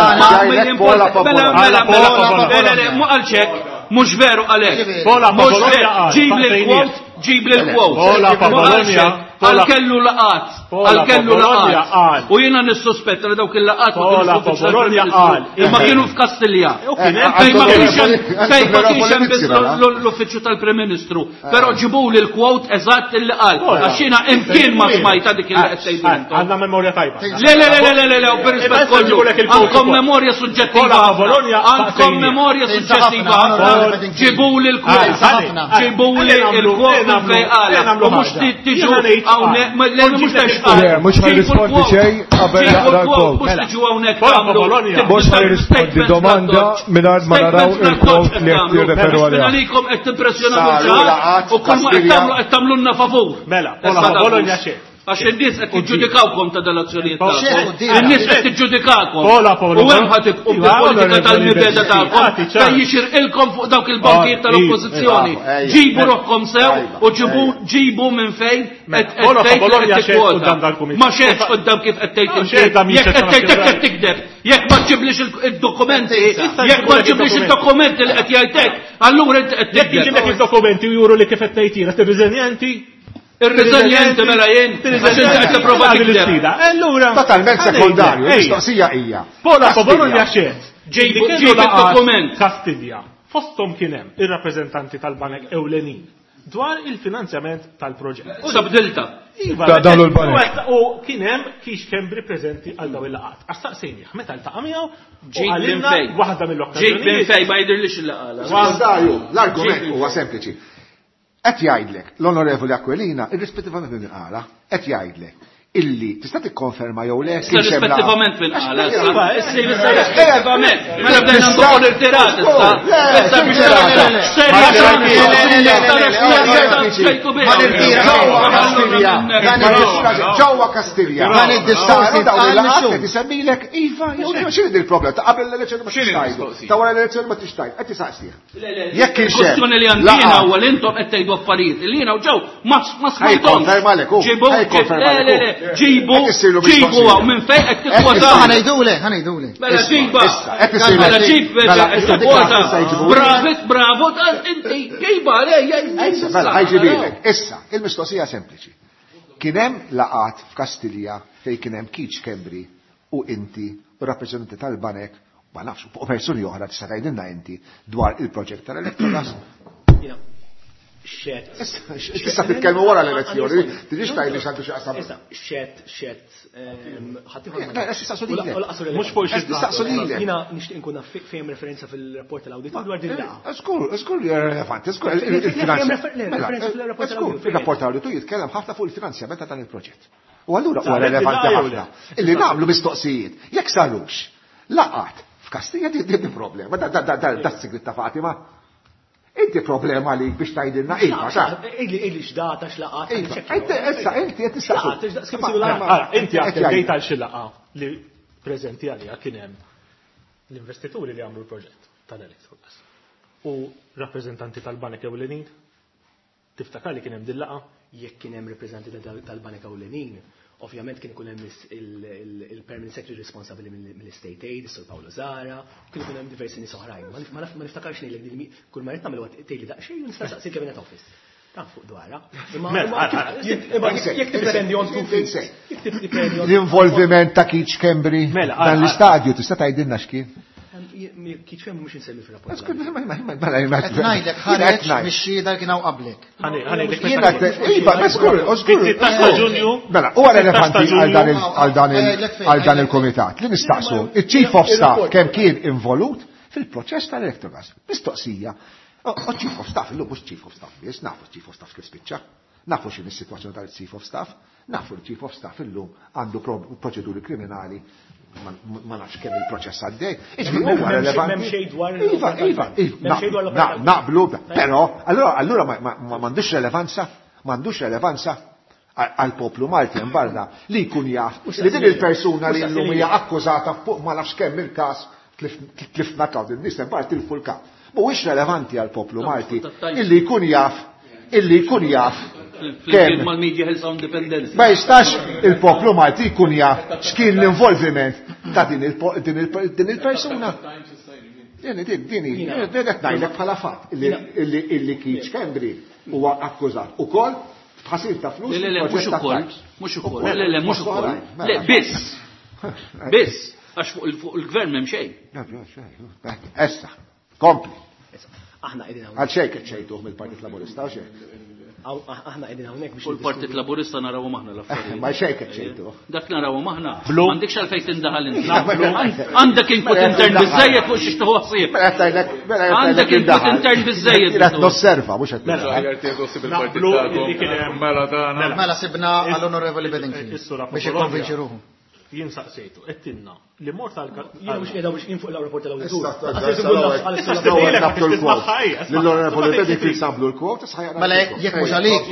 Pola pa Mela, Bologna. mela, mela, Pola, le, le, le, mu għalxek, mhux veru għalek. Pola pa Mhux Bologna veru, qal, ġib li saqsejnieh. l-quote, ġib li l-quote. Pola pa Mu Bologna, għalxek, Pola- għal kellu laqat, Pola għal kellu pa Bologna laqat. qal. U jiena nissospetta li dawk il-laqat ma Pola kienux pa f'uffiċċju Bologna tal-Prim qal. Ministru, imma kienu f'Kastilja. U kien hemm Fejn ma kienx hemm fejn ma kienx hemm Antonio biss Mizzi, l-uffiċċju tal-Prim Ministru, però ġibuli l-quote eżatt illi qal. Għax jiena imkien ma smajta dik il qed tgħidu intom. Għandna memorja tajba. Le, le, le, le, le, le, u per-rispett Issa kollu. ġibulek il-quote Għandkom ukoll. memorja suġġettiva. Pola pa ħafna. Bologna Għandkom saqsejnieh. memorja suġġettiva ħafna. Ġibuli l-quote. Ġibuli l-quote fejn qal. U mhux tiġu hawnhekk, ma- le, mhux tgħix Le, mhux ħajrispondi xejn qabel naqra l-quote. Mhux tiġu hawnhekk Pola pa tagħmlu. Bologna. Mhux ħajrispondi domanda mingħajr ma naraw il-quote li qed jirreferu għaliha. Għalikom qed timpressjonaw Saru il-ġar laqat u kull ma qed Kastilja. tagħmlu qed tagħmlulna favur. Mela, Pola Issa pa Bologna tagħmlu. xejn. Għax in-nies qed jiġġudikawkom ta' dal-azzjonijiet tagħkom. In-nies qed tiġġudikakom. U hemm ħa tibqgħu bil-politika tal-mibeda tagħkom fejn jixirqilkom fuq dawk il-bankijiet tal-oppożizzjoni. Ġibu ruħkom sew u ġibu ġibu minn fejn qed tgħid tikkwota. Ma xehedx quddiem kif qed tgħid inti. Jekk qed tgħid hekk qed tikdeb. Jekk ma ġiblix id-dokumenti, jekk ma ġiblix id-dokumenti li qed jgħidlek, allura inti qed Jekk tikdeb. iġiblek id-dokumenti u juru li kif qed tgħid jiena tirriżenja inti? Ir-riżenjenti mela jien, għax inti qed tipprova tikdeb. Allura. Totalment sekondarju, il-mistoqsija hija. Pola Bologna xed. Ġibu ġib id-dokument. Kastilja. Fosthom kien hemm ir-rappreżentanti tal-banek ewlenin dwar il-finanzjament tal-proġett. Sabdilta. Iva, Ta' dawn l-banek. U kien hemm Keith Schembri preżenti għal dawn il-laqgħat. Għax staqsejnieh meta ltaqa' miegħu u Ġib minn qalilna fejn. waħda Ġib minn mill-okkażjonijiet. fejn ma jidhirlix il-laqala. Sekondarju, l-argument huwa sempliċi. Qed jgħidlek l-Onorevoli Aquilina, irrispettivament minn qala, qed jgħidlek illi tista' tikkonferma jew le Issa kienx hemm laqgħa. rispettivament minn qala. Iva, Issa issa rispettivament. Mela bdejna nduqu l-irtirat issa. Issa biex Ġewwa Kastilja. Ġewwa Kastilja. Dan id-diskors Saru dawn jitqal il-laqgħat mixhur. qed isemmilek iva jew le, x'inhi il-problema ta' qabel l-elezzjoni ma X'inhi tixtajdu. l-mistoqsija? Ta' wara l-elezzjoni ma tixtajdu. Qed tisaqsih. Jekk kienx hemm Kwestjoni li għandina laqgħat. huwa li intom qed tgħidu affarijiet li jiena u ġew ma ma smajthomx. Ħajkonferma lek hu. Ġibu, Ħajkonferma le lek le hu. le, ġibu, Qed issiru ġibu mistoqsija. hawn minn fejn qed Qed tikkwota. Ħanejdule, ħanejdule. Mela ġiba. Issa, qed isiru. Mela ġib, Mela, qed issa dik tikkwota. issa jġibu. Bravo, bravo, inti ġiba, le, Issa, mela, ħajġibilek. Issa, il-mistoqsija sempliċi. Kien hemm laqgħat f'Kastilja fejn kien hemm Keith Schembri u inti u rappreżentanti tal-banek, ma nafx, u persuni oħra tista' tgħidilna inti dwar il-proġett tal-Electrogas. Jiena, xed. Issa, tista' titkellmu wara l-elezzjoni, tiġix tgħidli x'għandu xi qasam. Issa, xed, xed, ehm, ħaddieħor ma Le, għax jistaqsu lilek. U laqas Mhux fuq xi Qed tistaqsu lilek. Jiena nixtieq inkun naf fejn referenza fil-rapport tal-awditur dwar din il-laqgħa. Skur, skur li relevanti, skur Le, le, il-finanzjament. le, referenza fil-rapport Skur, tal-awditur. il-rapport tal-awditur jitkellem ħafna fuq il-finanzjament ta' dan il-proġett. U allura huwa Saret relevanti il-laqgħa jew ħafna. Illi nagħmlu mistoqsijiet, jekk sarux, laqat f'Kastilja din din problema, da da da da da s-sigrit ta' Fatima. Inti problema li biex tgħidilna iva, sa. Ejli, ejli x'data x'laqgħat. Iva, inti issa inti qed tistaqsu. X'laqgħat, x'daqs kemm isiru laqgħat. Ara, inti Qed attendejt jgħidlek. għal xi laqgħa li preżenti għalija kien hemm l-investituri li għamlu l-proġett tal-Electrogas u rappreżentanti tal-banek ewlenin. Tiftakar li kien hemm din laqgħa? Jekk kien hemm rappreżentanti tal- tal-Banek Ewlenin, ovvjament kien ikun hemm is- il- il- il-permanent secretary responsabbli mill- mill-State Aid, is-Sur Paolo Zara, u kien ikun hemm diversi nies oħrajn. Ma nif- ma naf- ma niftakarx ngħidlek din mi- kull ma rrid nagħmel huwa tgħidli daqsxejn u nista' saqsi il-Cabinet Office. Ta' fuq dwarha. Imma Mela, imma ara, kif- ara. jekk imma jekk tiddependi on two feet. Jekk tiddependi on L-involviment ta' Keith Schembri Mela, ara, dan ara. l-istadju tista' tgħidilna x'kien? Kif hemm mhux insemmi fir-rapport. Skur, ma- ma- ma- ma- Qed ngħidlek ħareġ mix-xhieda li kien hawn qablek. Ħani- ħanejlek Jiena meta te- Iva, ma skur, u skur. Fit-sittax ta' Ġunju. Mela, huwa relevanti sittax ta' għal dan il- Ġunju. għal dan il- Għajdlek fejn, għal dan għajdlek il-komitat li nistaqsu il-Chief of Staff kemm kien involut fil-proċess tal-Electrogas. Mistoqsija. O o Chief of Staff, illum mhux Chief of Staff biss, nafu Chief of Staff kif spiċċa. Nafu x'inhi s-sitwazzjoni tal-Chief of Staff, nafu l-Chief of Staff illum għandu pro- proċeduri kriminali ma ma nafx kemm il-proċess għaddej. Iġifieri huwa M'hemm xejn- relevanti. m'hemm xejn dwar Iva, iva, iva. M'hemm xejn dwar Na- l-operazzjoni. Naqblu, però, allura allura ma- ma ma- m'għandux relevanza, m'għandux relevanza għal poplu Malti barra li jkun jaf li din il-persuna li llum hija akkużata fuq ma nafx kemm il-każ tlif- tlifna kaw din nies barra tilfu l-każ. Mhuwiex relevanti għal poplu Malti illi jkun jaf illi jkun jaf Flimkien kemm mal-media ħilsa independence. ma jistax il-poplu Malti jkun jaf x'kien l-involviment ta' din il- din il- din il-persuna. Din din din din qed ngħidlek bħala fatt illi illi illi Keith Schembri huwa akkużat ukoll b'ħasil ta' flus. Le, le, le, mhux fil-proġett ta' ukoll, Times. mhux ukoll, le, le, mhux Fost ukoll. oħrajn, Le, mela. biss, biss, għax fuq il- fuq il-gvern m'hemm xejn. Issa, kompli. Aħna qegħdin hawnhekk. Għal xejn qed xejtuh mill-Partit Laburista u xejn. Aħna qegħdin hawnhekk biex U l-Partit Laburista narawhom aħna l-affarijiet. Ma xejn qed xejtuh. Dak narawhom aħna. Blu. M'għandekx għalfejn tindaħal inti. Għand- Għandek input intern biżejjed fuq xi tieħu ħsieb. Mela qed ngħidlek, mela qed Għandek ngħidlek input indaħal. intern biżejjed. Qed nosserva mhux qed Mela. nindaħal. il-partit Naqblu illi kien hemm- Mela tagħna. Mela sibna għall-Onorevoli Bedingfield Is-Sur biex jikkonvinċi ruħu. Jien saqsejtu, għedtilna li mort għal Jiena mhux qiegħda biex jien fuq il-rapport tal-awditur. L-Onorevoli Bedingfield sablu l-kwot, issa ħajaqra. Mela jekk mhux għalik,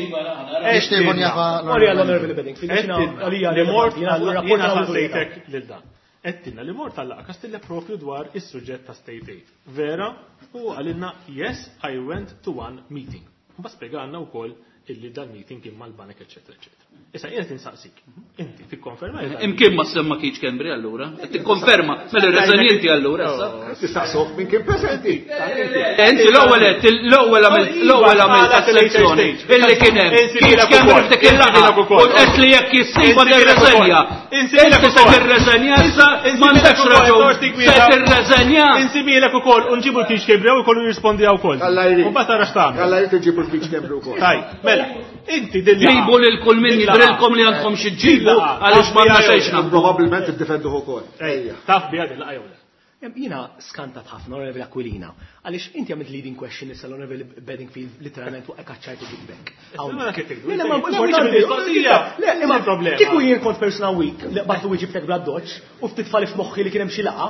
nixtieq nkun jafa Morri għall-Onorevoli Bedingfield, jiena għalija Li mort jiena fuq il-rapport jiena tal-awditur. saqsejtek lil dan. Għedtilna li mort għal laqgħa Kastilja propju dwar is-suġġett ta' state aid. Vera, u għalilna yes, I went to one meeting. Mbagħad spjegalna wkoll illi dan meeting kien mal-banek, eċetera, eċetera. Issa jien qed insaqsik. Inti tikkonferma jew Imkien ma semma Keith Schembri allura. Qed tikkonferma mela irreżenji allura issa. Tistaqsuh min kien preżenti. Inti l-ewwel qed l-ewwel għamilt l-ewwel għamilt asserzjoni illi kien hemm Keith Schembri f'dik il-laqgħa u qed li jekk jissiba tirreżenja. Inti se tirreżenja issa m'għandekx raġun. Se tirreżenja. Insibilek ukoll u nġibu l-Keith Schembri u jkollu jirrispondi wkoll. Alla jrid. U mbagħad tara x'tagħmel. Alla jrid iġibu l-Keith Schembri wkoll. Taj, mela, inti din Ġibu lil kull min jidrilkom li għandkom xi ġġibu għaliex m'għandna xejn x'nagħmlu. Probabbilment iddefenduh ukoll. Ejja. Taf biha din laqgħa jew le? Jiena skantat ħafna Onorevoli Aquilina, għaliex inti għamilt leading question issa l-Onorevoli Bedingfield literalment waqgħek ċajtu ġibek. Mela kif tgħidu? Le, ma Inti- importanti. Mistoqsija. Le, imma problema. Kieku jien kont persona weak, li batlu wieġibtek bla doċ, u ftit fali f'moħħi li kien hemm xi laqgħa,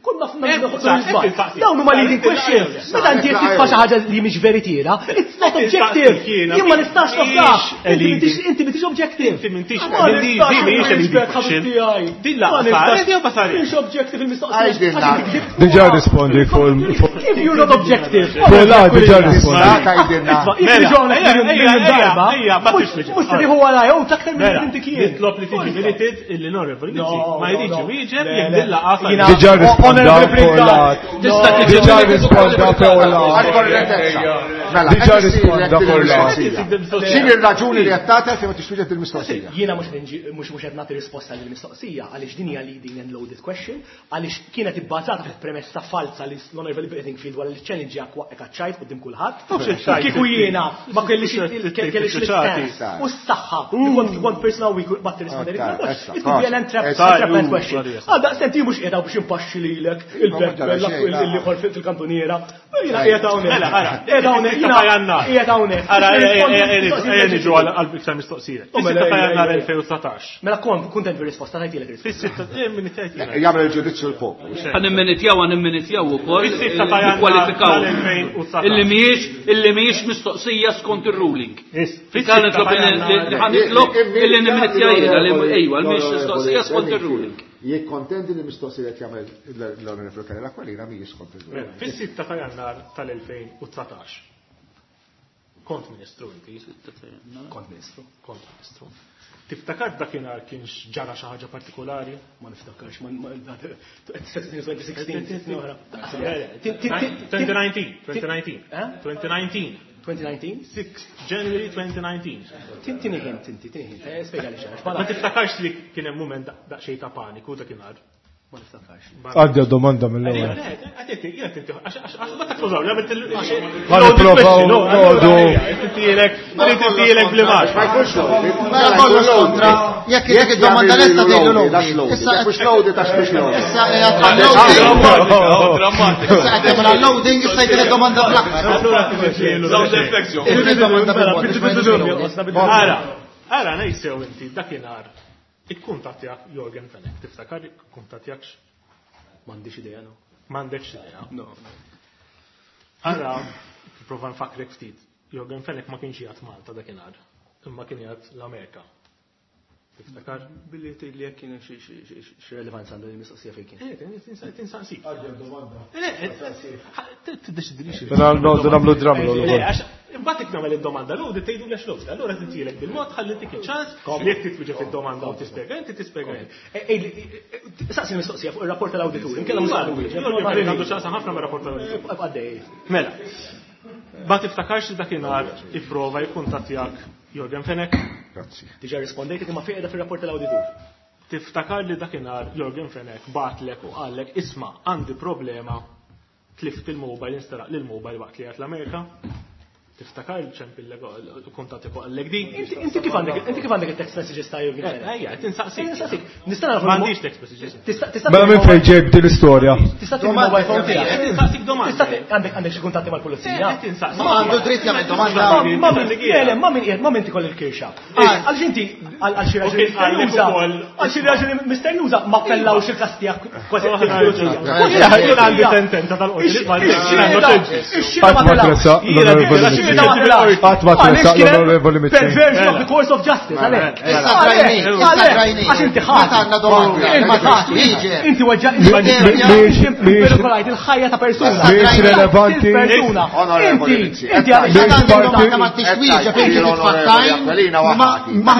konna f'na Dawn huma leading questions. Meta inti qed titfa' xi ħaġa li mhix veritiera, it's not objective. Jien ma nistax nafdax. Inti m'intix objective. Inti m'intix Ma din nistax din mhijiex a leading nirrispett question. ħabib tiegħi. Din Ma laqgħa nistax- saret jew ma saritx? Mhix objective il-mistoqsija. Għaliex din Għax inti kdibt Diġà rispondi fuq fuq If you're not objective. fuq la diġà rispondi. Tgħidilna. Jekk Mela, ġona ejja, ejja, darba, ejja, ma mhux tix mhux se tieħu warajja u taktar minn Mela, inti kien. nitlob li tiġi minuted illi l-Onorevoli No, Mizzi ma no, jridx no. iwieġeb Le, jekk le. din laqgħa saret. Jiena- Diġà risponda Honorable fuq la. Tista' tiġi Diġà minuted risponda fuq la. Għal-korrettezza. Mela, Diġà qed issirlek risponda din fuq la. il-mistoqsija. X'inhi r-raġuni li qed tagħti fejn ma tixtieq il-mistoqsija? Jiena mhux qed mhux mhux qed nagħti risposta lill mistoqsija għaliex din hija leading and loaded question, għaliex kienet ibbażata fuq premessa falsa li l-Onorevoli Bedingfield wara li challenge jak waqgħek għaċ-ċajt quddiem kulħadd. Kieku jiena ma kellix kellix l-istance u s-saħħa li kont kont personal weak bat tirrispondi. It could be an entrapment question. Għal daqstant jien mhux qiegħda biex impaxxi lilek il-bepp il fil-kantuniera. Jiena qiegħed hawnhekk. Mela, ara, Qiegħed hawnhekk. Sitta ta' Jannar. Qiegħed hawnhekk. Ara, ejja, ejja, ejja niġu għal għal iktar mistoqsija. Oh, mela, Fis-sitta ta' ejja, Jannar ejja. elfejn u dsatax. Mela kont kuntent bir-risposta tajtilek risposta. Fis-sitta, eh, min tgħid jiena. Jagħmel il-ġudizzju l-poplu. Ħa nimminitjaw, ħa nimminitjaw ukoll Fis-sitta ta' Jannar nikkwalifikaw. tal-elfejn u dsatax. Illi mhijiex illi mhijiex mistoqsija skont ir-ruling. Is, Ħa nitlob illi ħa nitlob illi nimminitja jiena li ejwa mhijiex mistoqsija skont ir-ruling. Jekk kontendi li mistoqsija qed jagħmel l-Onorevoli Karol Aquilina mhijiex skont il-ruling. Fis-sitta ta' Jannar tal-elfejn u dsatax. Kont ministru inti. Kont ministru. Kont ministru. Tiftakar dakinhar kienx ġara xi ħaġa partikolari? Ma niftakarx, ma twenty sixteen, oħra. twenty nineteen, twenty nineteen, Eh? twenty nineteen, twenty nineteen? six January twenty nineteen. Tini hint, inti, tini hint. Eh, Spjega li xaħġa. Ma tiftakarx li kien hemm mument daqsxejn ta' paniku dakinhar? Ma niftakarx. Għaddi domanda mill-ewwel. Ma takkużaw, li għamilt il- Ħa nipprovaw noqogħdu. Intilek, intilek bl-imax. Ma jkunx loaded. Mela kollox kontra, jekk jekk id-domanda lesta tgħidu loaded. Issa Jekk mhux loaded għax mhux loaded. Issa qiegħed loading. Issa qed tagħmel loading, issa jkun id-domanda fl-aħħar. Sound effects, jo. Irrid id-domanda bil-mod biex ma jgħidux loaded. Ara, ara, nejsew inti, dakinhar, ikkuntattjak Yorgen Fenech, tiftakar ikkuntattjakx? M'għandix idea, no. M'għandekx idea. No. Ara, prova nfakrek ftit, Yorgen Fenech ma kienx jgħat Malta dakinhar, imma kien jgħat l-Amerika. Tiftakar? Billi tgħid li jekk kien xi xi relevanza għandu l-mistoqsija fejn kien. Eh, tinsaqsik. Tiddeċidilix. Mela noqogħdu nagħmlu drum roll Le, ukoll. għax imbagħad jekk nagħmel id-domanda l tgħidu lex l allura tintilek bil-mod ħalli tik iċ-ċans li jekk titwieġeb id-domanda u tispjega, inti tispjega. Saqsi l-mistoqsija fuq ir-rapport tal-awditur, inkella mhux għandu wieġeb. Għandu ċans ħafna ma' rapport tal-awditur. Għaddej. Mela, ma tiftakarx li dakinhar ipprova jikkuntattjak Yorgen Fenech? Grazzi. Diġà rispondejt imma fejn qiegħda fir-rapport tal-awditur. Tiftakar li dakinhar Yorgen Fenech batlek u qallek isma' għandi problema, tlift il-mobile, instaraq lil mobile waqt li għat l-Amerika? Tiftakar ċempillek kuntatti fuq għallek din. Inti kif għandek inti kif għandek il-text messages ta' Jurgen Fenech? Ejja, tinsaqsik. Tinsaqsik. Nista' nagħraf M'għandix text messages. Mela minn fejn ġejb din l-istorja? Tista' tini mobile phone tiegħek. Tinsaqsik domanda. Għandek għandek xi kuntatti mal-pulizija? Ma għandu dritt jagħmel domanda. Ma min le ma min qiegħed ma min tikoll il-kirxa. Għaliex inti għal xi raġuni misterjuża għal xi raġuni misterjuża ma appellawx il-każ tiegħek kważi il-pulizija. Jien għandi sentenza tal-qorti. Qatt ma tressaq l-Onorevoli Mizzi. Qatt ma tressaq l-Onorevoli Mizzi. Perversion of the course of justice, għalhekk. Issa drajni, issa drajni. Għax inti ħadd. Għandna domanda. Inti weġġa' il-ħajja ta' persuna. Mhix relevanti. Persuna. Inti inti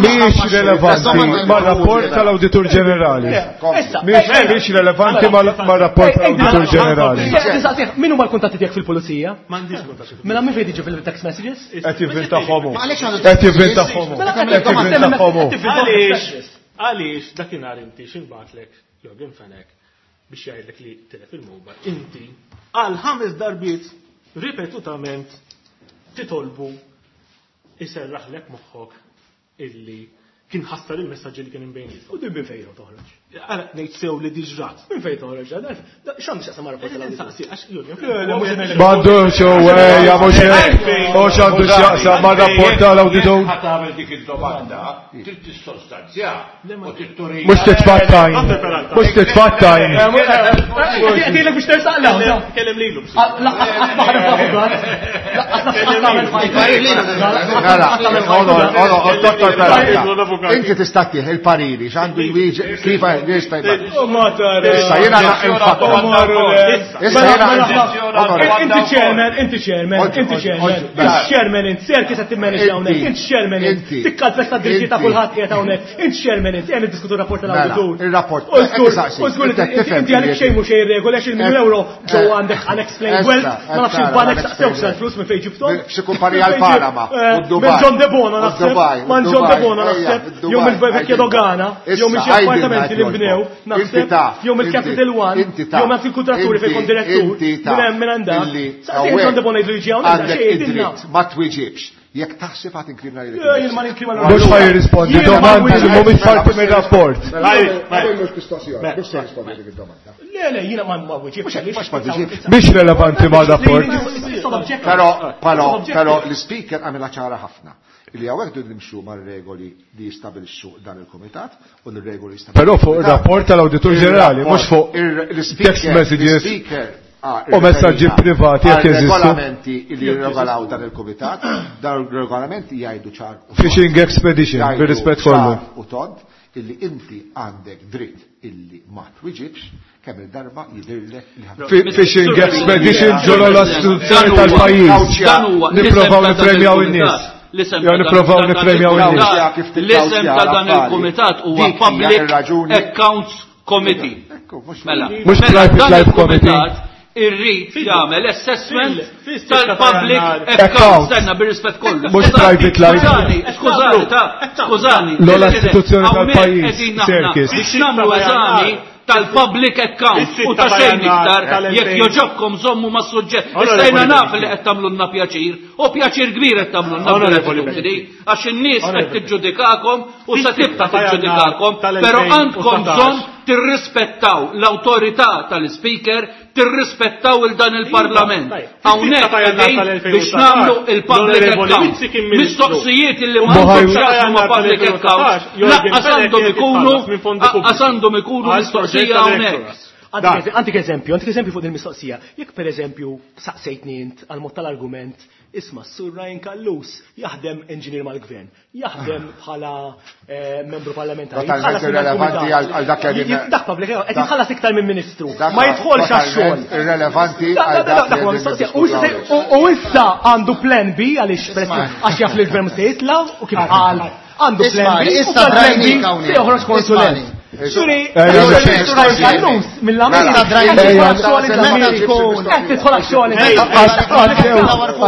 Mhix relevanti mar-rapport tal-Awditur Ġenerali. Mhix relevanti mar-rapport tal-Awditur Ġenerali. Min huma l-kuntatti tiegħek fil-pulizija? M'għandix kuntatti. Mela min fejn tiġi fil-text messages? Qed jivvintahom. Qed jivvintahom. Qed jivvintahom. Għaliex għaliex dakinhar inti x'inbatlek Jurgen Fenech biex jgħidlek li tilef il-mobile. Inti għal ħames darbiet ripetutament titolbu iserraħlek moħħok illi kien ħassar il-messaġġi li kien imbejniet. U din minn fejn toħroġ? Għala ngħid sew li diġrat. Minn fejn toħroġ? X'għandu x'jaqsam ma' rapport tal-awditur? Għax Jurgen Fenech. M'għandux u ejja mhux hekk. Mhux għandu x'jaqsam mar-rapport tal-awditur. Ħa tagħmel dik id-domanda, trid tissostanzja u trid Mhux titfattajn. Mhux titfattajn. Qed biex tersaq l Kellem lilu. Laqqas ma ħadem avukat. Laqqas Dottor Ferrara, inti tista' tieħ il-pariri x'għandu jwieġeb kif jista' jibgħat. Issa jiena nfakkar. Issa jiena Inti chairman, inti chairman, inti chairman. Inti chairman int, ser kif qed timmanage hawnhekk, inti chairman int. Tikkalfesta d-drittijiet ta' kulħadd qiegħed hawnhekk. Inti chairman int, qed niddiskutu rapport tal-awditur. Il-rapport. U żgur inti għalek xejn mhux xejn regoli għax il-miljun euro ġew għandek unexplained wealth, ma nafx il-banek saqsewx sal-flus minn fejn ġibthom. Xi kumpanija l-Panama u Dubai. Minn John De Bono naħseb, man John De Bono naħseb, jew mill-vecchia dogana, jew minn xi appartamenti li nbnew, naħseb, jew mill-Capital One, jew minn il-kuntratturi fejn kont direttur, minn hemm minn għandha. Saqsejn John De Bono jgħidu jiġi hawnhekk, Għandek xejn jgħidilna. id-dritt ma twieġibx. Jekk taħseb għad inkrimina lilek. Jien ma ninkrimina Mhux ħa jirrispondi domandi li mhumiex parti mir-rapport. Le, le, jiena ma ma wieġibx. Mhux ma twieġibx. Mhix relevanti mar-rapport. Però, però, però l-speaker għamilha ċara ħafna. Illi hawnhekk dun nimxu mar-regoli li jistabilixxu dan il-kumitat u l-regoli jistabilixxu. Però fuq ir-rapport tal-Awditur Ġenerali, mhux fuq text messages u messaġġi privati jekk jeżistu. Regolamenti li jirregolaw dan il-kumitat, dan il-regolamenti jgħidu ċar. u tond. Fishing expedition, Jgħidu bir-rispett kollu. ċar U tond illi inti għandek dritt illi ma twiġibx kemm il-darba jidhirlek li ħadd. Fi- Fishing expedition ġolo l-istituzzjoni tal-pajjiż. Dan huwa Nipprovaw l-isem ta' dan nippremjaw il-kumitat. in-nies. L-isem Jew ta' dan- nipprovaw ta' dan nippremjaw in-nies. il-kumitat- L-isem ta' dan il-kumitat huwa Dik hija Public ir-raġuni. Accounts Committee. Mela, Mhux mela Private dan Life Committee. il-kumitat irrid jagħmel assessment Fil- fil- tal-public Accounts. accounts. Stenna bir-rispett kollu. Mhux Skużani, private life. Skużani, skużani, ta' skużani. L-ogħla istituzzjoni Hawnhekk tal-pajjiż, qegħdin aħna Serkis. Biex nagħmlu eżami tal-public accounts u ta' xejn iktar jekk joġobkom żommu ma' suġġett. Issa jiena naf li qed tagħmlulna pjaċir u pjaċir kbir qed tagħmlulna bl-attitudni għax in-nies qed tiġġudikakom u se tibqa' tiġġudikakom, però għandkom bżonn tirrispettaw l-awtorità tal-speaker, tirrispettaw il dan il-parlament. Hawnhekk qegħdin biex nagħmlu il-public accounts. Mistoqsijiet illi ma għandhom x'jaqsmu ma' public accounts, laqqas għandhom ikunu laqqas għandhom ikunu mistoqsija hawnhekk. Għandik eżempju, għandik eżempju fuq il-mistoqsija. Jekk per eżempju saqsejtni int għal mod tal-argument, isma' Sur Ryan Callus jaħdem engineer mal-gvern, jaħdem bħala eh, membru parlamentari. Totalment jitħallas minn irrelevanti dal-kumitat. għal- għal dak li qegħdin- Dak public, qed jitħallas iktar minn ministru. Dak Ma jidħolx għax-xogħol. totalment irrelevanti Da- għal da- da- dak dak li huwa qegħdin mistoqsija. U issa niddiskutu se- u- U issa għandu plan B għaliex għax jaf li l-gvern se jitla' u kif qal għandu plan Ismani, B u issa tal-plan B drajnik hawnhekk. se joħroġ konsulent. Ismani. Xuri, Kallus, mill-Amerika. Qed tidħol għax-xogħol.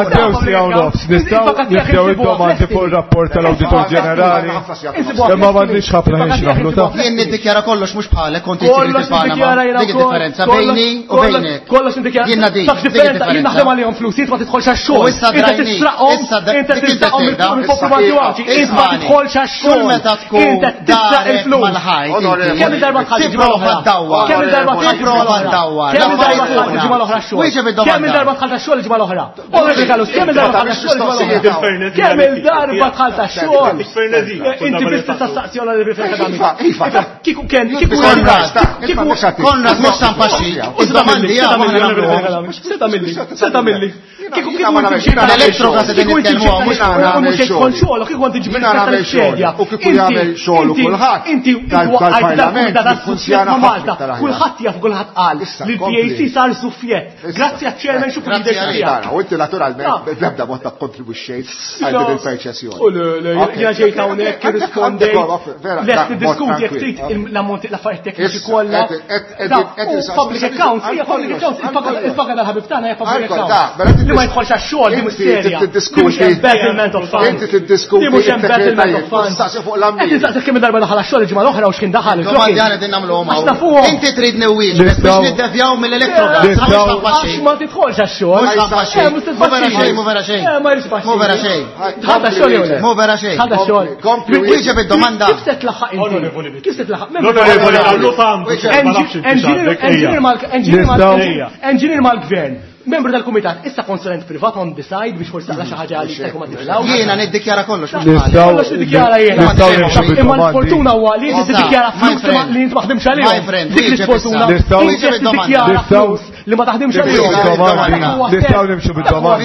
Għaddew siegħa u nofs, nistgħu nibdew id-domandi fuq ir-rapport tal-Awditur Ġenerali. Imma m'għandniex ħafna ħin x'naħlu ta'. Jien niddikjara kollox mhux bħalek kont inti Panama. Dik id-differenza bejni u bejnek. Kollox niddikjara. Jien dik. Taf differenza, jien naħdem għalihom flus, jien ma tidħolx għax-xogħol. Inti tisraqhom, inti tisraqhom mill-poplu Malti Għawdxi, inti ma tidħolx għax-xogħol. Kull meta tkun Inti tisraq il-flus. Kemm il-darba dħalt il-ġimgħa l-oħra? Kemm il-darba dħalt il-ġimgħa l-oħra? Kemm il-darba dħalt il-ġimgħa l-oħra x-xogħol? Kemm il-darba dħalt għax-xogħol il-ġimgħa l-oħra? Onorevoli Kallus, kemm il-darba dħalt għax-xogħol il-ġimgħa l-oħra? Kemm il-darba dħalt għax-xogħol? Inti biss tista' staqsi Onorevoli Fenech Adami. Kieku kien, kieku kieku Konrad mhux San Paxi. Id-domandi Seta milli, seta milli. Kieku kieku L-elettrogas qegħdin nitkellmu mhux mhux jkun xogħol, kieku għandi ġibir xogħol. U kieku jagħmel xogħol kulħadd. Inti Dal-parlament jiffunzjana Malta. Kulħadd jaf kulħadd qal li l-P A C sar suffjett. Grazzi għaċ-chairman xu Grazzi għalik. U inti naturalment bl-ebda mod ta' kontribwixxejt għal din il-perċessjoni. U le, le, jiena ġejt hawnhekk irrispondejt. Lest niddiskuti jekk trid l-ammonti l-affarijiet tekniċi kollha. Public accounts, hija public accounts, il-paga tal-ħabib tagħna hija public accounts. Li ma jidħolx għax-xogħol di mhux serja. Di mhux embezzlement of funds. Inti tiddiskuti. Di mhux embezzlement of funds. Staqsi fuq l-ambjent. Qed nistaqsi kemm darba daħal għax-xogħol il-ġimgħa l-oħra u x'kien daħal. Domandi għana din nagħmluhom hawn. Inti trid newwieġ biex niddevjaw mill-elettrogas. Għax ma tidħolx għax-xogħol. Mhu vera xejn, mhu vera xejn. Mhu vera xejn. Dħalt għax-xogħol jew le? Mhu vera xejn. Dħalt għax-xogħol. Wieġeb id-domanda. Kif se tlaħħaq inti? Kif se tlaħħaq? L-Onorevoli Kallus għandu. Engineer mal-gvern. Membru tal-kumitat, issa konsulent privat on the side biex forsi taqla xi ħaġa li jista' jkun ma tiflaw. Jiena niddikjara kollox. Kollox niddikjara jiena. Imma l-fortuna huwa li inti tiddikjara flus li inti ma ħdimx għalihom. Dik l-isfortuna. Inti tiddikjara flus li ma taħdimx għalihom. Nistgħu nimxu bid-domandi.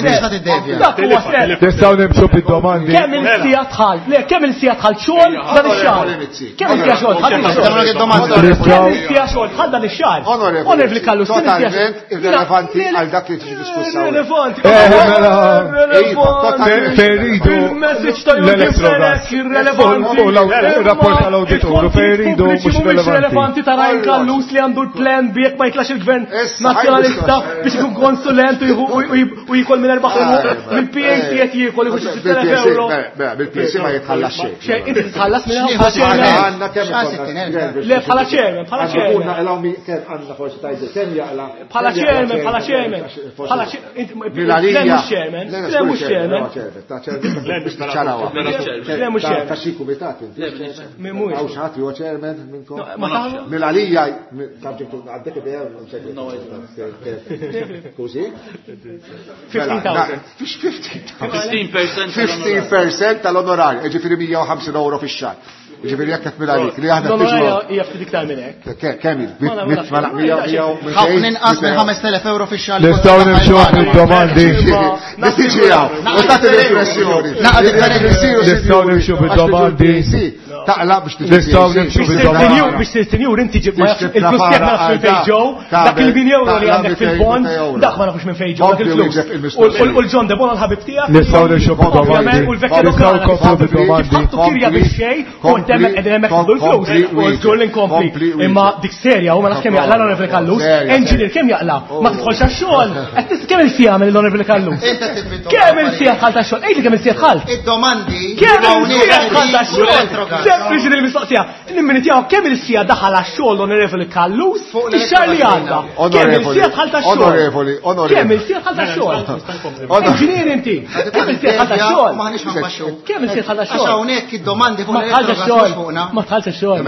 Nistgħu nimxu bid-domandi. Kemm il-sija dħalt? Le, kemm il-sija dħalt xogħol dan ix-xahar? Kemm il-sija xogħol dħalt dan ix-xahar? Kemm il-sija xogħol dħalt dan ix-xahar? Onorevoli Kallus, totalment irrelevanti għal dak li tiġi diskussa. Irrelevanti. Fejn iridu l-elettrogas. Irrelevanti. U l-rapport tal-awditur fejn iridu mhux relevanti ta' Ryan Kallus li għandu l-plan bi jekk ma jitlax il-gvern nazzjonalista biex ikun konsulent u jikol minn erbaħ mill-P A C qed jiekol jieħu xi sitt elef euro. Bil-P A C ma jitħallas xejn. Xejn, inti titħallas minn bħala chairman. Le bħala chairman, bħala chairman. Bħala chairman, bħala chairman. Bħala chairman. Mhux chairman. Le mhux chairman. Le mhux chairman. Ta' xi kumitat inti. Mhux. Hawn xi ħadd huwa chairman minnkom? Mill-għalija għandek idea Così? fifteen thousand. fifteen percent. fifteen percent tal-onorarju, ġifieri mija u ħamsin euro fix-xahar. Ġifieri jekk qed minn li aħna L-onorarju hija ftit iktar minn hekk. Kemm hi? Ħafna inqas minn ħames elef euro fix-xahar. Nistgħu nimxu bid-domandi. Tiġi hawn, u tagħti l-impressjoni. Nistgħu nimxu bid-domandi. Taqla biex tiġi. Nistgħu nimxu bid-domandi. Biex sir sinjur inti ġib ma nafx il-flus tiegħek ma nafx minn fejn ġew, dak il-min euro li għandek fil-bond, dak ma nafux minn fejn ġew, dak il-flus. U l-John De Bono l-ħabib tiegħek. Nistgħu nimxu bid-domandi. U l-vecchia Nistgħu nkomplu bid-domandi. Ħattu kirja biex xejn, u hemmhekk qegħdin hemmhekk tieħdu l-flus. U żgur li nkompli. Imma dik serja u ma nafx kemm jaqla l-Onorevoli Kallus. Engineer kemm jaqla? Ma tidħolx għax-xogħol. Qed tis kemm il-sija mill l-Onorevoli Kallus? Kemm il-sija dħalt għax-xogħol? Ejli kemm il-sija dħalt? Id-domandi. Kemm il-sija dħalt għax-xogħol? Sempliċi il-mistoqsija. Nimminitjaw kemm il-sija daħal għax-xogħol l-Onorevoli Kallus ix-xahar li għadda. Kemm il-sija dħalt għax-xogħol? Onorevoli, onorevoli. Kemm il-sija dħalt għax-xogħol? Engineer inti. Kemm il-sija dħalt għax-xogħol? Kemm il-sija dħalt għax-xogħol? Għax hawnhekk id-domandi fuq Ma dħalx għax-xogħol. Ma dħalx għax-xogħol. Eh,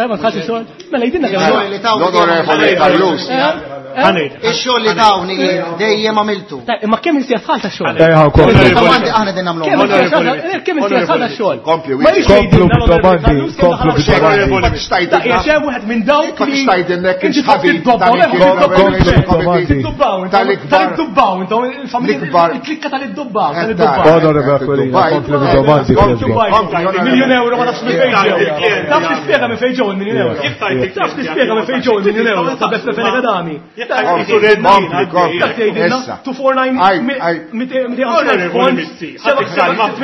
ma dħalx għax-xogħol. Mela jidinna kemm. L-Onorevoli Kallus. Ix-xogħol li tawni dejjem għamiltu. Imma kemm il-sija dħalt għax-xogħol? Ejja, nkomplu. Id-domandi aħna din nagħmluhom. Kemm il-sija dħalt għax-xogħol? Kompli, Ma jridx Komplu jgħidilna bid-domandi, l-Onorevoli komplu bid-domandi. Ma tixtajdilna. Ta' qiegħed hemm wieħed minn dawk Ma li tixtajdilna kien inti ħabib tibdobbaw, ta' Komplu bid-domandi. Tal-iddubbaw, intom, Tal-ikbar. tal-iddubbaw, intom, il-familja, L-ikbar. il-klikka tal-iddubbaw, Eh, tal-iddubbaw. Onorevoli Aquilina, komplu bid-domandi. Dubai, miljun euro ma nafx minn fejn ġew. Taf tispjega minn fejn ġew il-miljun euro. Taf tispjega minn fejn ġew il-miljun euro ta' Beppe Fenech Adami. Kompli, kompli. Taf tgħidilna Issa. two four nine Aj, aj. mitejn ħamsin elf fond, seba'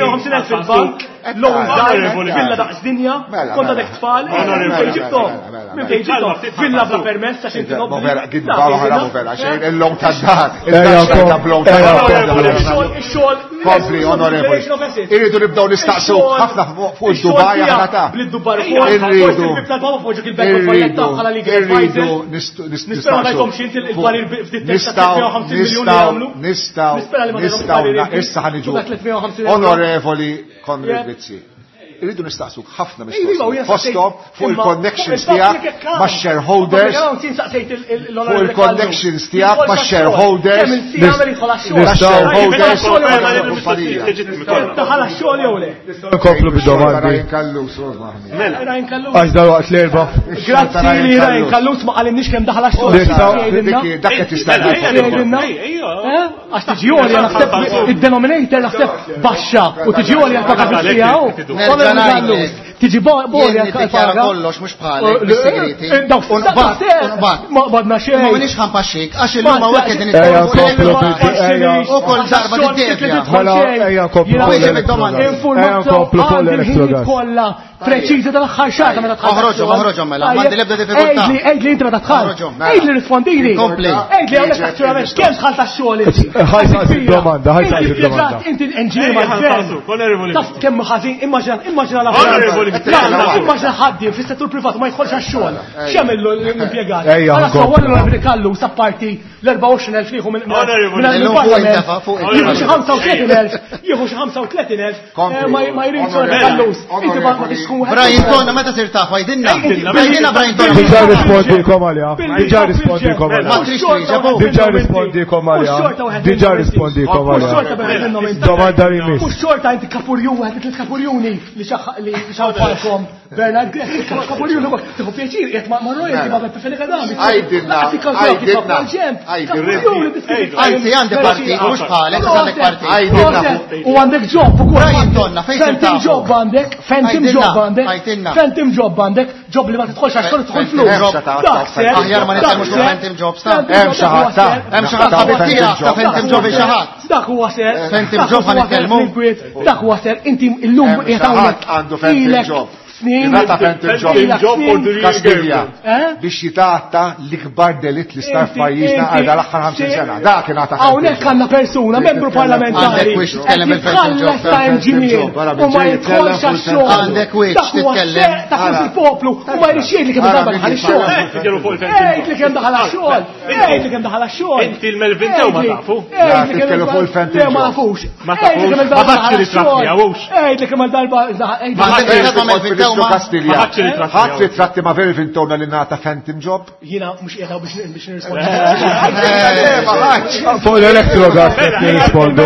ħamsin elf fil-bank. L-ewwel dar, villa daqs dinja, kont għadek tfal, minn fejn ġibthom? Minn fejn ġibthom? Villa bla permess għax inti nobli. Vera, vera, xejn illum tad-dar. Ix-xogħol. Kompli, onorevoli. Irridu nibdew nistaqsu ħafna fuq id-Dubaj aħna ta'. Irridu. Irridu nistaqsu. Nistgħu nistgħu issa ħaniġu. Onorevoli Konrad Mizzi. Irridu nistaqsuk ħafna mistoqsijiet. Fosthom fuq il-connections tiegħek ma' shareholders. Fuq il-connections tiegħek ma' shareholders. Ma' shareholders. Daħal għax-xogħol jew le? Nkomplu bid-domandi. Għax dal-waqt l-erba. Grazzi li Ryan Callus ma qalinniex kemm daħal għax-xogħol. Dak qed jistenna. Għax tiġi għolja naħseb id-denominator naħseb baxxa u tiġi għolja l-paga tiegħu. Tiġi bolja niddikjara kollox mhux bħalek bis-segreti. Ma qbadna xejn. Ma minix ħampaxxik għax illum hawnhekk qegħdin u kull darba tiddevja. Mela ejja nkomplu. Ejja nkomplu fuq l-elettrogas. Kollha preċiża tal-aħħar xahar meta tħall. Oħroġhom, oħroġhom mela, m'għandi l-ebda diffikultà. Għidli, għidli inti meta tħall. Għidli rispondili. Għidli hawnhekk naturalment kemm tħall tax-xogħol inti. Ħaj saqsi domanda, ħaj saqsi domanda. Inti engineer mal-gvern. Taf kemm ħażin, immaġina immaġina l-affarijiet. Immaġina ħaddiem fis-settur privat ma jidħolx għax-xogħol. X'jagħmel l-impjegat? Ejja, sewwa l-Onorevoli Callus apparti l-erbgħa u għoxrin elf jieħu minn il-Parlament. Jieħu xi ħamsa u tletin elf, jieħu xi ħamsa u tletin elf, ma jridx Callus. Inti ma tix tkun wieħed. Brian Tonna meta sir taf għajdilna. Għajdilna Brian Tonna. Diġà rispondikom għaliha. Diġà rispondikom għaliha. Diġà rispondikom għaliha. Diġà rispondikom għaliha. Domanda li miss. Mhux xorta inti kapurjun wieħed tliet kapurjuni li li xawfalkom Bernard Grech, kapurjuni tieħu pjaċir qiegħed ma' royalty ma' Beppe Fenech Adami. Għajdilna, għajdilna. Anzi għandi partit, mhux bħalek, għandek partit. U għandek job ukoll. Brian Tonna fejn Phantom job għandek, phantom job għandek, phantom job għandek, job li ma tidħolx għax xogħol tidħol flus. Aħjar ma nitkellmux fuq phantom jobs ta' Hemm xi ħadd ta' Hemm xi ħadd ħabib tiegħek ta' phantom job xi ħadd. Dak huwa ser. Phantom job ħa nitkellmu. Dak huwa ser inti llum qiegħed hawnhekk għandu phantom job. Snin. Ingħata phantom job Kastilja biex jitgħatta l-ikbar delitt li sar f'pajjiżna għal dal-aħħar ħamsin sena. Dak ingħata. Hawnhekk għandna persuna, membru parlamentari. Għandek wiex titkellem il-phantom job. Ta' engineer u ma jidħolx għax-xogħol. Għandek wiex titkellem. Ta' flus il-poplu u ma jridx jgħid li kemm darba daħal ix-xogħol. Għid li kemm daħal għax-xogħol. Għid li kemm daħal għax-xogħol. Inti l-Melvin Tew ma tafu. Titkellmu fuq il-phantom job. Ma nafux. Ma tafux. Ma ħadx ritratti miegħux. Għid li kemm darba Kastilja. Ħadd ritratti ma' Melvin Towna li ngħata phantom job? Jiena mhux qiegħed biex biex nirrispondi. Fuq l-elettrogas qed nirrispondu.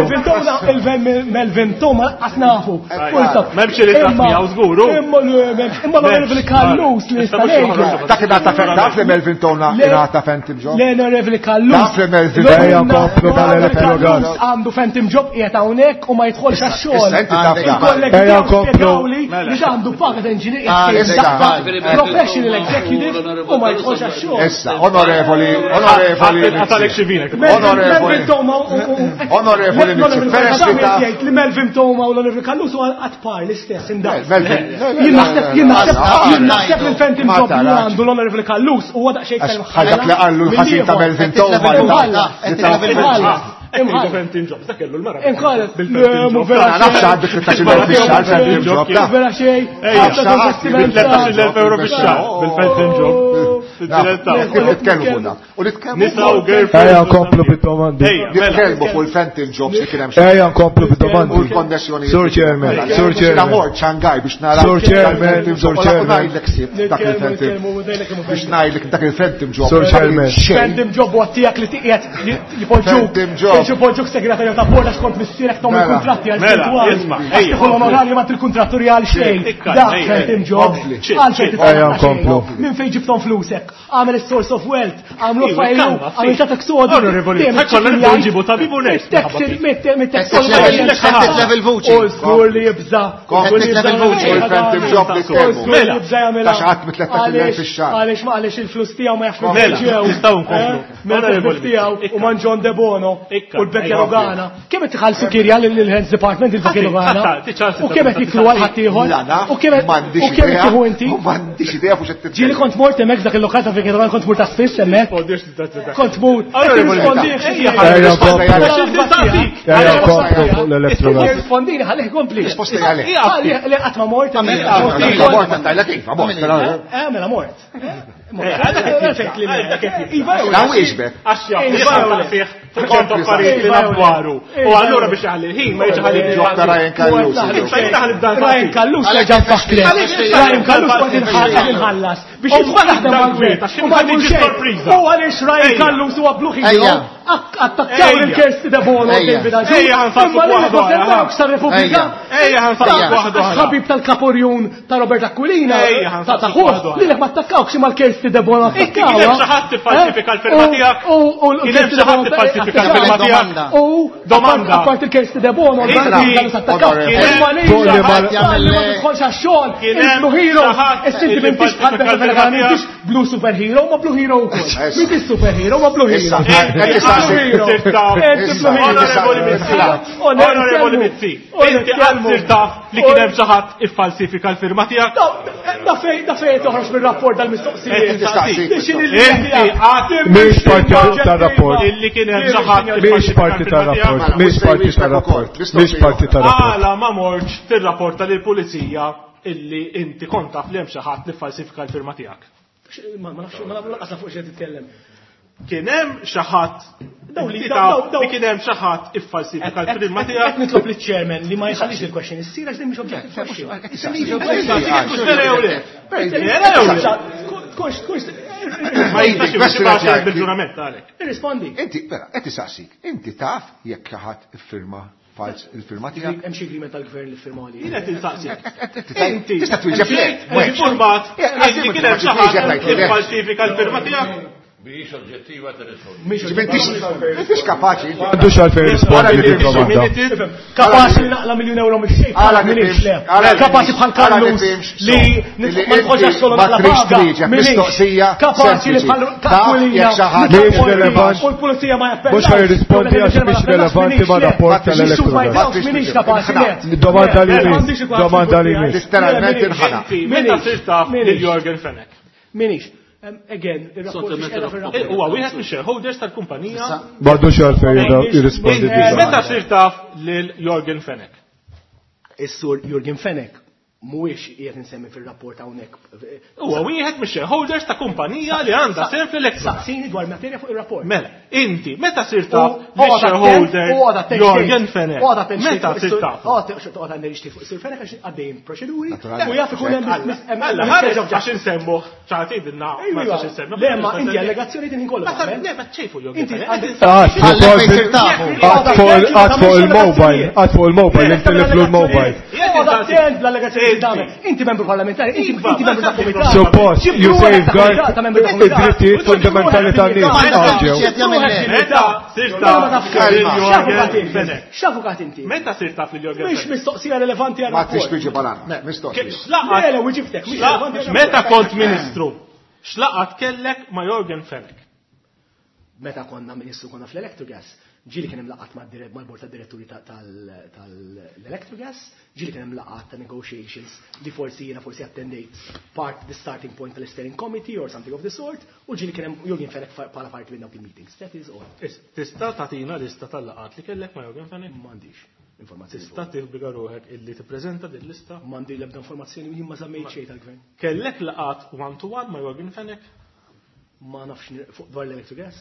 Il-Melvin Towna qas nafu. M'hemmx ritratti miegħu żguru. Imma imma l-Onorevoli Callus li nista' ngħidlu. Dak ingħata taf li Melvin Towna ingħata phantom job? L-Onorevoli Callus. Taf li Melvin Ejja nkomplu mal-elettrogas. Għandu phantom job qiegħed hawnhekk u ma jidħolx għax-xogħol. Ejja nkomplu. Li għandu paga ta' engineer professional executive u ma jidħolx għax-xogħol. Issa, onorevoli, onorevoli. Għatalek xi vinek. Onorevoli. Onorevoli Mizzi, peress li taf. Jgħid li Melvin Towma u l-Onorevoli Callus huwa qatt par l-istess indaqs. Jien naħseb jien naħseb jien naħseb li l-phantom job li għandu l-Onorevoli Callus huwa daqsxejn Għax bħal dak li qallu l-ħażin ta' Melvin Towma li ta' Imħallu phantom jobs, dak kellu l-mara. Imħallu. Bil-phantom job. Nafx għandek tlettax-il elf fix-xahar phantom job. Vera xejn. Tlettax-il elf euro fix-xahar bil-phantom job. Nitkellmu fuq dak. U nitkellmu Nisa u girlfriend. Ejja nkomplu bid-domandi. Nitkellmu fuq il-phantom jobs li kien hemm Ejja nkomplu bid-domandi. U l-konnessjoni. Sur Chairman, Sur Jiena Chairman. mort Shanghai biex nara. Sur Chairman, Sur Chairman. Ngħidlek sib dak il-phantom. Biex ngħidlek dak il-phantom job. Sur Chairman. Phantom job huwa tiegħek li tiqiegħed jipoġġuk. Phantom job. Jipoġġuk segretarju ta' bord għax kont missierek tagħmel Mela. kuntratti għal Mela, twal. isma', Għax ejja. tieħu l-onorarju ma til-kontratturjal xejn. Ikka, Dak ejja, phantom ejja. job. Kompli. Għalfejn Ejja titħallem nkomplu. Minn fejn ġibtom flusek? għamel is-source of wealth, għamlu fajlu, għamel ta' tax audit. Onorevoli, ħakollna nibdew nġibu tabib u nurse. Level vuċi. U żgur li jibża. Level vuċi. Mela, Ta' xi ħadd mit-tlettax-il elf fix-xahar. Għaliex ma għaliex il-flus tiegħu ma jafx Mela, nistgħu nkomplu. Mela, tiegħu u man John De Bono u l-Bekja Lugana. Kemm qed tħallsu kirja lill-Heads Department il-Bekja Lugana? U kemm qed jiklu għal ħaddieħor? U kemm M'għandix u kemm idea. tieħu inti? U m'għandix idea fuq x'qed titkellem. Ġieli kont mort hemmhekk dak il-lokal ta' Bekja Lugana kont mur ta' spiss hemmhekk. Kont mur. Onorevoli, Ejja nkomplu. Ejja nkomplu fuq l-Electrogas. Rispondini, ħallih kompli. Risposta hija le. Ħallih le qatt ma mort hemmhekk. Mort għandajlek iva, mort. però- Eh, mela mort. La wieġbek. Għax jaf, fih fuq affarijiet li naf dwaru. U allura biex jħalli l-ħin ma jiġi ħalli Dr. Ryan Callus. Issa jiena ħalli b'dan Ryan Callus reġa' nfakrek. Ryan Callus kont inħallas biex jidħol jaħdem mal-gvern. U ma jmur xejn. U għaliex Ryan Callus huwa Blue Hero, attakkaw lil Kirsty De Bono u David Agius. Ejja, ħanfassu Imma lilek ma waħda oħra. semmewkx tar-Repubblika. Ejja, ħanfassu waħda oħra. Ħabib tal-Kaporjun ta' Robert Aquilina. Ejja, Ta' ħanfassu ta' ħuh. waħda oħra. Lilek ma attakkawx imma l-Kirsty De Bono Inti kien hemm xi ħadd tiffalsifika l-firma tiegħek? U u Kien hemm xi ħadd tiffalsifika l-firma tiegħek? U Domanda. Apart il-Kirsty De Bono, Inti- u Fuq li ma- ma tidħolx għax-xogħol, Kien il hemm Blue Hero, xi ħadd is-sinti li m'intix bħal falsifika Beppe l-firma Fenech, m'intix Blue Superhero, ma Blue Hero wkoll. M'intix superhero, ma Blue Hero. Issa, qed tistaqsi. Blue Hero. Inti Blue Hero. Onorevoli Mizzi, Onorevoli Mizzi, inti qatt sirt taf li kien hemm xi ħadd iffalsifika l-firma tiegħek? Da fej, da fej toħroġ mir-rapport dal-mistoqsijiet. Qed tistaqsi. Biex Inti qatt Mhix parti tar-rapport. illi kien hemm xi ħadd Mhix parti tar-rapport. Mhix parti tar-rapport. Mhix parti tar-rapport. Għala ma mortx tirrapporta lill-pulizija illi inti kont taf li hemm xi ħadd li ffalsifika l-firma tiegħek. Ma nafx, ma nafx lanqas fuq xejn titkellem. Kien hemm xi ħadd Daw li- inti daw- taf daw- li kien hemm xi ħadd iffalsifika l-firma Qed tiegħek. nitlob liċ-chairman li ma jħallix il-question issir għax din mhix objective question. Vera jew le? Vera jew le? Tkunx, tkunx, Ma jistax jibgħat bil-ġurament għalek. irrispondi. Inti, vera, qed tistaqsik, inti taf jekk xi ħadd iffirma fals il-firma tiegħek? Hemm xi agreement tal-gvern li firmaw li. Jien qed insaqsik. Inti tista' twieġeb le. Informat illi kien hemm xi ħadd iffalsifika l-firma tiegħek. Mhijiex oġġettiva tirrispondi. M'intix kapaċi. Għandux għalfejn rispondi dik domanda. Kapaċi li naqla miljun euro mix-xejn. Għala minix le. għala Kapaċi bħal għala Kallus nifhimx, li so, li ma nħoġġax inti solo ma naqla trix paga. twieġeb Minix. mistoqsija Kapaċi li sempliċi. bħal Taf Aquilina jekk xi ħadd- Mhix relevant. U l-pulizija ma jappellax. Mhux ħajrispondi għax mhix relevanti ma' rapport tal-Electrogas. Minix kapaċi le. Domanda li Le, miss, m'għandix ikun domanda li miss. Literalment inħana. Inti meta sirt taf lil Jorgen Fenech? Minix. Um, Again, il-rapport mhix qiegħda fir-rapport. Huwa wieħed mix-shareholders tal-kumpanija. M'għandux għalfejn jirrispondi Inti dik Meta domanda. sirt taf lil Jorgen Fenech? Is-sur Jurgen Fenech mhuwiex qiegħed insemmi fir-rapport hawnhekk. Huwa wieħed mix-shareholders ta' kumpanija li għandha sehem fl-Electrogas. Saqsini dwar materja fuq ir-rapport. Mela, inti meta sirt taf U- u għada lix-shareholder attent- u għada attent Jorgen xejn. Fenech? U għada attent xejn Meta fuq sirt is-sur- taf? u għada għada attent fuq is-sur Fenech għax għaddejjin proċeduri u jaf ikun hemm mis- hemm- Alla, hemm ħares miscarriage of għax insemmuh, ċaħtidilna, ma nistax insemmuh. Le, ma inti allegazzjoni din kollu. Ma ta' le, ma ċejfu Jorgen Inti Fenech. għandek- Għad fuq għad fuq il-mobile, għad fuq il-mobile, intiliflu l-mobile. Għada attent bl-allegazzjoni li tagħmel. Inti membru parlamentari, inti inti membru ta' kumitat. Suppost, you safeguard Ta' membru ta' kumitat. id-drittijiet fundamentali tan-nies għalġew. Meta sirt taf lil Jorgen Fenech? X'avukat inti? Meta sirt taf lil Jorgen Mhix Fenech? mistoqsija relevanti għal Ma trix rapport. twieġeb għal Mistoqsija. X'laqat- Le, le, wieġibtek, mhix relevanti għal Meta rapport. kont ministru, x'laqat kellek ma' Jorgen Fenech? Meta konna ministru konna fl-Electrogas, ġieli kien hemm laqgħat mad-dire- mal-bord tad-diretturi ta- tal- tal-Electrogas, ġieli kien hemm laqgħat ta' negotiations li forsi jiena forsi attendejt part the starting point tal-steering committee or something of the sort, u ġieli kien hemm Jurgen Fenech fa- bħala parti minn dawk il-meetings. That is all. Is- Tista' tagħtina lista tal-laqat li kellek ma' Jorgen Fenech? M'għandix informazzjoni. Tista' tibbiga ruħek illi tippreżenta din lista? M'għandi l-ebda informazzjoni jien ma żammejt xejn tal-gvern. Kellek laqat one to one ma' Jorgen Fenech? Ma nafx nir- fuq dwar l-Electrogas.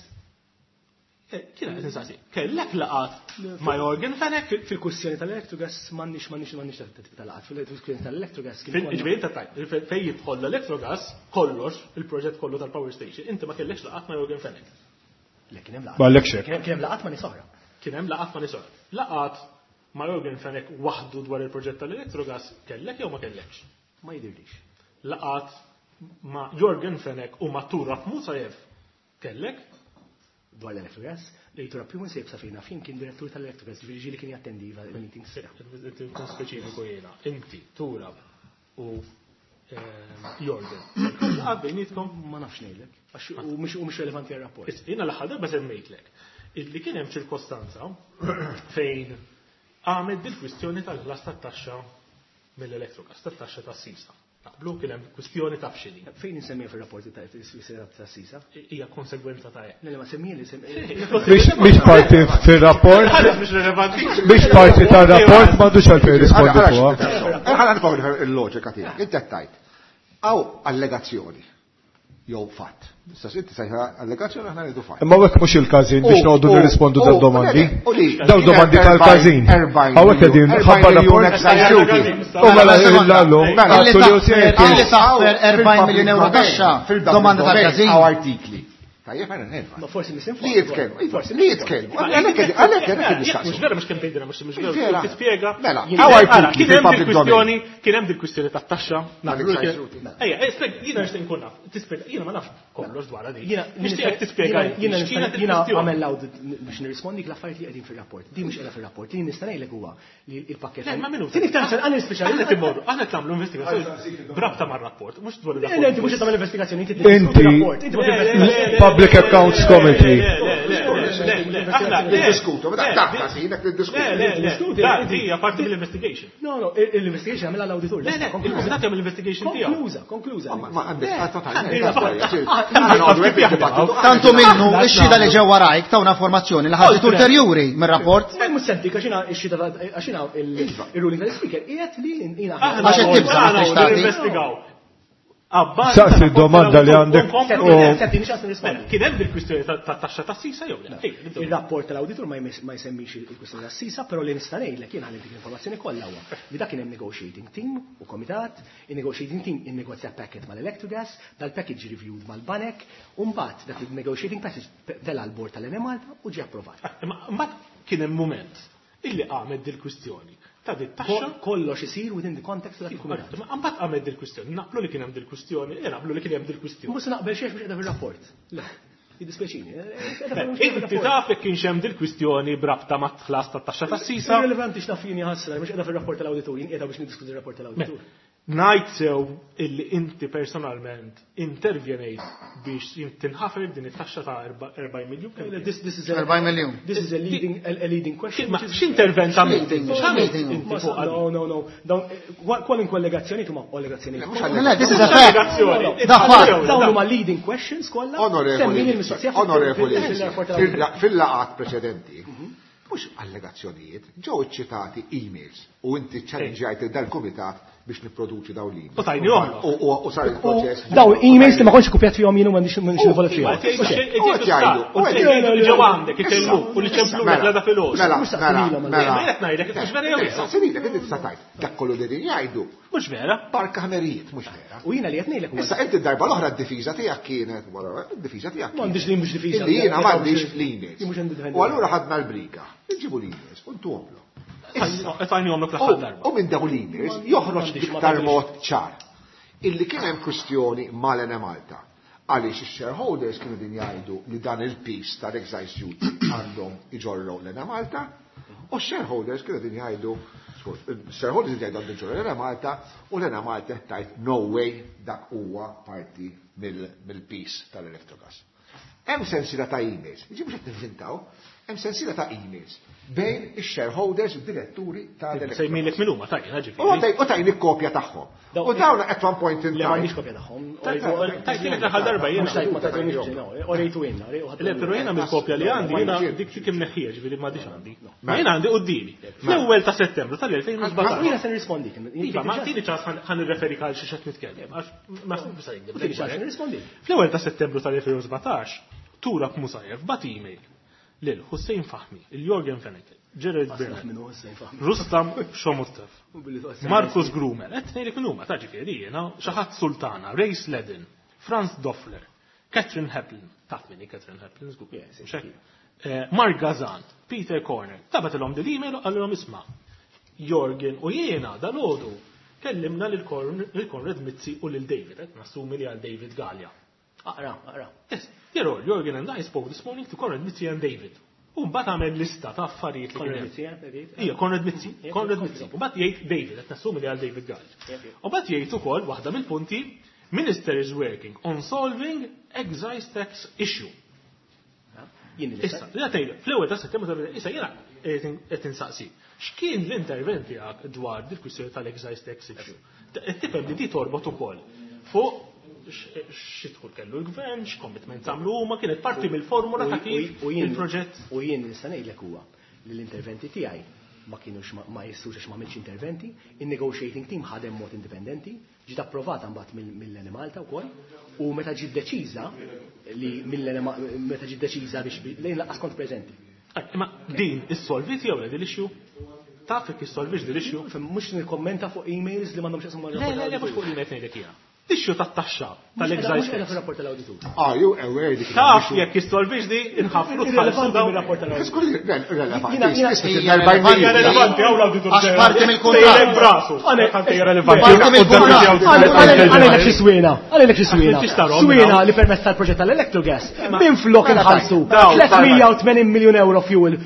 Eh, Kien qed insaqsi. Kellek laqat ma' Jorgen Fenech? Fil-kwistjoni tal-Electrogas m'għandix m'għandix m'għandix tal-laqat. Fil-kwistjoni tal-Electrogas kien Fil- konna- Ġifieri inta tajt, fejn jidħol l-Electrogas, kollox, il-proġett kollu tal-power station, inti ma kellekx laqat ma' Jorgen Fenech. Le, kien hemm laqat. M'għallekx hekk. Kien kien hemm laqat ma' nies oħra. Kien hemm laqat ma' nies oħra. Laqat ma' Jorgen Fenech waħdu dwar il-proġett tal-Electrogas kellek jew ma kellekx? Ma jidirlix. Laqat ma' Yorgen Fenech u ma' Turab Musayev kellek? Dwar l-Electrogas, li Turab Musayev sa fejna fin kien direttur tal-Electrogas, ġifieri ġieli kien jattendi il-meetings. Kun speċifiku jiena, inti, Turab u Yorgen. Laqgħat bejnietkom? Ma nafx ngħidlek, għax u mhux relevanti għar-rapport. Jiena l-aħħar darba semmejtlek illi kien hemm ċirkostanza fejn għamed dil-kwistjoni tal-ħlas tat-taxxa mill-Electrogas, tat-taxxa tas-sisa. Naqblu kien hemm kwistjoni ta' fxili. Fejn insemmija fir-rapporti ta' sisa? Hija konsegwenza ta' hekk. Le ma semmija li Mhix parti fir-rapport. Mhix parti tar-rapport m'għandux għalfejn jirrispondi fuqha. Ħa nifhmu il-loġika tiegħek. Inti qed tgħid. Hawn allegazzjoni jew fatt. Issa inti sejħa allegazzjoni aħna ngħidu fatt. Imma hekk mhux il-każin biex noqogħdu nirrispondu dawn domandi. Dawn domandi tal-każin. Hawnhekk qegħdin ħabba rapport. U mela illallum Illi taħfer erbgħin miljun euro taxxa domanda tal-każin. Hawn artikli. Tajjeb għana nerfa. Ma forsi misinform. Li jitkellmu, li jitkellmu. Għalhekk għalhekk nistaqsu. Mhux vera mhux kemm tgħidilna mhux mhux vera. Tispjega. Mela, hawn artikli Kien hemm dil-kwistjoni, kien hemm dil-kwistjoni tat-taxxa. Ejja, jiena nixtieq nkun naf. Tispjega, jiena ma nafx kollox dwar din. Nixtieqek tispjega. Jiena jiena għamel l-audit biex nirrispondi l-affarijiet li qegħdin fir-rapport. Din mhux qiegħda fir-rapport. Li nista' ngħidlek huwa li l-pakkett. Le, ma minuta. Tieni iktar għan nispiċċa. Aħna timmorru, aħna qed nagħmlu investigazzjoni b'rabta mar-rapport, mhux dwar ir-rapport. Le, inti mhux qed tagħmel investigazzjoni, inti rapport. Inti Public Accounts Committee. Niddiskutu, ma dak każinek niddiskutu. Hija parti mill-investigation. No, no, l-investigation għamilha l-awditur. Le, le, il-kumitat jagħmel l-investigation tiegħu. Konkluża, konkluża. Ma għandek Tantu minnu ix-xhieda li ġew warajk tawna informazzjoni li ħarġet ulterjuri mir-rapport. Ma mhux sentik għax jiena x-xhieda għax jiena il-ruling tal-speaker qiegħed li jiena Għax qed tibża' ma trix tagħti. Saqsi domanda li għandek. Kien hemm il-kwistjoni tat-taxxa tas-sisa jew le? Il-rapport tal-awditur ma jsemmix il-kwistjoni tas-sisa, però li nista' ngħidlek jien ħalli dik l-informazzjoni kollha huwa li dak kien hemm negotiating team u komitat, il-negotiating team innegozja packet mal-Electrogas, dal-package reviewed mal-Banek, u mbagħad dak il-negotiating package tela' l-bord tal-Enemalta u ġie approvat. Mbagħad kien hemm mument illi qamet dil-kwistjoni ta' dit taxxa kollox isir within the context of that. Ma mbagħad qamet dil-kwistjoni, naqblu li kien hemm dil-kwistjoni, naqblu li kien hemm dil-kwistjoni. Mhux naqbel xejn biex qiegħda fir-rapport. Le, jiddispjaċini. Inti taf jekk kienx hemm dil-kwistjoni b'rabta mat-ħlas tat-taxxa tas-sisa. Irrelevanti x'naf jien ħassra, mhux qiegħda fir-rapport tal-awditur, jien qiegħda biex niddiskuti r-rapport tal-awditur. Ngħid sew illi inti personalment intervjenejt biex tinħafer din it-taxxa ta' erbgħin miljun. This is a erbgħin miljun. This is a leading a leading question. Ma x'intervent għamilt? No, no, no. Kwalunkwe allegazzjoni huma allegazzjonijiet. Le, this is a fact. Da fatt. Dawn huma leading questions kollha. Onorevoli, fil-laqgħat preċedenti, mhux allegazzjonijiet, ġew iċċitati emails u inti ċċallenġjajt dal-kumitat biex nipproduċi dawn l-emails. U tajni oħra. U sar il-proċess. Dawn emails li ma kontx kopjat fihom jien u m'għandix m'għandix involut fihom. U qed jgħidu. U qed jgħidu ġew għandek ikellmuk u li ċemplulek l-għada filgħodu. Mela, mela, mela. Qed ngħidlek mhux vera jew Saqsinilek inti tista' tgħid. Dak kollu li din jgħidu. Mhux vera. Barka ħmerijiet, mhux vera. U jiena li qed ngħidlek Issa inti d-darba l-oħra d-difiża tiegħek kienet, d-difiża tiegħek. M'għandix li mhux difiża. Illi jiena m'għandix l-emails. U allura ħadna l-briga. Inġibu l-emails u ntuhomlhom. U minn dawn l-emails joħroġ b'iktar mod ċar illi kien hemm kwistjoni mal-Enemalta għaliex ix-shareholders kienu din jgħidu li dan il-piece tal-excise duty għandhom iġorru l-Enemalta u x-shareholders kienu din jgħidu shareholders jgħidu għandhom iġorru l-Enemalta u l-Enemalta tgħid no way dak huwa parti mill-piece tal-Electrogas. Hemm sensiela ta' emails, jiġi mhux qed nivvintaw, hemm sensiela ta' emails bejn ix-shareholders u d-diretturi ta' l Sejmilek min huma tajjeb, ġifieri. U tajni kopja tagħhom. U dawn at one point in time. Le m'għandix kopja tagħhom. Tajtilek l-aħħar darba jiena. Mhux tajt ma tajtniex, orejtu jiena. Le, però jiena mill-kopja li għandi jiena dik dik imneħħija ġifieri m'għadix għandi. Ma jiena għandi quddiemi. Fl-ewwel ta' Settembru tal-elfejn u sbatax. Jiena se nirrispondi. Iva, ma tini ċans ħa nirreferi għal xi qed nitkellem għax ma se Tini ċans nirrispondi. Fl-ewwel ta' Settembru tal-elfejn u sbatax, Turab Musayev bat email lil Hussein Fahmi, il-Jorgen Fenech, Gerard Bernard, Rustam Shomurtev, Marcus Grumer, qed ngħidlek min huma ta' ġifieri jiena xi ħadd Sultana, Ray Sledden, Franz Doffler, Catherine Heplin, taf min hi Catherine Heplin żgur. Mark Gazan, Peter Corner, tabatilhom dil email u qalilhom isma' Jorgen u jiena dalgħodu Kellimna lil Konrad Mizzi u lil David, qed nassumi li għal David Galea. Aqra, aqra. Yes, dear all, Yorgen and I spoke this morning to Konrad Mizzi and David. U mbagħad għamel lista ta' affarijiet li Konrad kien hemm. Mizzi, eh, David? Ija, Konrad Mizzi, Konrad Mizzi. U mbagħad jgħid David, qed nassumi li għal David Galea. U mbagħad jgħid ukoll waħda mill-punti, Minister is working on solving excise tax issue. Jien Issa, li għatejlu, fl-ewwel ta' settembru ta' issa jiena qed insaqsi. X'kien l-intervent tiegħek dwar dil-kwistjoni tal-excise tax issue? Qed tifhem li di torbot ukoll fuq x'idħol kellu l-gvern, x'commitment għamlu huma, kienet parti mill-formula ta' kif il-proġett. U jien nista' ngħidlek huwa li l-interventi tiegħi ma kienux ma jissux għax ma għamilx interventi, il-negotiating team ħadem mod indipendenti, ġiet approvata mbagħad mill-Enemalta wkoll, u meta ġiet deċiża li meta ġiet deċiża biex lejn lanqas kont preżenti. Imma din issolvit jew le din l-issue? Taf jekk issolvix din l-issue? Mhux nikkommenta fuq emails li m'għandhomx x'jaqsmu Le, le, le, mhux fuq emails ngħidlek jiena. Issue tat-taxxa tal-excise tax. Fir-rapport tal-awditur. Are you aware dik Taf jekk issolvix di inħafru tħallsu dawn. Rapport tal-awditur. Relevanti. Relevanti hawn l-awditur. Għax parti mill-kuntratt. Brasu. Relevanti. Parti mill-kuntratt. Għalek xi swina, għalek xi swina. Swina li permezz tal-proġett tal-Electrogas. Minn flok inħallsu tliet mija u tmenin miljun euro fuel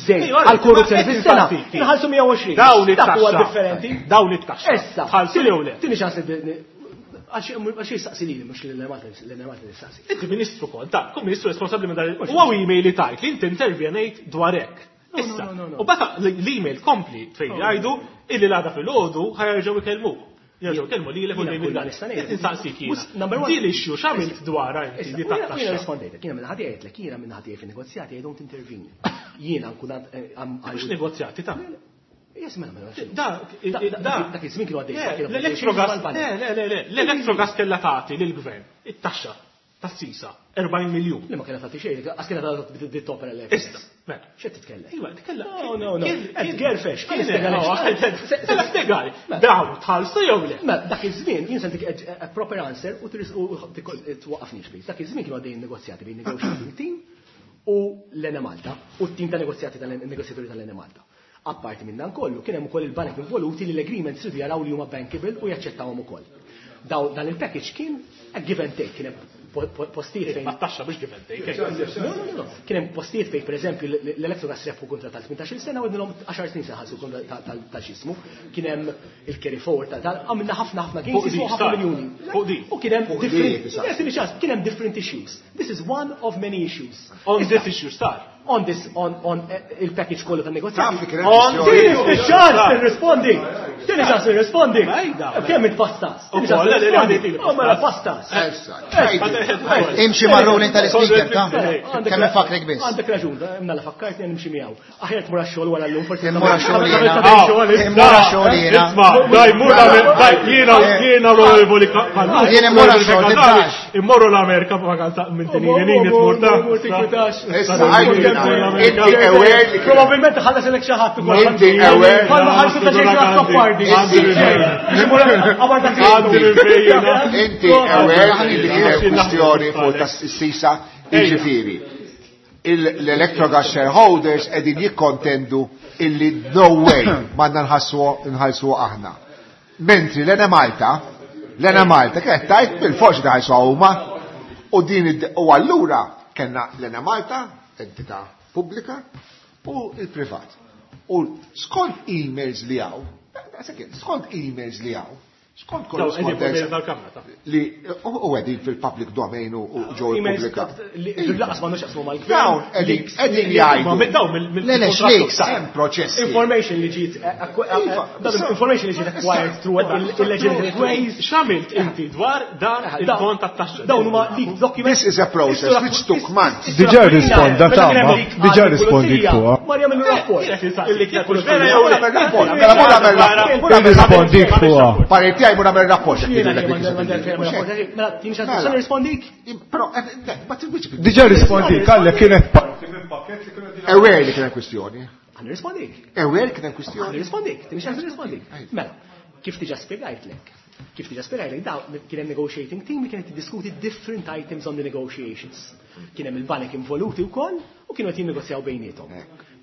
żejt għal korruzzjoni fis-sena. Inħallsu mija u għoxrin. Dawn Dak huwa it-taxxa. differenti. Dawn it-taxxa. Issa, Tħallsu jew le? Tieni ċans li għax jistaqsi lili mhux l-Enemalta jistaqsi. Inti ministru kont, ta' kun ministru responsabbli minn dan. U hawn email li tajt li inti intervjenejt dwar hekk. Issa, u bata l-email kompli fejn jgħidu illi l-għada fil-ħodu ħajerġgħu ikellmuk. Jerġgħu ikellmu lilek u Jiena David kull Galea. nista' ngħid. Qed insaqsik jiena. Number one. Din l-issue x'għamilt dwarha inti Issa, di u jiena- u jiena tat-taxxa. rispondejtek, jiena minn ħadd jgħidlek, jiena minn ħadd jgħid fin-negozjati, I don't intervene. Jiena nkun għand- eh, am- Mhux negozjati ta' Yes, mela, mela. Da, da, Dak iż-żmien kienu għaddej. Le, L-Electrogas, le, le, le, le, l-Electrogas kellha tagħti lill-gvern it-taxxa tas-sisa erbgħin miljun. Li ma kellha tagħti xejn, għax kellha tagħti dit-topera l Issa, mela. X'qed titkellem? Iva, tkellem. No, no, no. Kien- Qed gerfex, kien kien- spjegalek. Mela spjegali. Dawn tħallsu jew le? Mela, dak iż-żmien jien se ntik a- a proper answer u tris- u twaqqafniex please. Dak iż-żmien kienu għaddejjin negozjati bejn negotiating team u l-Enemalta u t-team ta' negozjati tal-negozjaturi tal-Enemalta. Apparti minn dan kollu, kien hemm ukoll il-banek involuti li l-agreements ridu jaraw li huma bankable u jaċċettawhom ukoll. Daw dan il-package kien a give and take, kien hemm po- po- postijiet fejn Ma taxxa biex give and take. No, no, no, no. Kien hemm postijiet fejn pereżempju l-Electrogas rebħu kontra tal-tmintax-il sena u għednilhom għaxar snin se ħallsu kontra tal-xismu. Kien hemm il-carry forward tal tal għamilna ħafna ħafna gains Fuq di, jismu ħafna sar. miljuni. Fuq di. U kien hemm Fuq di, different sar. Yes, ċans, kien hemm different issues. This is one of many issues. On Issa, this issue sar. On this, on, on eh, il-package kollu tan negozjati. Taf li kien hemm On kwistjoni. Tieni ċans nirrispondi. Tieni ċans nirrispondi. Ejda. Kemm it-pastas? Tieni Ukoll, ċans le, le, le, nirrispondi. għandi Oh, mela pastas. Issa, tgħidli. Imxi mar-ruling tal-speaker, ta' Għandek kemm infakrek biss. Għandek raġun, imna la fakkartni nimxi miegħu. Aħjar tmur għax-xogħol wara llum forsi. Immur għax-xogħol jiena. jiena. Immur għax-xogħol jiena. Isma, daj, mur l-Amer- daj, jiena, jiena l-onorevoli Kallus. Jien immur għax-xogħol, tibżax. Immorru l-Amerika vakanza minn tinini nini tmur ta' Issa, għajdilna, inti aware li kien Probabilment ħallas ilek xi ħadd ukoll. Inti aware. Bħalma ħallsu ta' xi Azzopardi. Għandi l-fejjina. Inti aware li kien hemm kwistjoni fuq tas-sisa, jiġifieri. L-Electrogas shareholders qegħdin jikkontendu illi no way m'għandna nħassu nħallsu aħna. Mentri l-Enemalta, l-Enemalta kienet tajt bil-forsi taħallsu huma u din id- u allura kellna l-Enemalta, entità pubblika, u il-privat. U skont emails li hawn, skont emails li hawn, skont Daw, qegħdin fuq korrespondenza tal-kamra ta' li u u qegħdin fil-public domain u u ġew Emails ippubblikat. li laqas m'għandux jaqsmu mal-gvern. Dawn qegħdin Leaks. qegħdin Ma jgħidu minn dawn mill- Le, le, xleaks. hemm proċessi. Information li ġiet eh, acqu- eh, Iva, dan information li ġiet acquired through illegitimate ways. X'għamilt inti dwar dan il-kont tat-taxxa? Dawn huma leaked documents. This is a process which took months. Diġà risponda tama, diġà rispondi fuqha. Mar jagħmlu rapport. Illi kieku vera jew le. Rapport, mela mur għamel rapport, mur għamel rapport. Irrispondik fuqha. Parir tiegħi mur għamel rapport x'qed Jiena jgħidulek li dik is-sitwazzjoni. Mela, tieni ċans nista' nirrispondik? Però, eh, eh, ma tilwiġ Diġà rispondik, għallek kienet parti minn pakket li kienu qegħdin Aware li kien hemm kwistjoni. Għan nirrispondik. Aware kien hemm Għan kwistjoni. nirrispondik, tieni ċans nirrispondik. Mela, kif diġà spjegajtlek? Kif diġà spjegajtlek, daw kien hemm negotiating team li kienet tiddiskuti different items on the negotiations. Kien hemm il-banek involuti wkoll u kienu qed jinnegozjaw bejniethom.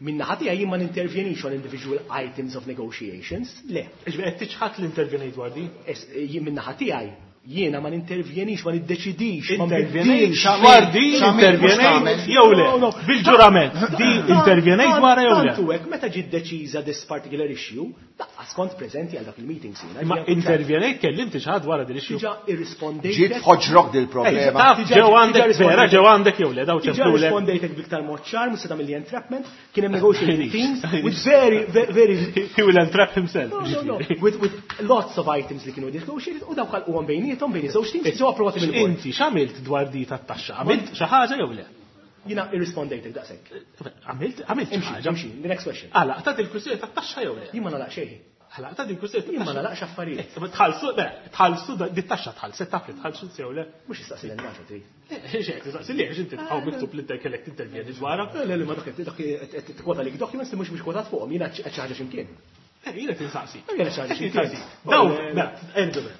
Min-naħa tiegħi jien ma nintervjenix on individual items of negotiations, le. Ġifieri qed tiċħad l-intervjenejt dwar din? Jien min-naħa tiegħi jiena ma nintervjenix, ma niddeċidix, ma nbidilx. Dwar din intervjenejt jew le? Bil-ġurament, din intervjenejt dwar jew le? Tantu hekk meta ġiet deċiża this particular issue, lanqas kont preżenti għal dak il-meetings jiena. Ma intervjenejt kellimt xi ħadd wara din issue. Diġà irrispondejt. Ġiet f'ħoġrok din il-problema. Ġew għandek vera, ġew għandek jew le, daw ċemplulek. Diġà rispondejtek b'iktar mod ċar, mhux se tagħmel li entrapment, kien hemm negotiating teams with very very he will entrap himself. No, no, with with lots of items li kienu negotiated u dawk għalquhom bejniethom bejn iż-żewġ teams ġew approvati mill-bord. Inti x'għamilt dwar di tat-taxxa? Għamilt xi ħaġa jew le? Jiena irrispondejtek daqshekk. Għamilt għamilt xi ħaġa. Imxi, the next question. Għalaq ta' il-kwistjoni tat-taxxa jew le? Jien ma nagħlaq xejn. Għalaq ta' il-kwistjoni Jien ma nagħlaqx affarijiet. Tħallsu, tħallsu di taxxa tħallset taf li tħallsu jew le? Mhux issaqsi lil naġa trid. Xejn tistaqsi li għax inti tħaw miktub li kellek tintervjeni dwarha. Le le ma dak dak qed tikkwota lik documents li mhux mhux kwotat fuqhom, jiena xi ħaġa x'imkien. Jiena tinsaqsi. Jiena xi ħaġa x'imkien. Daw, mela,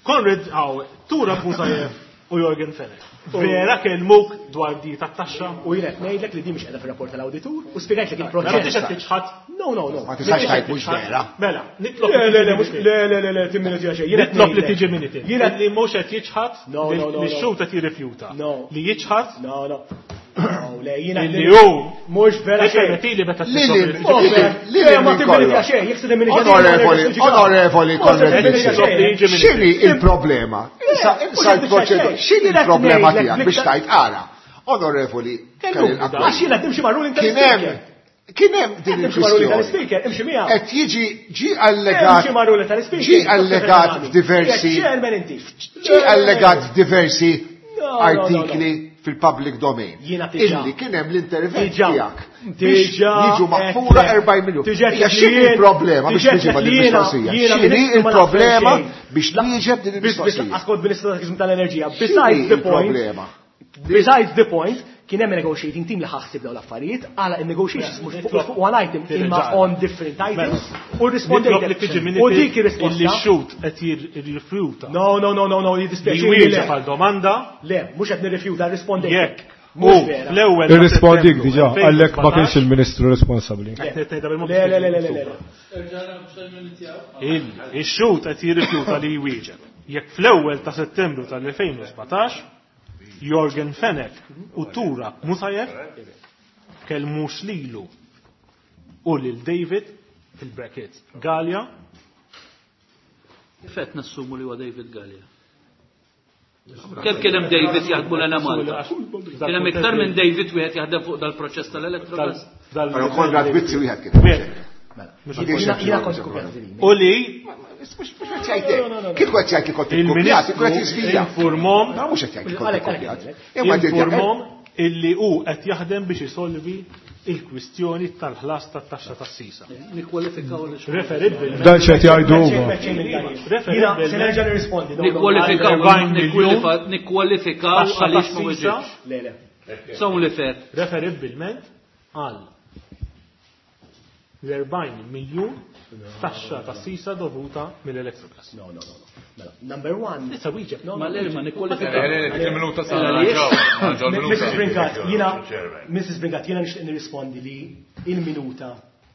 Konrad għaw, Tura Buzajev u Jorgen Fenech. Vera kellmuk dwar di tat-taxxa? U jien qed ngħidlek li di mhix qiegħda fir-rapport tal-awditur u spjegajtlek il-proċess. Ma tixqed tiċħad? No, no, no. Ma tistax tgħid mhux vera. Mela, nitlob. Le, le, le, mhux le, le, le, le, timminutija xejn. Nitlob li tiġi minuti. Jiena li mhux qed jiċħad li x-xhud qed jirrifjuta. No. Li jiċħad? No, no. No, le, jiena Li hu mhux vera xejn. Permettili meta Li Le, ma timminutija xejn, jekk se timminutija. Onorevoli, onorevoli Konrad Mizzi, x'inhi il-problema? Issa issa l-proċedura, x'inhi il-problema tiegħek biex tgħid ara? Onorevoli Karel Għax jiena qed nimxi mar-ruling Kien hemm kien hemm din Imxi mar-ruling il-kwistjoni. tal-ispeaker, imxi miegħu. Qed jiġi ġi allegat Imxi mar-ruling tal-ispeaker. ġi allegat f'diversi Chairman inti. ġi allegat f'diversi No, no, no, artikli fil-public domain. Jiena diġà. Illi kien hemm l-intervent Diġà. tiegħek biex Diġà jiġu maħfura qed- erbgħin miljun. Diġà Hija qed x'inhi li jien- il-problema biex diġà tiġi qed ma' li din jiena- il-mistoqsija? jiena X'inhi ministru ma naf il-problema xejn. biex twieġeb din Biss biss il-mistoqsija? lanqas kont ministru tal tal-enerġija. X'inhi Besides the point, il-problema? besides the point, kien hemm negotiating team li ħassib dawn l-affarijiet, għala in-negotiations mhux fuq fuq one item imma on different items u Nitlob li rispondejtek. tiġi U dik minuti illi ir-risposta. x-xhud qed jirrifjuta. No, no, no, no, no, Li jiddispjaċini. wieġeb Le, għal domanda Le, mhux qed nirrifjuta, rispondejtek. jekk u Mhux vera. fl-ewwel ta' Irrispondik Settembru diġà, għalhekk ma kienx il-Ministru responsabbli. Qed ngħidha bil-mod Le, le, le, le, le, le. Illi ix-xhud qed jirrifjuta li jwieġeb. Jekk fl-ewwel ta' Settembru tal-elfejn u sbatax Jorgen Fenech u Tura Musajev kellmux lilu u lil David fil-brackets Galea. Kif qed nassumu li huwa David Galea? Kemm kien hemm David jaħdmu l Malta? Kien hemm iktar minn David wieħed jaħdem fuq dal-proċess tal-Electrogas? Però Konrad Mizzi wieħed kien. Jiena jiena kont kopjat din. U li Mhux mhux qed jgħidlek. Kieku qed jgħid li kont ikkopjat, ikun qed il-Ministru jiżvija. informom Ma mhux qed jgħid li kont Għalhekk, ikkopjat. għalhekk, Imma qed jgħid- informom illi hu qed jaħdem biex isolvi il-kwistjoni tal-ħlas tat-taxxa tas-sisa. Nikkwalifikaw li xogħol. Referibbilment Dan x'qed jgħidu huma. Jiena se nerġa' nirrispondi. no, no, Nikkwalifikaw erbgħin miljun nikkwalifikaw taxxa għaliex ma tas-sisa. weġibx. Le, le. It's only fair. Referibbilment għal l-erbgħin miljun taxxa tas-sisa dovuta mill-Electrogas. No, no, no, no. Mela, number one. Issa wieġeb. No, Ma no, l ma nikkwalifikaw. Le, le, dik il-minuta sa Għaliex? narġaw, narġaw Missus il-minuta. Brincat, jiena Missus Brincat, jiena nixtieq nirrispondi li il-minuta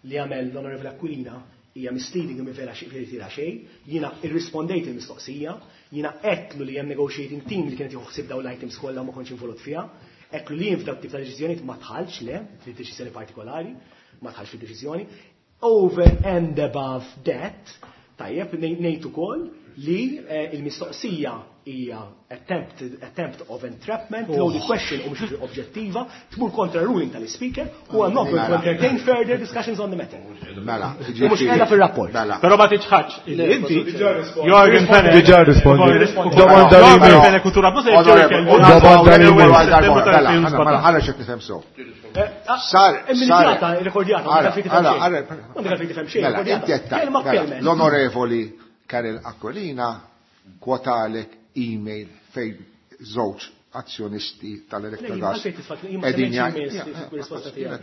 li għamel l-Onorevole Aquilina hija misleading u vera xi tira xejn, jiena irrispondejt il-mistoqsija, jiena għedtlu li hemm negotiating team li kienet jieħu ħsieb dawn l-items kollha u ma kontx involut fiha, għedtlu li jien f'dawk tip ta' deċiżjonijiet ma dħalx le, fid-deċiżjoni partikolari, ma dħalx fid-deċiżjoni. Over and above that, tajjeb, ngħid ukoll li eh, il-mistoqsija hija attempt, attempt of entrapment, loaded question u mhux oġġettiva, tmur kontra ruling tal-speaker u I'm not going to entertain further discussions on the matter. Mela, U mhux qiegħda fir-rapport. Mela. Però ma tiċħadx illi inti Jorgen Fenech. Diġà rispondi. Domanda li Jorgen jmiss. Fenech u Tura Musajev ġew ikellmu Domanda li fl-ewwel jmiss. Settembru Mela, tal-elfejn u ħana xek nifhem sew. Sar, Imminjata, rekordjata, Ara, ara, ara. M'għandek għalfejn tifhem xejn, Mela, inti qed tgħid, Kelma mela, b'kelma. L-onorevoli Karel Aquilina kwotalek email fejn żewġ azzjonisti tal-Electrogas. Għalfejn tisfak, jien ma Qegħdin semmejtx emails fil-risposta tiegħek.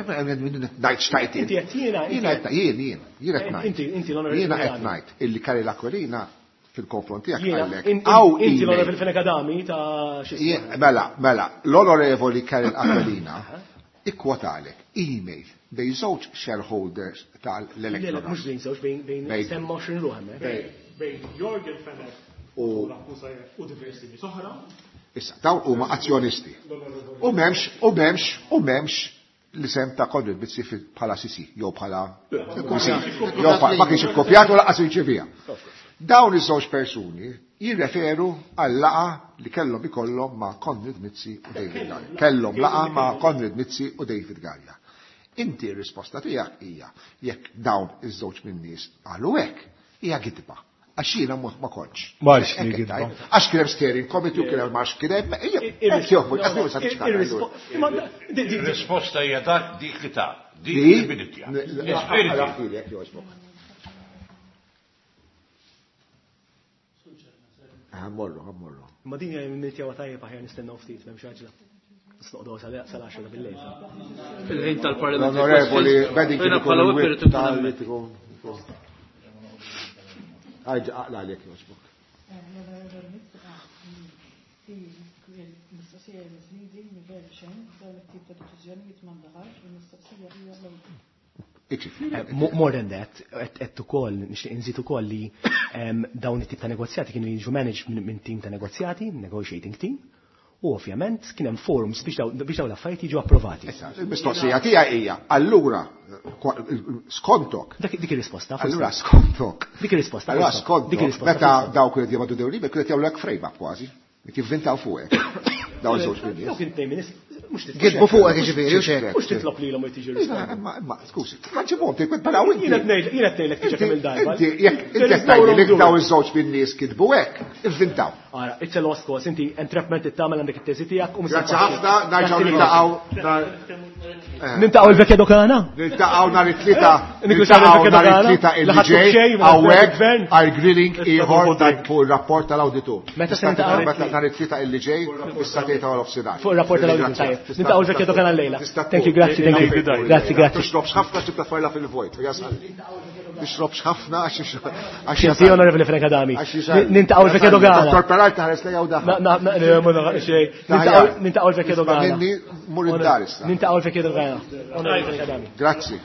Ngħid xtajt Inti qed jiena, Jiena qed jien jien, jien qed ngħid. Inti- inti l-onorevoli Jiena qed Adami. ngħid illi Karel Aquilina fil-konfront tiegħek Jiena, qallek. in- Aw in- inti email. l-onorevoli Fenech Adami ta' xi Jien- Mela, mela, l-onorevoli Karel Aquilina Ikkwotalek email bejn żewġ shareholders tal-Electrogas. Mhux bejn żewġ, bejn semma għoxrin ruħ hemmhekk. Bejn Yorgen Fenech u u diversi nies oħra. Issa, dawn huma azzjonisti. U m'hemmx, u m'hemmx, u m'hemmx l-isem ta' Konrad Mizzi bħala C C, jew bħala jew ma kienx ikkopjat u lanqas irċevija. Dawn iż-żewġ persuni jirreferu għal laqa li kellhom ikollhom ma' Konrad Mizzi u David Galea. Kellhom laqa ma' Konrad Mizzi u David Galea. Inti r-risposta tiegħek hija jekk dawn iż-żewġ min-nies qalu hekk, hija gidba. Għax jiena ma kontx. Marx li gidba. Għax kien hemm steering committee u kien hemm marx kien hemm. Ir-risposta hija dak dik li ta' dik li biditja. Ħammorru, ħammorru. Ma din hija minitja tajjeb aħjar nistennew ftit m'hemmx għaġla. Noqogħdu sal-għaxra bil-lejl. Fil-ħin tal-Parlament. Onorevoli, Bedding bħala whip tal-ikun. Għajġa, aqla għalek joġbok. Il-mistoqsija misnidi, mivell xejn, dawn it-tip ta' deċiżjonijiet m'għandha il-mistoqsija hija More than that, qed ukoll nixtieq inżid ukoll li dawn it-tip ta' negozjati kienu jiġu managed minn team ta' negozjati, negotiating team, u ovvjament kien hemm forums biex dawn l-affarijiet jiġu approvati. Il-mistoqsija tiegħi hija, allura skontok. Dik ir-risposta. Allura skontok. Dik ir-risposta. Allura skontok. Meta dawk li jibgħatu dew liber kienet jagħmlu hekk frame up kważi. Jivvintaw fuqek. Dawn iż-żewġ min-nies. Dawk it-tnejn min-nies mhux titlob. Gidbu fuqek jiġifieri u xejn. Mhux titlob lilhom u tiġi risposta. Imma imma skużi, ma ġibhom tgħid bħala inti. Jien qed ngħidlek tiġi kemm il-darba. Inti jekk inti qed tgħidli li dawn iż-żewġ min-nies kitbu hekk, ivvintaw. Ara, it's a lost cause, inti entrapment tagħmel għandek it-teżi tiegħek u Grazzi ħafna, nerġgħu niltaqgħu Niltaqgħu il-vekja dokana? Niltaqgħu nhar it-tlieta, niltaqgħu nhar it-tlieta illi ġej hawnhekk għal grilling ieħor fuq ir-rapport tal-awditur. Meta se niltaqgħu? Nhar it-tlieta illi ġej is-sa tlieta wara nofsinhar. Fuq ir-rapport tal-awditur. Tajjeb. Niltaqgħu il-vekja dokana llejla. Thank you, grazzi, thank you. Grazzi, grazzi. Tixrobx ħafna x'tibda tfajla fil-vojt, jasal. Tixrobx ħafna għax għax Xinti Onorevoli Fenech Adami. Niltaqgħu il-vekja dogana. Dottor Peralta ħares lejha u daħal. Na, na, ma naħaq xejn. Niltaqgħu il-vekja dogana. Minni mur id-dar issa. Niltaqgħu il-vekja dogana. Onorevoli Fenech Adami. Grazzi.